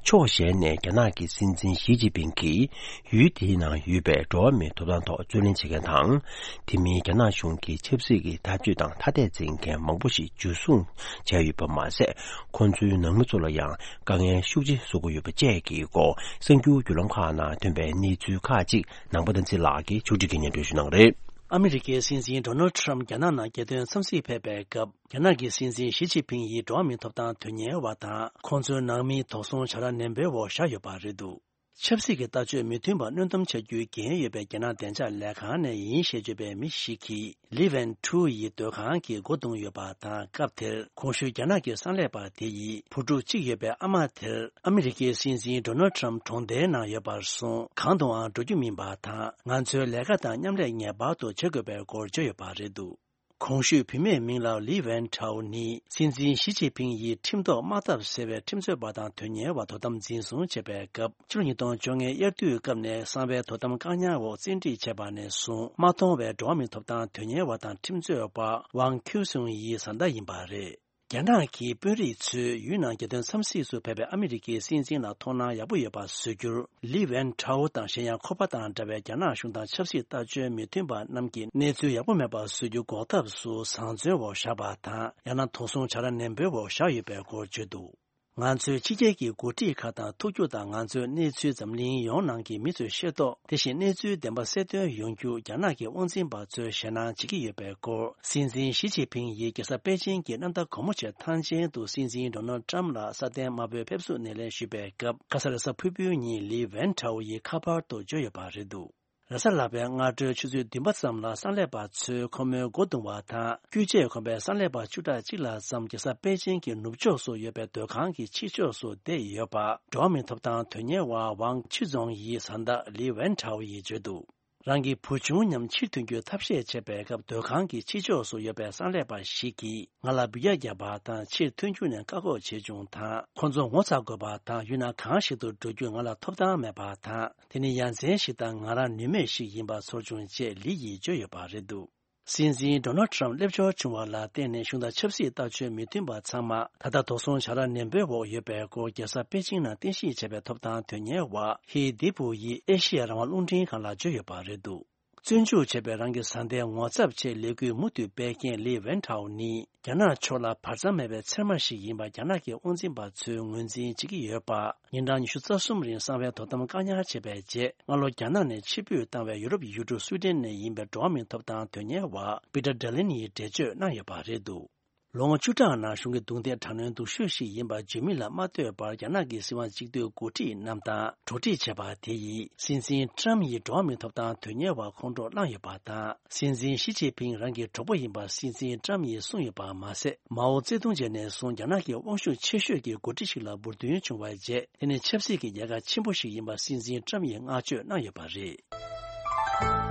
ཕྱོགས་གཞན་ནས་རྒྱ་ནག་གི་སྲིད་འཛིན་ཞི་ཅིན་ཕིང་གིས་ཡུལ་དེའི་ནང་ཡོད་པའི་འགྲོ་བ་མིའི་ཐོབ་ཐང་ཐོག་རྩོད་ལེན་བྱེད་མཁན་དང་། དེ་མིན་རྒྱ་ནག་གཞུང་གི་ཆབ་སྲིད་ཀྱི་འཐབ་ཇུས་དང་ཐ་དད་འཛིན་མཁན་མང་པོ་ཞིག་འཇུ་བཟུང་བྱས་ཡོད་པ་མ་ཟད། ཁོང་ཚོའི་ནང་མི་ཚོ་ལ་ཡང་དཀའ་ངལ་ཤུགས་ཆེ་བཟོ་གི་ཡོད་པ་བཅས་ཀྱི་སྐོར། གསར་འགྱུར་བརྒྱུད་ལམ་ཁག་ནང་ཐོན་པའི་གནས་ཚུལ་ཁག་ཅིག་ནང་པ་བསྟན་འཛིན་ལགས་ཀྱིས་ཕྱོགས་སྒྲིག་གིས་སྙན་སྒྲོན་ཞུ་གནང་གི་རེད། ཨ་མི་རི་ཀའི་སྲིད་འཛིན་ཌོ་ནལ་ཊམ་རྒྱ་ནག་ནང་རྒྱལ་དོན་འཚམས་གཟིགས་ཕེབས་པའི་སྐབས། རྒྱ་ནག་གི་སྲིད་འཛིན་ཞི་ཅིན་ཕིང་ཡིས་འགྲོ་བ་མིའི་ཐོབ་ཐང་དོན་གཉེར་བ་དང་། ཁོང་ཚོའི་ནང་མིའི་དོགས་ཟོན་བྱ་ར་ནན་པོའི་འོག་བཞག་ཡོད་པ་རེད་འདུག་ཆབ་སྲིད་ཀྱི་ལྟ་སྤྱོད་མི་མཐུན་པ་སྣོན་སྡོམ་བྱ་རྒྱུའི་འགན་ཡོད་པའི་རྒྱ་ནག་བདེ་འཇགས་ལས་ཁང་ནས་ཡིན་ཞེས་བརྗོད་པའི་མི་ཞིག་གིས། ལི་ཝན་ཁྲུའུ་ཡི་སྡོད་ཁང་གི་སྒོ་བརྡུངས་ཡོད་པ་དང་། སྐབས་དེར་གོང་ཞུས་རྒྱ་ནག་གི་གསང་ལས་པ་དེ་ཡིས། བུ་ཕྲུག་གཅིག་ཡོད་པའི་ཨ་མ་དེར་ཨ་མི་རི་ཀའི་སྲིད་འཛིན་ཌོ་ནལ་ཁྲམ་གྲོང་སྡེའི་ནང་ཡོད་པར་སོང་། གང་དུའང་འགྲོ་རྒྱུ་མིན་པ་དང་། ང་ཚོའི་ལས་ཀ་དང་མཉམ་ལས་ངེས་པར་དུ་བྱེད་དགོས་པའི་སྐོར་བརྗོད་ཡོད་པ་རེད་འདུག། གོང་ཞུས་བུད་མེད་མིང་ལ་ལི་ཝན་ཁྲའོ་ནི། སྲིད་འཛིན་ཞི་ཅིན་ཕིང་ཡིས་ཁྲིམས་ཐོག་དམག་འཐབ་ཟེར་བའི་ཁྲིམས་རྩོད་པ་དང་དོན་གཉེར་བ་དོ་དམ་འཛིན་བཟུང་བྱས་པའི་སྐབས། ཕྱི་ལོ་ཉིས་སྟོང་བཅོ་ལྔའི་དབྱར་དུས་སྐབས་ནས་གསང་བའི་དོ་དམ་བཀག་ཉར་འོག་བཙན་ཁྲིད་བྱས་པ་ནས་བཟུང་མ་མཐོང་བའི་འགྲོ་བ་མིའི་ཐོབ་ཐང་དོན་གཉེར་བ་དང་ཁྲིམས་རྩོད་པ་ཝང་ཁིའུ་སུང་ཡི་བཟའ་ཟླ་ཡིན་པ་རེད། རྒྱ་ནག་གི་དཔོན་རིགས་ཚོས་ཡུལ་ནང་རྒྱལ་དོན་འཚམས་གཟིགས་སུ་ཕེབས་པའི་ཨ་མི་རི་ཀའི་སྲིད་འཛིན་ལ་མཐོང་སྣང་ཡག་པོ་ཡོད་པ་བཟོ་རྒྱུར། ལི་ཝན་ཁྲའོ་དང་གཞན་ཡང་ཁོ་པ་དང་འདྲ་བའི་རྒྱ་ནག་གཞུང་དང་ཆབ་སྲིད་ལྟ་སྤྱོད་མི་མཐུན་པ་རྣམས་ཀྱི་གནས་ཚུལ་ཡག་པོ་མེད་པ་བཟོ་རྒྱུ་འགོག་ཐབས་སུ་བཟང་བཙོན་འོག་བཞག་པ་དང་། ཡང་ན་དོགས་ཟོན་བྱ་ར་ནན་པོའི་འོག་བཞག་ཡོད་པའི་སྐོར་བརྗོད་འདུག། ང་ཚོའི་ཕྱི་རྒྱལ་གྱི་འགོ་ཁྲིད་ཁག་དང་ཐུག་རྒྱུ་དང་། ང་ཚོའི་གནས་ཚུལ་འཛམ་གླིང་ཡོངས་ནང་གི་མི་ཚོས་ཤེས་རྟོགས། དེ་བཞིན་གནས་ཚུལ་བདེན་པ་གསལ་སྟོན་ཡོང་རྒྱུ་རྒྱ་ནག་གི་དབང་འཛིན་པ་ཚོས་ཞེད་སྣང་བྱེད་ཀྱི་ཡོད་པའི་སྐོར། སྲིད་འཛིན་ཞི་ཅིན་ཕིང་ཡིས་རྒྱལ་ས་པེ་ཅིང་གི་གནམ་ཐང་སྒོ་མོ་ཆེ་ཐང་ཆེན་དུ་སྲིད་འཛིན་ཌོ་ནལ་ཁྲམ་ལ་སྲ་བརྟན་དམར་པོའི་ཕེབས་བསུ་སྣེ་ལེན་ཞུས་པའི་སྐབས། ཁ་ས་རེས་གཟའ་ཕུར་བུའི་ཉིན་ལི་ཝན་ཁྲའོ་ཡིས་ཁ་པར་དུ་བརྗོད་ཡོད་པ་རེད་འདུག། རེས་གཟའ་ལྷག་པའི་སྔ་དྲོའི་ཆུ་ཚོད་བདུན་པ་ཙམ་ལ་གསང་ལས་པ་ཚོས་ཁོ་མོའི་སྒོ་བརྡུང་བ་དང་། རྒྱུ་ཆས་གོན་པའི་གསང་ལས་པ་བཅུ་ཕྲག་གཅིག་ལྷག་ཙམ་རྒྱལ་ས་པེ་ཅིང་གི་ནུབ་ཕྱོགས་སུ་ཡོད་པའི་སྡོད་ཁང་གི་ཕྱི་ཕྱོགས་སུ་བསྡད་ཡོད་པ། འགྲོ་བ་མིའི་ཐོབ་ཐང་དོན་གཉེར་བ་ཝང་ཆུ་རྫོང་ཡི་བཟའ་ཟླ་ལི་ཝན་ཁྲའོ་ཡིས་བརྗོད་འདུག། རང་གི་བུ་ཆུང་མཉམ་ཕྱིར་ཐོན་རྒྱུའི་ཐབས་ཤེས་བྱས་པའི་སྐབས། སྡོད་ཁང་གི་ཕྱི་ཕྱོགས་སུ་ཡོད་པའི་གསང་ལས་པ་ཞིག་གིས་ང་ལ་འབུད་རྒྱག་བརྒྱབ་པ་དང་། ཕྱིར་ཐོན་རྒྱུ་ནས་བཀག་འགོག་བྱས་བྱུང་དང་། ཁོ་ཚོ་ངོ་ཚ་དགོས་པ་དང་། ཡུལ་ན་གང་ཞིག་ཏུ་འགྲོ་རྒྱུ་ང་ལ་ཐོབ་ཐང་མེད་པ་དང་། དེ་ནི་ཡ་མཚན་ཞིག་དང་། ང་རང་ནུས་མེད་ཞིག་ཡིན་པ་ཚོར་བྱུང་ཅེས་ལི་ཡིས་བརྗོད་ཡོད་པ་རེད་འདུག། སྲིད་འཛིན་ཌོ་ནལ་ཁྲམ་སླེབས་འབྱོར་བྱུང་བ་ལ་བརྟེན་ནས། གཞུང་དང་ཆབ་སྲིད་ལྟ་སྤྱོད་མི་མཐུན་པ་ཚང་མ་ད་ལྟ་དོགས་ཟོན་བྱ་ར་ནན་པོའི་འོག་ཡོད་པའི་སྐོར། རྒྱལ་ས་པེ་ཅིང་ནང་རྟེན་གཞི་བྱས་པའི་ཐོབ་ཐང་དོན་གཉེར་བ་ཧི་དི་པུ་ཡིས་ཨེ་ཤི་ཡ་རང་དབང་རླུང་འཕྲིན་ཁང་ལ་བརྗོད་ཡོད་པ་རེད་འདུག། བཙོན་འཇུག་བྱས་པའི་རང་གི་བཟའ་ཟླའི་ངོ་ཚབ་ཆེད་ལས་འགུལ་མུ་མཐུད་སྤེལ་མཁན་ལི་ཝན་ཁྲའོ་ནི། རྒྱ་ནག་ཕྱོགས་ལ་བར་མཚམས་མེད་པའི་ཚེར་མ་ཞིག་ཡིན་པ་རྒྱ་ནག་གི་དབང་འཛིན་པ་ཚོས་ངོས་འཛིན་བྱེད་ཀྱི་ཡོད་པ། ཉིན་གྲངས་ཉི་ཤུ་རྩ་གསུམ་རིང་གསང་བའི་དོ་དམ་བཀག་ཉར་བྱས་པའི་རྗེས། སྔ་ལོ་རྒྱ་ནག་ནས་ཕྱིར་འབུད་བཏང་བའི་ཡུ་རོབ་ཡུལ་གྲུ་སུའི་ཌེན་ནས་ཡིན་པའི་འགྲོ་བ་མིའི་ཐོབ་ཐང་དོན་གཉེར་བ་པི་ཏར་ཌེ་ལན་ཡིས་འགྲེལ་བརྗོད་གནང་ཡོད་པ་རེད་འདུག། ལོ་ངོ་བཅུ་ཕྲག་ནང་གཞུང་གི་རྡུང་རྡེག་དྲག་གནོན་སྡུག་ཤོས་ཤིག་ཡིན་པ་བརྗོད་མིན་ལ་མ་ལྟོས་པར། རྒྱ་ནག་གི་སྲིད་དབང་གཅིག་སྡུད་འགོ་ཁྲིད་རྣམས་དང་གྲོགས་འདྲིས་བྱས་པ་དེ་ཡིས། སྲིད་འཛིན་ཁྲམ་ཡིས་འགྲོ་བ་མིའི་ཐོབ་ཐང་དོན་གཉེར་བ་ཁོང་ཁྲོ་བསླངས་ཡོད་པ་དང་། སྲིད་འཛིན་ཞི་ཅིན་ཕིང་རང་གི་གྲོགས་པོ་ཡིན་པ་སྲིད་འཛིན་ཁྲམ་ཡིས་གསུངས་ཡོད་པ་མ་ཟད། མའོ་ཙེ་ཏུང་རྗེས་ནས་བཟུང་རྒྱ་ནག་གི་དབང་ཤུགས་ཆེ་ཤོས་ཀྱི་འགོ་ཁྲིད་ཞིག་ལ་འབུར་ཐོན་བྱུང་བའི་རྗེས། དེ་ནི་ཆབ་སྲིད་ཀྱི་རྒྱལ་ཁ་ཆེན་པོ་ཞིག་ཡིན་པ་སྲིད་འཛིན་ཁྲམ་ཡིས་བསྔགས་བརྗོད་གནང་ཡོད་པ་རེད།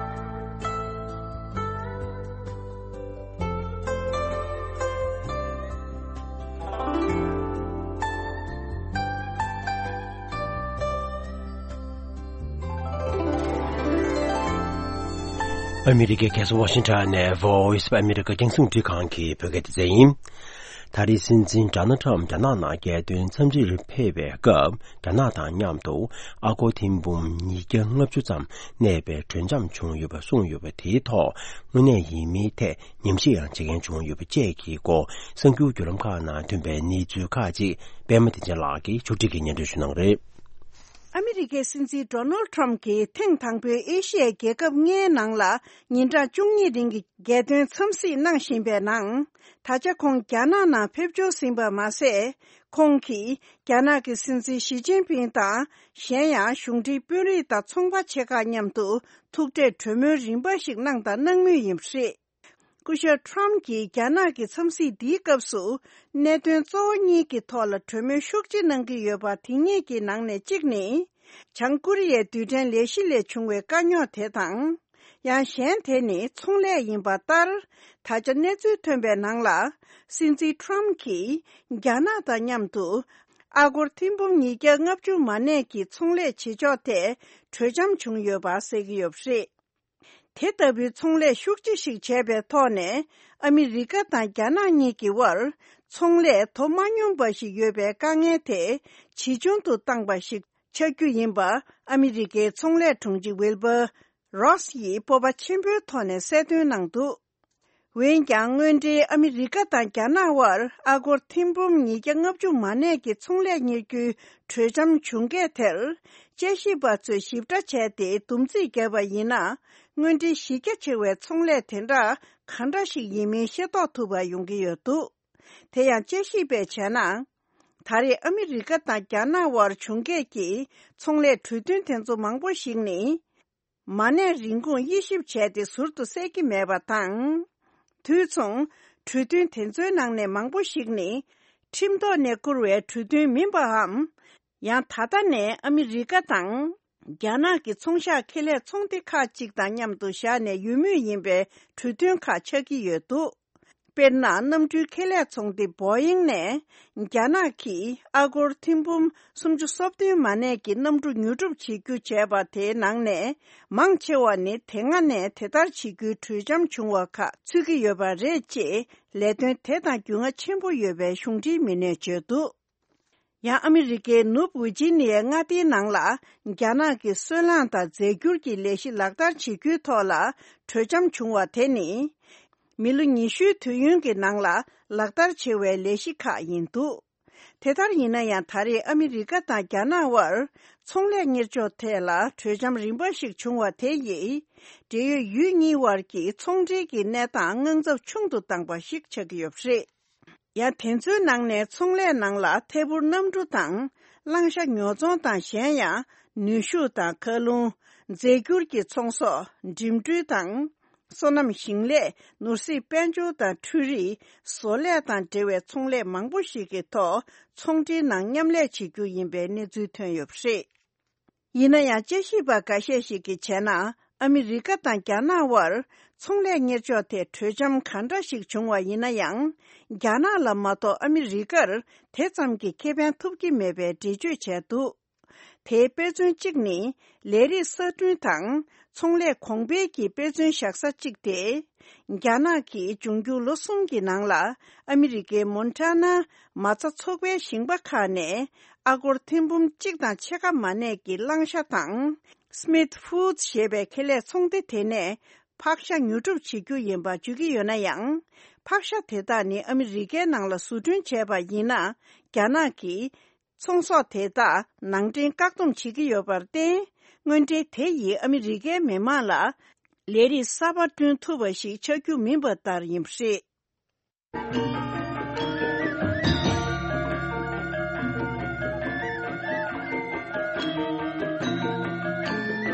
ཨ་མི་རི་ཀའི་རྒྱལ་ས་ཝ་ཤིང་ཊོན་ནས་Voice of America རྒྱང་སྲིང་འཕྲིན་ཁང་གི་བོད་སྐད་སྡེ་ཚན་ཡིན། ད་རེས་སྲིད་འཛིན་ཌོ་ནལ་ཁྲམ་རྒྱ་ནག་ནང་རྒྱལ་དོན་འཚམས་འདྲིར་ཕེབས་པའི་སྐབས། རྒྱ་ནག་དང་མཉམ་དུ་ཨ་སྒོར་ཐེར་འབུམ་ཉིས་བརྒྱ་ལྔ་བཅུ་ཙམ་གནས་པའི་གྲོས་འཆམ་བྱུང་ཡོད་པ་གསུངས་ཡོད་པ་དེའི་ཐོག་དངོས་གནས་ཡིན་མིན་ཐད་ཉམས་ཞིབ་ཡང་བྱེད་མཁན་བྱུང་ཡོད་པ་བཅས་ཀྱི་སྐོར། གསར་འགྱུར་བརྒྱུད་ལམ་ཁག་ནང་ཐོན་པའི་གནས་ཚུལ་ཁག་ཅིག་པད་མ་བདེ་ཆེན་ལགས་ཀྱིས་ཕྱོགས་སྒྲིག་གིས་སྙན་སྒྲོན་ཞུ་གནང་གི་རེད། ཨ་མི་རི་ཀའི་སྲིད་འཛིན་ཌོ་ནལ་ཁྲམ་གྱིས་ཐེངས་དང་པོའི་ཨེ་ཤི་ཡའི་རྒྱལ་ཁབ་ལྔའི་ནང་ལ་ཉིན་གྲངས་བཅུ་གཉིས་རིང་གི་རྒྱལ་དོན་འཚམས་གཟིགས་གནང་བཞིན་པའི་ནང་། ད་ཆ་ཁོང་རྒྱ་ནག་ནང་ཕེབས་འབྱོར་ཟིན་པ་མ་ཟད། ཁོང་གིས་རྒྱ་ནག་གི་སྲིད་འཛིན་ཞི་ཅིན་ཕིང་དང་། གཞན་ཡང་གཞུང་འབྲེལ་དཔོན་རིགས་དང་ཚོང་པ་ཆེ་ཁག་མཉམ་དུ་ཐུག་འཕྲད་གྲོས་མོལ་རིམ་པ་ཞིག་གནང་དང་གནང་མུས་ཡིན་པ་རེད། སྐུ་ཞབས་ཁྲམ་གྱིས་རྒྱ་ནག་གི་འཚམས་གཟིགས་འདིའི་སྐབས་སུ། གནད་དོན་གཙོ་བོ་གཉིས་ཀྱི་ཐོག་ལ་གྲོས་མོལ་ཤུགས་ཆེ་གནང་གི་ཡོད་པ། དེ་གཉིས་ཀྱི་ནང་ནས་གཅིག་ནི། བྱང་ཀོ་རི་ཡའི་རྡུལ་ཕྲན་ལས་གཞི་ལས་བྱུང་བའི་དཀའ་རྙོག་དེ་དང་། ཡང་གཞན་དེ་ནི་ཚོང་ལས་ཡིན་པ་ལྟར། ད་ཆ་གནས་ཚུལ་ཐོན་པའི་ནང་ལ། སྲིད་འཛིན་ཁྲམ་གྱིས་རྒྱ་ནག་དང་མཉམ་དུ། ཨ་སྒོར་ཐེར་འབུམ་ཉིས་བརྒྱ་ལྔ་བཅུ་མ་གནས་ཀྱི་ཚོང་ལས་བྱེད་ཕྱོགས་ཐད་གྲོས་འཆམ་བྱུང་ཡོད་པ་གསལ་གྱི་ཡོད་པ་རེད། དེ་ལྟ་བུའི་ཚོང་ལས་ཤུགས་ཆེ་ཞིག་བྱས་པའི་ཐོག་ནས། ཨ་མི་རི་ཀ་དང་རྒྱ་ནག་གཉིས་ཀྱི་དབར། ཚོང་ལས་དོ་མ་སྙོམས་པ་ཞིག་ཡོད་པའི་དཀའ་ངལ་དེ་ཇེ་ཆུང་དུ་བཏང་པ་ཞིག་ཆགས་རྒྱུ་ཡིན་པ། ཨ་མི་རི་ཀའི་ཚོང་ལས་དྲུང་ཆེ་ཝིལ་བྷར་རོས་ཡིས་སྤོབས་པ་ཆེན་པོའི་ཐོག་ནས་གསལ་སྟོན་གནང་འདུག། འོན་ཀྱང་། སྔོན་འགྲོའི་ཨ་མི་རི་ཀ་དང་རྒྱ་ནག་དབར་ཨ་སྒོར་ཐེར་འབུམ་ཉིས་བརྒྱ་ལྔ་བཅུ་མ་གནས་ཀྱི་ཚོང་ལས་གཉེར་རྒྱུའི་གྲོས་འཆམ་བྱུང་སྐད་དེར། དཔྱད་ཞིབ་པ་ཚོས་ཞིབ་ཕྲ་བྱས་ཏེ། སྡོམ་རྩིས་བརྒྱབ་པ་ཡིན་ན། སྔོན་འགྲོའི་གཞི་རྒྱ་ཆེ་བའི་ཚོང་ལས་དེ་འདྲ་ག་འདྲ་ཞིག་ཡིན་མིན་ཤེས་རྟོགས་ཐུབ་པ་ཡོང་གི་ཡོད་འདུག། དེ་ཡང་། དཔྱད་ཞིབ་པས་བྱས་ན། ད་རེས་ཨ་མི་རི་ཀ་དང་རྒྱ་ནག་དབར་བྱུང་གས་ཀྱི་ཚོང་ལས་གྲོས་མཐུན་དེ་ཚོ་མང་པོ་ཞིག་ནི། མ་གནས་རིན་གོང་དབྱེ་ཞིབ་བྱས་ཏེ་ཟུར་དུ་གསལ་གྱི་མེད་པ་དང་། དུས་མཚུངས་གྲོས་མཐུན་དེ་ཚོའི་ནང་ནས་མང་པོ་ཞིག་ནི། ཁྲིམས་ཐོག་ནས་བསྐུར་བའི་གྲོས་མཐུན་མིན་པའམ། ཡང་ད་ལྟ་ནས་ཨ་མི་རི་ཀ་དང་། རྒྱ་ནག་གི་ཚོང་ཤག་ཁེ་ལས་ཚོང་སྡེ་ཁག་ཅིག་དང་མཉམ་དུ་བཞག་ནས་ཡོད་མུས་ཡིན་པའི་གྲོས་མཐུན་ཁག་ཆགས་ཀྱི་ཡོད་འདུག་དཔེར་ན། གནམ་གྲུའི་ཁེ་ལས་ཚོང་སྡེ་བོ་ཡིང་ནས། རྒྱ་ནག་གིས་ཨ་སྒོར་ཐེར་འབུམ་སུམ་ཅུ་སོ་བདུན་མ་གནས་ཀྱི་གནམ་གྲུ་ཉོ་སྒྲུབ་བྱེད་རྒྱུ་བྱས་པ་དེའི་ནང་ནས། མང་ཆེ་བ་ནི་དེ་སྔ་ནས་དེ་ལྟར་བྱེད་རྒྱུའི་གྲོས་འཆམ་བྱུང་བ་ཁག་ཚུད་ཀྱི་ཡོད་པ་རེད། ཅེས་ལས་དོན་དེ་དང་རྒྱུས་མངའ་ཆེན་པོ་ཡོད་པའི་གཞུང་འབྲེལ་མི་སྣས་བརྗོད་འདུག་ཡང་ཨ་མི་རི་ཀའི་ནུབ་ཝི་ཇི་ནི་ཡའི་མངའ་སྡེའི་ནང་ལ། རྒྱ་ནག་གི་སོལ་རླངས་དང་རྫས་འགྱུར་གྱི་ལས་གཞི་ལག་བསྟར་བྱེད་རྒྱུའི་ཐོག་ལ་གྲོས་འཆམ་བྱུང་བ་དེ་ནི། མི་ལོ་ཉི་ཤུའི་དུས་ཡུན་གྱི་ནང་ལ་ལག་བསྟར་བྱེད་པའི་ལས་གཞི་ཁག་ཡིན་འདུག་དེ་ལྟར་ཡིན་ན་ཡང་། ད་རེས་ཨ་མི་རི་ཀ་དང་རྒྱ་ནག་དབར་ཚོང་ལས་གཉེར་ཕྱོགས་ཐད་ལ་གྲོས་འཆམ་རིམ་པ་ཞིག་བྱུང་བ་དེ་ཡིས། འབྲེལ་ཡོད་ཡུལ་གཉིས་དབར་གྱི་ཚོང་འབྲེལ་གྱི་གནས་སྟངས་དངངས་འཚབ་ཆུང་དུ་བཏང་པ་ཞིག་ཆགས་ཀྱི་ཡོད་པ་རེད། ཡང་དེ་ཚོའི་ནང་ནས་ཚོང་ལས་ནང་ལ་ཐད་འཕུར་གནམ་གྲུ་དང་། གླང་ཤ་ཉོ་ཚོང་དང་། གཞན་ཡང་ནུས་ཤུགས་དང་། མཁའ་རླུང་། རྫས་འགྱུར་གྱི་ཚོང་ཟོག་འགྲིམ་འགྲུལ་དང་། སོ་ནམ་ཞིང་ལས། ནོར་སྲིད། དཔལ་འབྱོར་དང་འཕྲུལ་རིག་བཟོ་ལས་དང་འབྲེལ་བའི་ཚོང་ལས་མང་པོ་ཞིག་གི་ཐོག་ཚོང་འབྲེལ་ནང་མཉམ་ལས་བྱེད་རྒྱུ་ཡིན་པའི་གནས་ཚུལ་ཐོན་ཡོད་པ་རེད། ཡིན་ན་ཡང་། དཔྱད་ཞིབ་པ་འགའ་ཤས་ཤིག་གིས་བྱས་ན། ཨ་མི་རི་ཀ་དང་རྒྱ་ནག་དབར་ཚོང་ལས་གཉེར་ཕྱོགས་ཐད་གྲོས་འཆམ་གང་འདྲ་ཞིག་བྱུང་བ་ཡིན་ན་ཡང་། རྒྱ་ནག་ལ་མ་གཏོགས་ཨ་མི་རི་ཀར་དེ་ཙམ་གྱི་ཁེ་ཕན་ཐོབ་ཀྱི་མེད་པའི་འགྲེལ་བརྗོད་བྱས་འདུག་དེའི་དཔེ་མཚོན་གཅིག་ནི། ལས་རིགས་གསར་སྐྲུན་དང་ཚོང་ལས་གོང་འཕེལ་གྱི་དཔེ་མཚོན་བཞག་ས་གཅིག་སྟེ། རྒྱ་ནག་གིས་འབྱུང་འགྱུར་ལོ་གསུམ་གྱི་ནང་ལ་ཨ་མི་རི་ཀའི་མོན་ཊ་ན་མ་རྩ་ཚོགས་པའི་ཞིང་པ་ཁག་ནས་ཨ་སྒོར་ཐེར་འབུམ་གཅིག་དང་ཕྱེད་ཀ་མ་གནས་ཀྱི་གླང་ཤ་དང་། Smith Foods ཞེས་པའི་ཁེ་ལས་ཚོང་སྡེ་དེ་ནས་ཕག་ཤ་ཉོ་སྒྲུབ་བྱེད་རྒྱུ་ཡིན་པ་བརྗོད་ཀྱི་ཡོད་ན་ཡང་། ཕག་ཤ་དེ་དག་ནི་ཨ་མི་རི་ཀའི་ནང་ལ་བཟོ་སྐྲུན་བྱས་པ་ཡིན་ན། རྒྱ་ནག་གིས་ཚོང་ཟོག་དེ་དག་ནང་འདྲེན་བཀག་སྡོམ་བྱེད་ཀྱི་ཡོད་པར་བརྟེན། དངོས་འབྲེལ་དེ་ཡིས་ཨ་མི་རི་ཀའི་མི་དམངས་ལ་ལས་རིགས་གསར་པ་བསྐྲུན་ཐུབ་པ་ཞིག་ཆགས་རྒྱུ་མིན་པ་ལྟར་ཡིན་པ་རེད།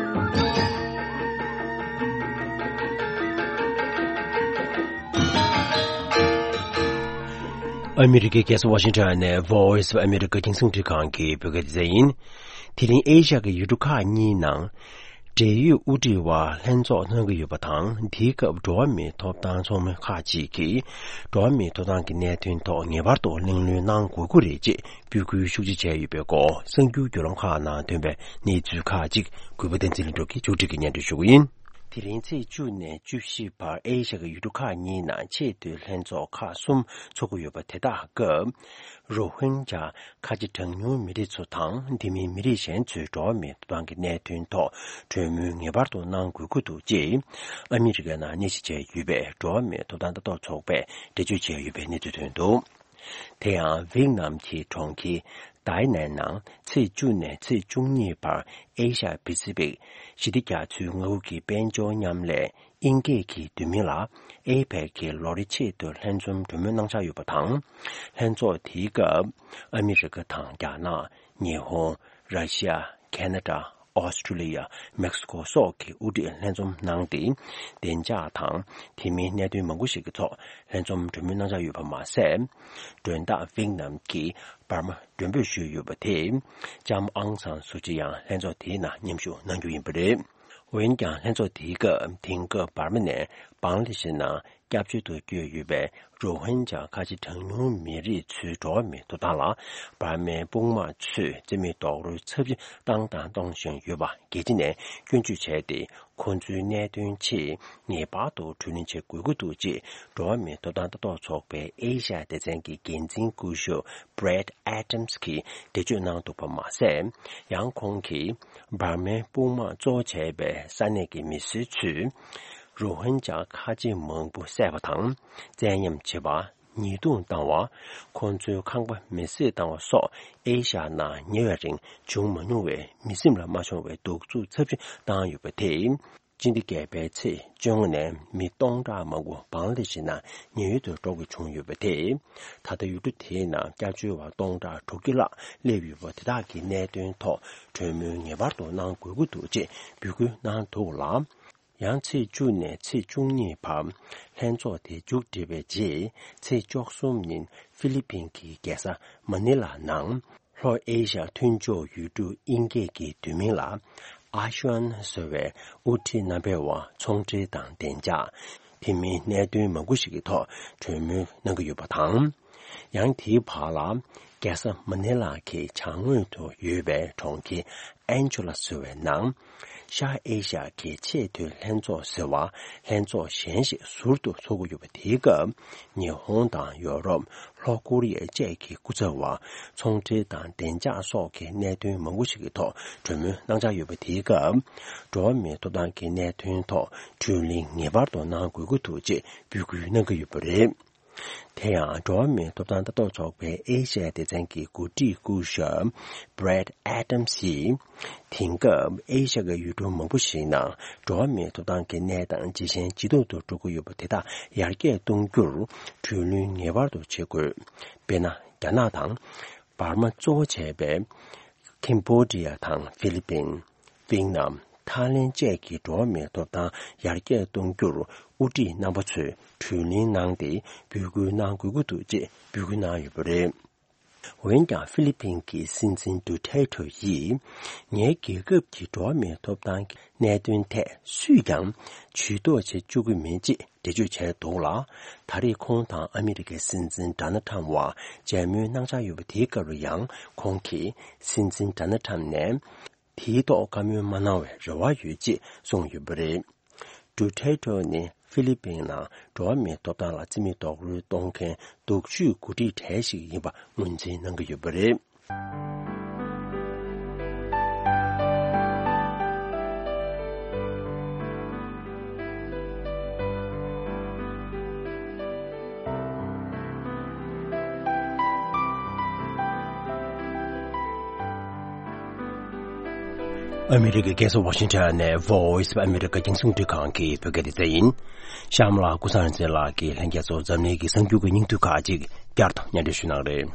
ཨ་མི་རི་ཀའི་རྒྱལ་ས་ཝ་ཤིང་ཊོན་ནས་Voice of America རྒྱང་སྲིང་འཕྲིན་ཁང་གི་བོད་སྐད་སྡེ་ཚན་ཡིན། དེ་རིང་ཨེ་ཤ་ཡའི་ཡུལ་གྲུ་ཁག་གཉིས་ནང་འབྲེལ་ཡོད་དབུ་ཁྲིད་དབར་ལྷན་ཚོགས་གནང་གི་ཡོད་པ་དང་། དེའི་སྐབས་འགྲོ་བ་མིའི་ཐོབ་ཐང་ཚོགས་མི་ཁག་ཅིག་གིས་འགྲོ་བ་མིའི་ཐོབ་ཐང་གི་གནད་དོན་ཐོག་ངེས་པར་དུ་གླེང་སློང་གནང་དགོས་ཀྱི་རེད་ཅེས་འབོད་སྐུལ་ཤུགས་ཆེ་བྱས་ཡོད་པའི་སྐོར། གསར་འགྱུར་བརྒྱུད་ལམ་ཁག་ནང་ཐོན་པའི་གནས་ཚུལ་ཁག་ཅིག་གུས་པ་བསྟན་འཛིན་ལྷུན་གྲུབ་ཀྱིས་མཇུག་སྒྲིལ་གྱིས་སྙན་སྒྲོན་ཞུ་གི་ཡིན། དེ་རིང་ཚེས་བཅུ་ནས་བཅུ་བཞི་བར་ཨེ་ཤ་ཡའི་ཡུལ་གྲུ་ཁག་གཉིས་ནང་ཆེས་མཐོའི་ལྷན་ཚོགས་ཁག་གསུམ་ཚོགས་ཀྱི་ཡོད་པ་དེ་དག་སྐབས། རོ་ཧིན་ཇཱ་ཁ་ཆེ་གྲངས་ཉུང་མི་རིགས་ཚོ་དང་། དེ་མིན་མི་རིགས་གཞན་ཚོའི་འགྲོ་བ་མིའི་ཐོབ་ཐང་གི་གནད་དོན་ཐོག་གྲོས་མོལ་ངེས་པར་དུ་གནང་དགོས་ཀྱི་འདུག་ཅེས། ཨ་མི་རི་ཀའི་ནང་གནས་གཞི་བྱས་ཡོད་པའི་འགྲོ་བ་མིའི་ཐོབ་ཐང་ལྟ་རྟོག་ཚོགས་པས་འགྲེལ་བརྗོད་བྱས་ཡོད་པའི་གནས་ཚུལ་ཐོན་འདུག་དེ་ཡང་ཝེད་ནམ་གྱི་གྲོང་ཁྱེར་ཏའེ་ནན་ནང་ཚེས་བཅུ་ནས་ཚེས་བཅུ་གཉིས་བར་ཨེ་ཤ་ཡ་པེ་སི་ཕིག་ཞི་བདེ་རྒྱ་མཚོའི་མངའ་ཁུལ་གྱི་དཔལ་འབྱོར་མཉམ་ལས། ཨིན་སྐད་ཀྱི་བསྡུས་མིང་ལ་ཨེ་པེག་གི་ལོ་རེ་ཆེད་དུ་ལྷན་འཛོམས་གྲོས་མོལ་གནང་འཆར་ཡོད་པ་དང་། ལྷན་ཚོགས་དེའི་སྐབས་ཨ་མི་རི་ཀ་དང་རྒྱ་ནག་ཉི་ཧོང་། ར་ཤི་ཡ། ཁེ་ན་ཌ། ཨོ་སི་ཀྲི་ལི་ཡ། མེག་སི་ཀོ་སོགས་ཀྱི་དབུ་ཁྲིད་ལྷན་འཛོམས་གནང་སྟེ། བདེ་འཇགས་དང་དེ་མིན་གནད་དོན་མང་པོ་ཞིག་གི་ཐོག་ལྷན་འཛོམས་གྲོས་མོལ་གནང་འཆར་ཡོད་པ་མ་ཟད། མགྲོན་བདག་ཝེད་ནམ་གྱིས་འབར་མ་མགྲོན་འབོད་ཞུས་ཡོད་པ་དེས། ལྕམ་ཨང་སང་སུ་ཅི་ཡང་ལྷན་ཚོགས་དེའི་ནང་མཉམ་ཞུགས་གནང་རྒྱུ་ཡིན་པ་རེད། འོན་ཀྱང་ལྷན་ཚོགས་དེའི་སྐབས། དེང་སྐབས་འབར་མ་ནས་བང་ལ་དེ་ཤི་ནང་སྐྱབས་བཅོལ་དུ་བསྐྱོད་ཡོད་པའི་རོ་ཧིན་ཇཱ་ཁ་ཆེ་གྲངས་ཉུང་མི་རིགས་ཚོའི་འགྲོ་བ་མིའི་ཐོབ་ཐང་ལ། འབར་མའི་དཔུང་དམག་ཚོས་རྩིས་མེད་རྡོག་རོལ་ཚབས་ཆེ་བཏང་དང་གཏོང་བཞིན་ཡོད་པ་རྒྱལ་སྤྱི་ནས་སྐྱོན་བརྗོད་བྱས་ཏེ། ཁོང་ཚོའི་གནད་དོན་ཆེད་ངེས་པར་དུ་གྲོས་མོལ་བྱེད་དགོས་ཀྱི་འདུག་ཅེས། འགྲོ་བ་མིའི་ཐོབ་ཐང་ལྟ་རྟོག་ཚོགས་པའི་ཨེ་ཤ་ཡ་སྡེ་ཚན་གྱི་འགན་འཛིན་སྐུ་ཞབས་Brad Adams གྱིས་འགྲེལ་བརྗོད་གནང་འདུག་པ་མ་ཟད། ཡང་ཁོང་གིས་འབར་མའི་དཔུང་དམག་གཙོ་བོ་བྱས་པའི་ས་གནས་ཀྱི་མི་སེར་ཚོས་རོ་ཧིན་ཇཱ་ཁ་ཆེ་མང་པོ་བསད་པ་དང་། བཙན་གཡེམ་བྱེད་པ། ཉེས་རྡུང་བཏང་བ། ཁོང་ཚོའི་ཁང་པ་མེ་བསྲེགས་བཏང་བ་སོགས་ཨེ་ཤ་ཡ་ནང་ཉེ་བའི་རིང་བྱུང་མ་མྱོང་བའི་མི་སེམས་ལ་མ་ཤོང་བའི་གདུག་རྩུབ་ཚབས་ཆེ་བཏང་ཡོད་པ་དེས། སྤྱི་ཟླ་བརྒྱད་པའི་ཚེས་བཅོ་ལྔ་ནས་མི་སྟོང་ཕྲག་མང་པོ་བང་ལ་དེ་ཤི་ནང་ཉེན་གཡོལ་དུ་འགྲོ་དགོས་བྱུང་ཡོད་པ་དེས། ད་ལྟ་ཡུལ་གྲུ་དེའི་ནང་སྐྱབས་བཅོལ་བ་སྟོང་ཕྲག་དྲུག་ཅུ་ལྷག་སླེབས་ཡོད་པ་དེ་དག་གི་གནད་དོན་ཐོག་གྲོས་མོལ་ངེས་པར་དུ་གནང་དགོས་ཀྱི་འདུག་ཅེས་འབོད་སྐུལ་གནང་འདུག་ལ། ཡང་ཚེས་བཅུ་ནས་ཚེས་བཅུ་གཉིས་བར་ལྷན་ཚོགས་དེ་མཇུག་བསྒྲིལ་བའི་རྗེས། ཚེས་བཅུ་གསུམ་ཉིན་ཧྥི་ལི་ཕིན་གྱི་རྒྱལ་ས་མ་ནི་ལ་ནང་། ལྷོ་ཨེ་ཤ་མཐུན་ཕྱོགས་ཡུལ་གྲུ་དབྱིན་སྐད་ཀྱི་བསྡུས་མིང་ལ་ཨ་ཤོན་ཟེར་བའི་དབུ་ཁྲིད་རྣམ་པས་ཚོང་འབྲེལ་དང་བདེ་འཇགས། དེ་མིན་གནད་དོན་མང་པོ་ཞིག་གི་ཐོག་གྲོས་མོལ་གནང་གི་ཡོད་པ་དང་། ཡང་དེའི་བར་ལ། རྒྱལ་ས་མ་ནི་ལ་གི་བྱང་ངོས་དུ་ཡོད་པའི་གྲོང་ཁྱེར་ཨན་ཇོ་ལ་ཟེར་བའི་ནང་། ཤར་ཨེ་ཤ་གི་ཆེས་མཐོའི་ལྷན་ཚོགས་ཟེར་བ་ལྷན་ཚོགས་གཞན་ཞིག་ཟུར་དུ་འཚོགས་ཀྱི་ཡོད་པ་དེའི་སྐབས། ཉི་ཧོང་དང་ཡོ་རོབ། ལྷོ་ཀོ་རི་ཡ་བཅས་ཀྱི་སྐུ་ཚབ་བ། ཚོང་འབྲེལ་དང་བདེ་འཇགས་སོགས་ཀྱི་གནད་དོན་མང་པོ་ཞིག་གི་ཐོག་གྲོས་མོལ་གནང་འཆར་ཡོད་པ་དེའི་སྐབས། འགྲོ་བ་མིའི་ཐོབ་ཐང་གི་གནད་དོན་ཐོག་གྲོས་གླེང་ངེས་པར་དུ་གནང་དགོས་ཀྱི་འདུག་ཅེས་འབོད་སྐུལ་གནང་གི་ཡོད་པ་རེད། དེ་ཡང་འགྲོ་བ་མིའི་ཐོབ་ཐང་ལྟ་རྟོག་ཚོགས་པའི་ཨེ་ཤ་ཡ་སྡེ་ཚན་གྱི་འགོ་ཁྲིད་སྐུ་ཞབས་Brad Adams ཡིས། དེང་སྐབས་ཨེ་ཤ་ཡའི་ཡུལ་གྲུ་མང་པོ་ཞིག་ནང་འགྲོ་བ་མིའི་ཐོབ་ཐང་གི་གནས་སྟངས་ཇེ་ཞན་ཇེ་སྡུག་ཏུ་འགྲོ་གི་ཡོད་པ་དེ་དག་ཡར་རྒྱས་གཏོང་རྒྱུར་གྲོས་མོལ་ངེས་པར་དུ་བྱེད་དགོས། དཔེར་ན། རྒྱ་ནག་དང་། འབར་མ་གཙོ་བོ་བྱས་པའི་ཀེམ་བྷོ་ཌི་ཡ་དང་ཧྥི་ལི་པིན། ཝེ་ནམ། ཐའི་ལེན་བཅས་ཀྱི་འགྲོ་བ་མིའི་ཐོབ་ཐང་ཡར་རྒྱས་གཏོང་རྒྱུར་དབུ་ཁྲིད་རྣམ་པ་ཚོས་གྲོས་གླེང་གནང་སྟེ་འབོད་སྐུལ་གནང་དགོས་ཀྱི་འདུག་ཅེས་འབོད་སྐུལ་གནང་ཡོད་པ་རེད། འོན་ཀྱང་ཧྥི་ལི་པིན་གྱི་སྲིད་འཛིན་ཌུ་ཐེ་ཊོ་ཡིས། ངའི་རྒྱལ་ཁབ་ཀྱི་འགྲོ་བ་མིའི་ཐོབ་ཐང་གི་གནད་དོན་ཐད་སུས་ཀྱང་ཇུས་གཏོགས་བྱེད་བཅུག་གི་མེད་ཅེས་འགྲེལ་བརྗོད་བྱས་འདུག་ལ། ད་རེས་ཁོང་དང་ཨ་མི་རི་ཀའི་སྲིད་འཛིན་ཌོ་ནལ་ཊམ་བར་མཇལ་མོལ་གནང་འཆར་ཡོད་པ་དེའི་སྐབས་ལ་ཡང་ཁོང་གིས་སྲིད་འཛིན་ཌོ་ནལ་ཊམ་ནས། དེའི་ཐོག་བཀའ་མོལ་མ་གནང་བའི་རེ་བ་ཡོད་ཅེས་གསུངས་ཡོད་པ་རེད། ཌུ་ཐེ་ཊོ་ནི་ཧྥི་ལི་པིན་ནང་འགྲོ་བ་མིའི་ཐོབ་ཐང་ལ་རྩིས་མེད་རྡོག་རོལ་གཏོང་མཁན་སྡུག་ཤོས་འགོ་ཁྲིད་གྲས་ཤིག་ཡིན་པ་ངོས་འཛིན་གནང་གི་ཡོད་པ་རེད། ཨ་མི་རི་ཀའི་རྒྱལ་ས་ཝ་ཤིང་ཊོན་ནས་Voice of America རྒྱང་སྲིང་རླུང་འཕྲིན་ཁང་གི་བོད་སྐད་སྡེ་ཚན་ཡིན། གཤམ་ལ་ཀུན་བཟང་རིག་འཛིན་ལགས་ཀྱིས་ལྷན་རྒྱས་ཚོར་འཛམ་གླིང་གི་གསར་འགྱུར་གྱི་སྙིང་བསྡུས་ཁག་ཅིག་བསྐྱར་དུ་སྙན་སྒྲོན་ཞུ་གནང་རེད།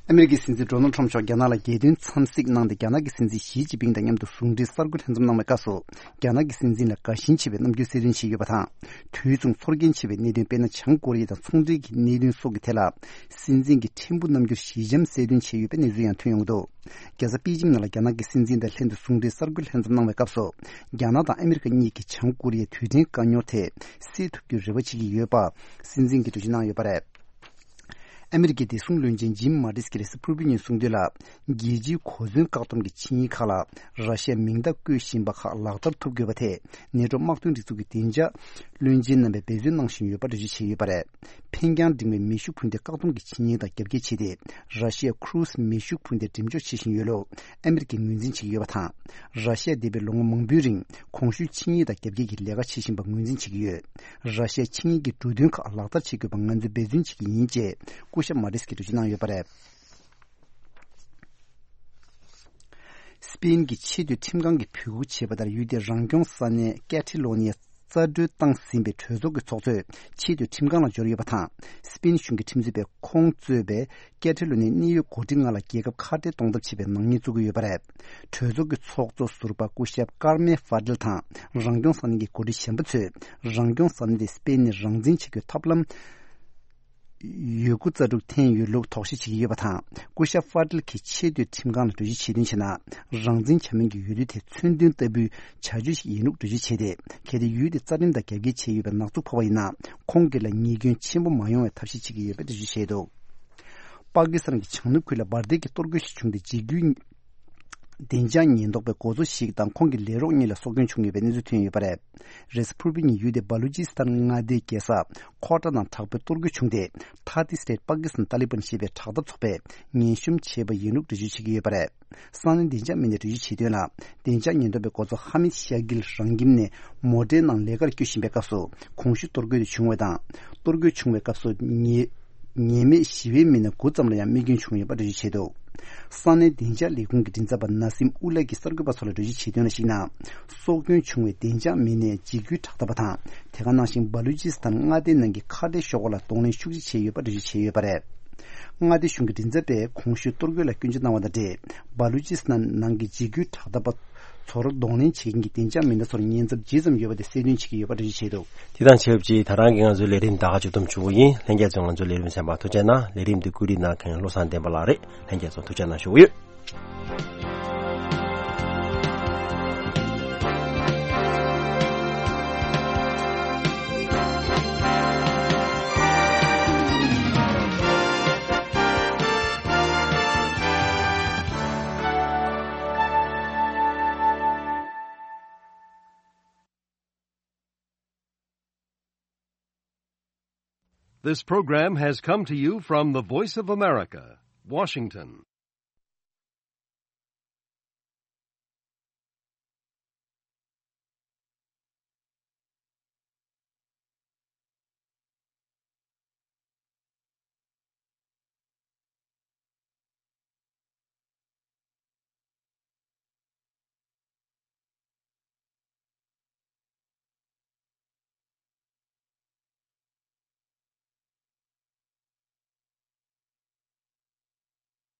ཨ་མི་རི་ཀའི་སྲིད་འཛིན་ཌོ་ནལ་ཊམ་མཆོག་རྒྱ་ནག་ལ་རྒྱལ་དོན་འཚམས་གཟིགས་གནང་སྟེ། རྒྱ་ནག་གི་སྲིད་འཛིན་ཞི་ཅིན་ཕིང་དང་མཉམ་དུ་ཟུང་འབྲེལ་གསར་འགོད་ལྷན་འཛོམས་གནང་བའི་སྐབས་སུ། རྒྱ་ནག་གི་སྲིད་འཛིན་ལ་དགའ་ཞེན་ཆེ་བའི་རྣམ་འགྱུར་གསལ་སྟོན་བྱས་ཡོད་པ་དང་། དུས་མཚུངས་ཚོར་སྐྱེན་ཆེ་བའི་གནད་དོན། དཔེར་ན། བྱང་ཀོ་རི་ཡ་དང་ཚོང་འབྲེལ་གྱི་གནད་དོན་སོགས་ཀྱི་ཐད་ལ། སྲིད་འཛིན་གྱི་ཕྲན་བུ་རྣམ་འགྱུར་ཞི་འཇམ་གསལ་སྟོན་བྱས་ཡོད་པའི་གནས་ཚུལ་ཡང་ཐོན་ཡོང་གི་འདུག་རྒྱལ་ས་པེ་ཅིང་ནང་ལ་རྒྱ་ནག་གི་སྲིད་འཛིན་དང་ལྷན་དུ་ཟུང་འབྲེལ་གསར་འགོད་ལྷན་འཛོམས་གནང་བའི་སྐབས་སུ། རྒྱ་ནག་དང་ཨ་མི་རི་ཀ་གཉིས་ཀྱིས་བྱང་ཀོ་རི་ཡའི་རྡུལ་ཕྲན་བཀའ་ཉོར་ཐད་སེལ་ཐུབ་རྒྱུའི་རེ་བ་བྱེད་ཀྱི་ཡོད་པ་སྲིད་འཛིན་གྱིས་འགྲེལ་བརྗོད་གནང་ཡོད་པ་རེད། ཨ་མི་རི་ཀའི་བདེ་སྲུང་བློན་ཆེན་ཇིམ་མ་ཏིས་ཀྱིས་རེས་གཟའ་ཕུར་བུའི་ཉིན་གསུངས་དོན་ལ། རྒྱལ་སྤྱིའི་གོ་མཚོན་བཀག་སྡོམ་གྱི་ཆིངས་ཡིག་ཁག་ལ་ར་ཤི་ཡ་མིང་རྟགས་བཀོད་བཞིན་པ་ཁག་ལག་བསྟར་ཐུབ་དགོས་པ་ཐད། ནེ་ཊོ་དམག་དོན་སྒྲིག་འཛུགས་ཀྱི་བདེ་འཇགས་བློན་ཆེན་རྣམ་པས་འབད་བརྩོན་གནང་བཞིན་ཡོད་པ་འགྲེལ་བརྗོད་བྱས་ཡོད་པ་རེད། འཕེན་རྒྱང་འབྲིང་བའི་མེ་ཤུགས་འཕུར་མདེལ་བཀག་སྡོམ་གྱི་ཆིངས་ཡིག་དང་རྒྱབ་འགལ་བྱས་ཏེ། ར་ཤི་ཡ་ཁུ་རུ་སི་མེ་ཤུགས་འཕུར་མདེལ་འགྲེམས་འཇོག་བྱེད་བཞིན་ཡོད་ལུགས་ཨ་མི་རི་ཀས་ངོས་འཛིན་བྱེད་ཀྱི་ཡོད་པ་དང་། ར་ཤི་ཡ་འདས་པའི་ལོ་ངོ་མང་པོའི་རིང་གོང་ཞུས་ཆིངས་ཡིག་དང་རྒྱབ་འགལ་གྱི་ལས་ཀ་བྱེད་བཞིན་པ་ངོས་འཛིན་བྱེད་ཀྱི་ཡོད། ར་ཤི་ཡ་ཆིངས་ཡིག་གི་འབྲུ་དོན་ཁག་ལག་བསྟར་བྱེད་དགོས་པ་ང་ཚོས་འབད་བརྩོན་བྱེད་ཀྱི་ཡིན་ཅེས་སྐུ་ཞབས་མ་ཏིས་ཀྱིས་འགྲེལ་བརྗོད་གནང་ཡོད་པ་རེད། སི་པེན་གྱི་ཆེས་མཐོའི་ཁྲིམས་ཁང་གིས་འབོད་སྐུལ་བྱས་པ་ལྟར། ཡུལ་དེའི་རང་སྐྱོང་ས་གནས་ཀེ་ཐི་ལོ་ནི་ཡ་རྩ་འགྲོལ་བཏང་ཟིན་པའི་གྲོས་ཚོགས་ཀྱི་ཚོགས་གཙོས་ཆེས་མཐོའི་ཁྲིམས་ཁང་ལ་འབྱོར་ཡོད་པ་དང་། སི་པེན་གཞུང་གི་ཁྲིམས་རྩོད་པས་ཁོང་གཙོས་པའི་ཀེ་ཐི་ལོ་ནི་ཡའི་གནད་ཡོད་འགོ་ཁྲིད་ལྔ་ལ་རྒྱལ་ཁབ་ཁ་བྲལ་གཏོང་ཐབས་བྱས་པའི་ནག་ཉེས་བཙུགས་ཀྱི་ཡོད་པ་རེད། གྲོས་ཚོགས་ཀྱི་ཚོགས་གཙོ་ཟུར་པ་སྐུ་ཞབས་ཀར་མེ་ཧྥ་ཏིལ་དང་། རང་སྐྱོང་ས་གནས་ཀྱི་འགོ་ཁྲིད་གཞན་པ་ཚོས་རང་སྐྱོང་ས་གནས་དེ་སི་པེན་ནས་རང་འཛིན་བྱེད་རྒྱུའི་ཐབས་ལམ་ཡོད་རྒུ་རྩལ་སྤྲུགས་འཐེན་ཡོད་ལུགས་དོགས་གཞི་བྱེད་ཀྱི་ཡོད་པ་དང་། སྐུ་ཞབས་ཧྥ་ཏིལ་གྱིས་ཆེས་མཐོའི་ཁྲིམས་ཁང་ལ་འགྲེལ་བརྗོད་བྱས་དོན་བྱས་ན། རང་འཛིན་བྱ་མིན་གྱི་ཡུལ་དུས་དེ་མཚོན་དོན་ལྟ་བུའི་བྱ་སྤྱོད་ཞིག་ཡིན་ལུགས་འགྲེལ་བརྗོད་བྱས་ཏེ། གལ་ཏེ་ཡུལ་དེ་རྩ་ཁྲིམས་དང་རྒྱབ་འགལ་བྱས་ཡོད་པའི་ཉེས་འཛུགས་ཕོག་པ་ཡིན་ན། ཁོང་སྒེར་ལ་ཉེས་སྐྱོན་ཆེན་པོ་མ་ཡོང་བའི་ཐབས་ཤེས་བྱེད་ཀྱི་ཡོད་པའི་འགྲེལ་བརྗོད་བྱས་འདུག་པ་ཀི་སི་ཐན་གྱི་བྱང་ནུབ་ཁུལ་ལ་འབར་མདེལ་གྱི་གཏོར་རྒོལ་ཞིག་བྱུང་སྟེ། འཇིགས་སྐུལ་བདེ་འཇགས་ཉེན་རྟོག་པའི་འགོ་གཙོ་ཞིག་དང་ཁོང་གི་ལས་རོགས་གཉིས་ལ་སྲོག་སྐྱོན་བྱུང་ཡོད་པའི་གནས་ཚུལ་ཐོན་ཡོད་པ་རེད། རེས་གཟའ་ཕུར་བུའི་ཉིན་ཡུལ་དེའི་བ་ལུ་ཅི་སི་ཐན་མངའ་སྡེའི་རྒྱལ་ས་ཁོ་ཊ་ནང་དྲག་པོའི་གཏོར་རྒོལ་བྱུང་སྟེ། ཐ་ཏི་སི་ཊེཊ་པ་ཀི་སི་ཐན་ཏཱ་ལི་བན་ཞེས་པའི་དྲག་འཐབ་ཚོགས་པས་ངན་གཤོམ་བྱས་པ་ཡིན་ལུགས་འགྲེལ་བརྗོད་བྱེད་ཀྱི་ཡོད་པ་རེད། ས་གནས་བདེ་འཇགས་མི་སྣས་འགྲེལ་བརྗོད་བྱས་དོན་ལ། བདེ་འཇགས་ཉེན་རྟོག་པའི་འགོ་གཙོ་ཧ་མིད་ཤ་གིལ་རང་ཁྱིམ་ནས་མོ་ཊའི་ནང་ལས་ཀར་སྐྱོད་བཞིན་པའི་སྐབས་སུ། གོང་ཞུས་གཏོར་རྒོལ་དེ་བྱུང་བ་དང་། གཏོར་རྒོལ་བྱུང་བའི་སྐབས་སུ་ཉེས་ཉེས་མེད་ཞི་བའི་མི་སྣ་དགུ་ཙམ་ལ་ཡང་རྨས་སྐྱོན་བྱུང་ཡོད་པ་འགྲེལ་བརྗོད་བྱས་འདུག་ས་གནས་བདེ་འཇགས་ལས་ཁུངས་ཀྱི་མགྲིན་ཚབ་པ་ན་སིམ་ཨུ་ལ་གིས་གསར་འགོད་པ་ཚོ་ལ་འགྲེལ་བརྗོད་བྱས་དོན་ལ་གཞིགས་ན། སྲོག་སྐྱོན་བྱུང་བའི་བདེ་འཇགས་མི་སྣས་འཇིགས་སྐུལ་དྲག་འཐབ་པ་དང་། དེ་ག་ནང་བཞིན་སྦ་ལུ་ཅི་སི་ཐན་མངའ་སྡེའི་ནང་གི་ཁ་བྲལ་ཤོག་ཁག་ལ་གདོང་ལེན་ཤུགས་ཆེ་བྱས་ཡོད་པ་འགྲེལ་བརྗོད་བྱས་ཡོད་པ་རེད། མངའ་སྡེ་གཞུང་གི་མགྲིན་ཚབ་པས་གོང་ཞུས་གཏོར་རྒོལ་ལ་སྐྱོན་བརྗོད་གནང་བ་དང་འབྲེལ། སྦ་ལུ་ཅི་སི་ཐན་ནང་གི་འཇིགས་སྐུལ་དྲག་འཐབ་པ་ཚོར་གདོང་ལེན་བྱེད་མཁན་གྱི་བདེ་འཇགས་མི་སྣ་ཚོར་ཉེན་ཚབས་ཇི་ཙམ་ཡོད་པ་དེ་གསལ་སྟོན་བྱེད་ཀྱི་ཡོད་པ་འགྲེལ་བརྗོད་བྱས་འདུག་དེ་དང་ཆབས་ཅིག་ད་རང་གི་ང་ཚོའི་ལས་རིམ་ད་ག་མཇུག་བསྡོམས་བྱུང་བ་ཡིན། ལྷན་རྒྱས་ཚོས་ང་ཚོའི་ལས་རིམ་གསན་པར་ཐུགས་རྗེ་གནང་། ལས་རིམ་འདི་བཀོད་སྒྲིག་གནང་མཁན་བློ་བཟང་བསྟན་པ་ལགས་རེད། ལྷན་རྒྱས་ཚོ་ཐུགས་རྗེ་གནང་ཞུ་གི་ཡོད། This program has come to you from the Voice of America, Washington.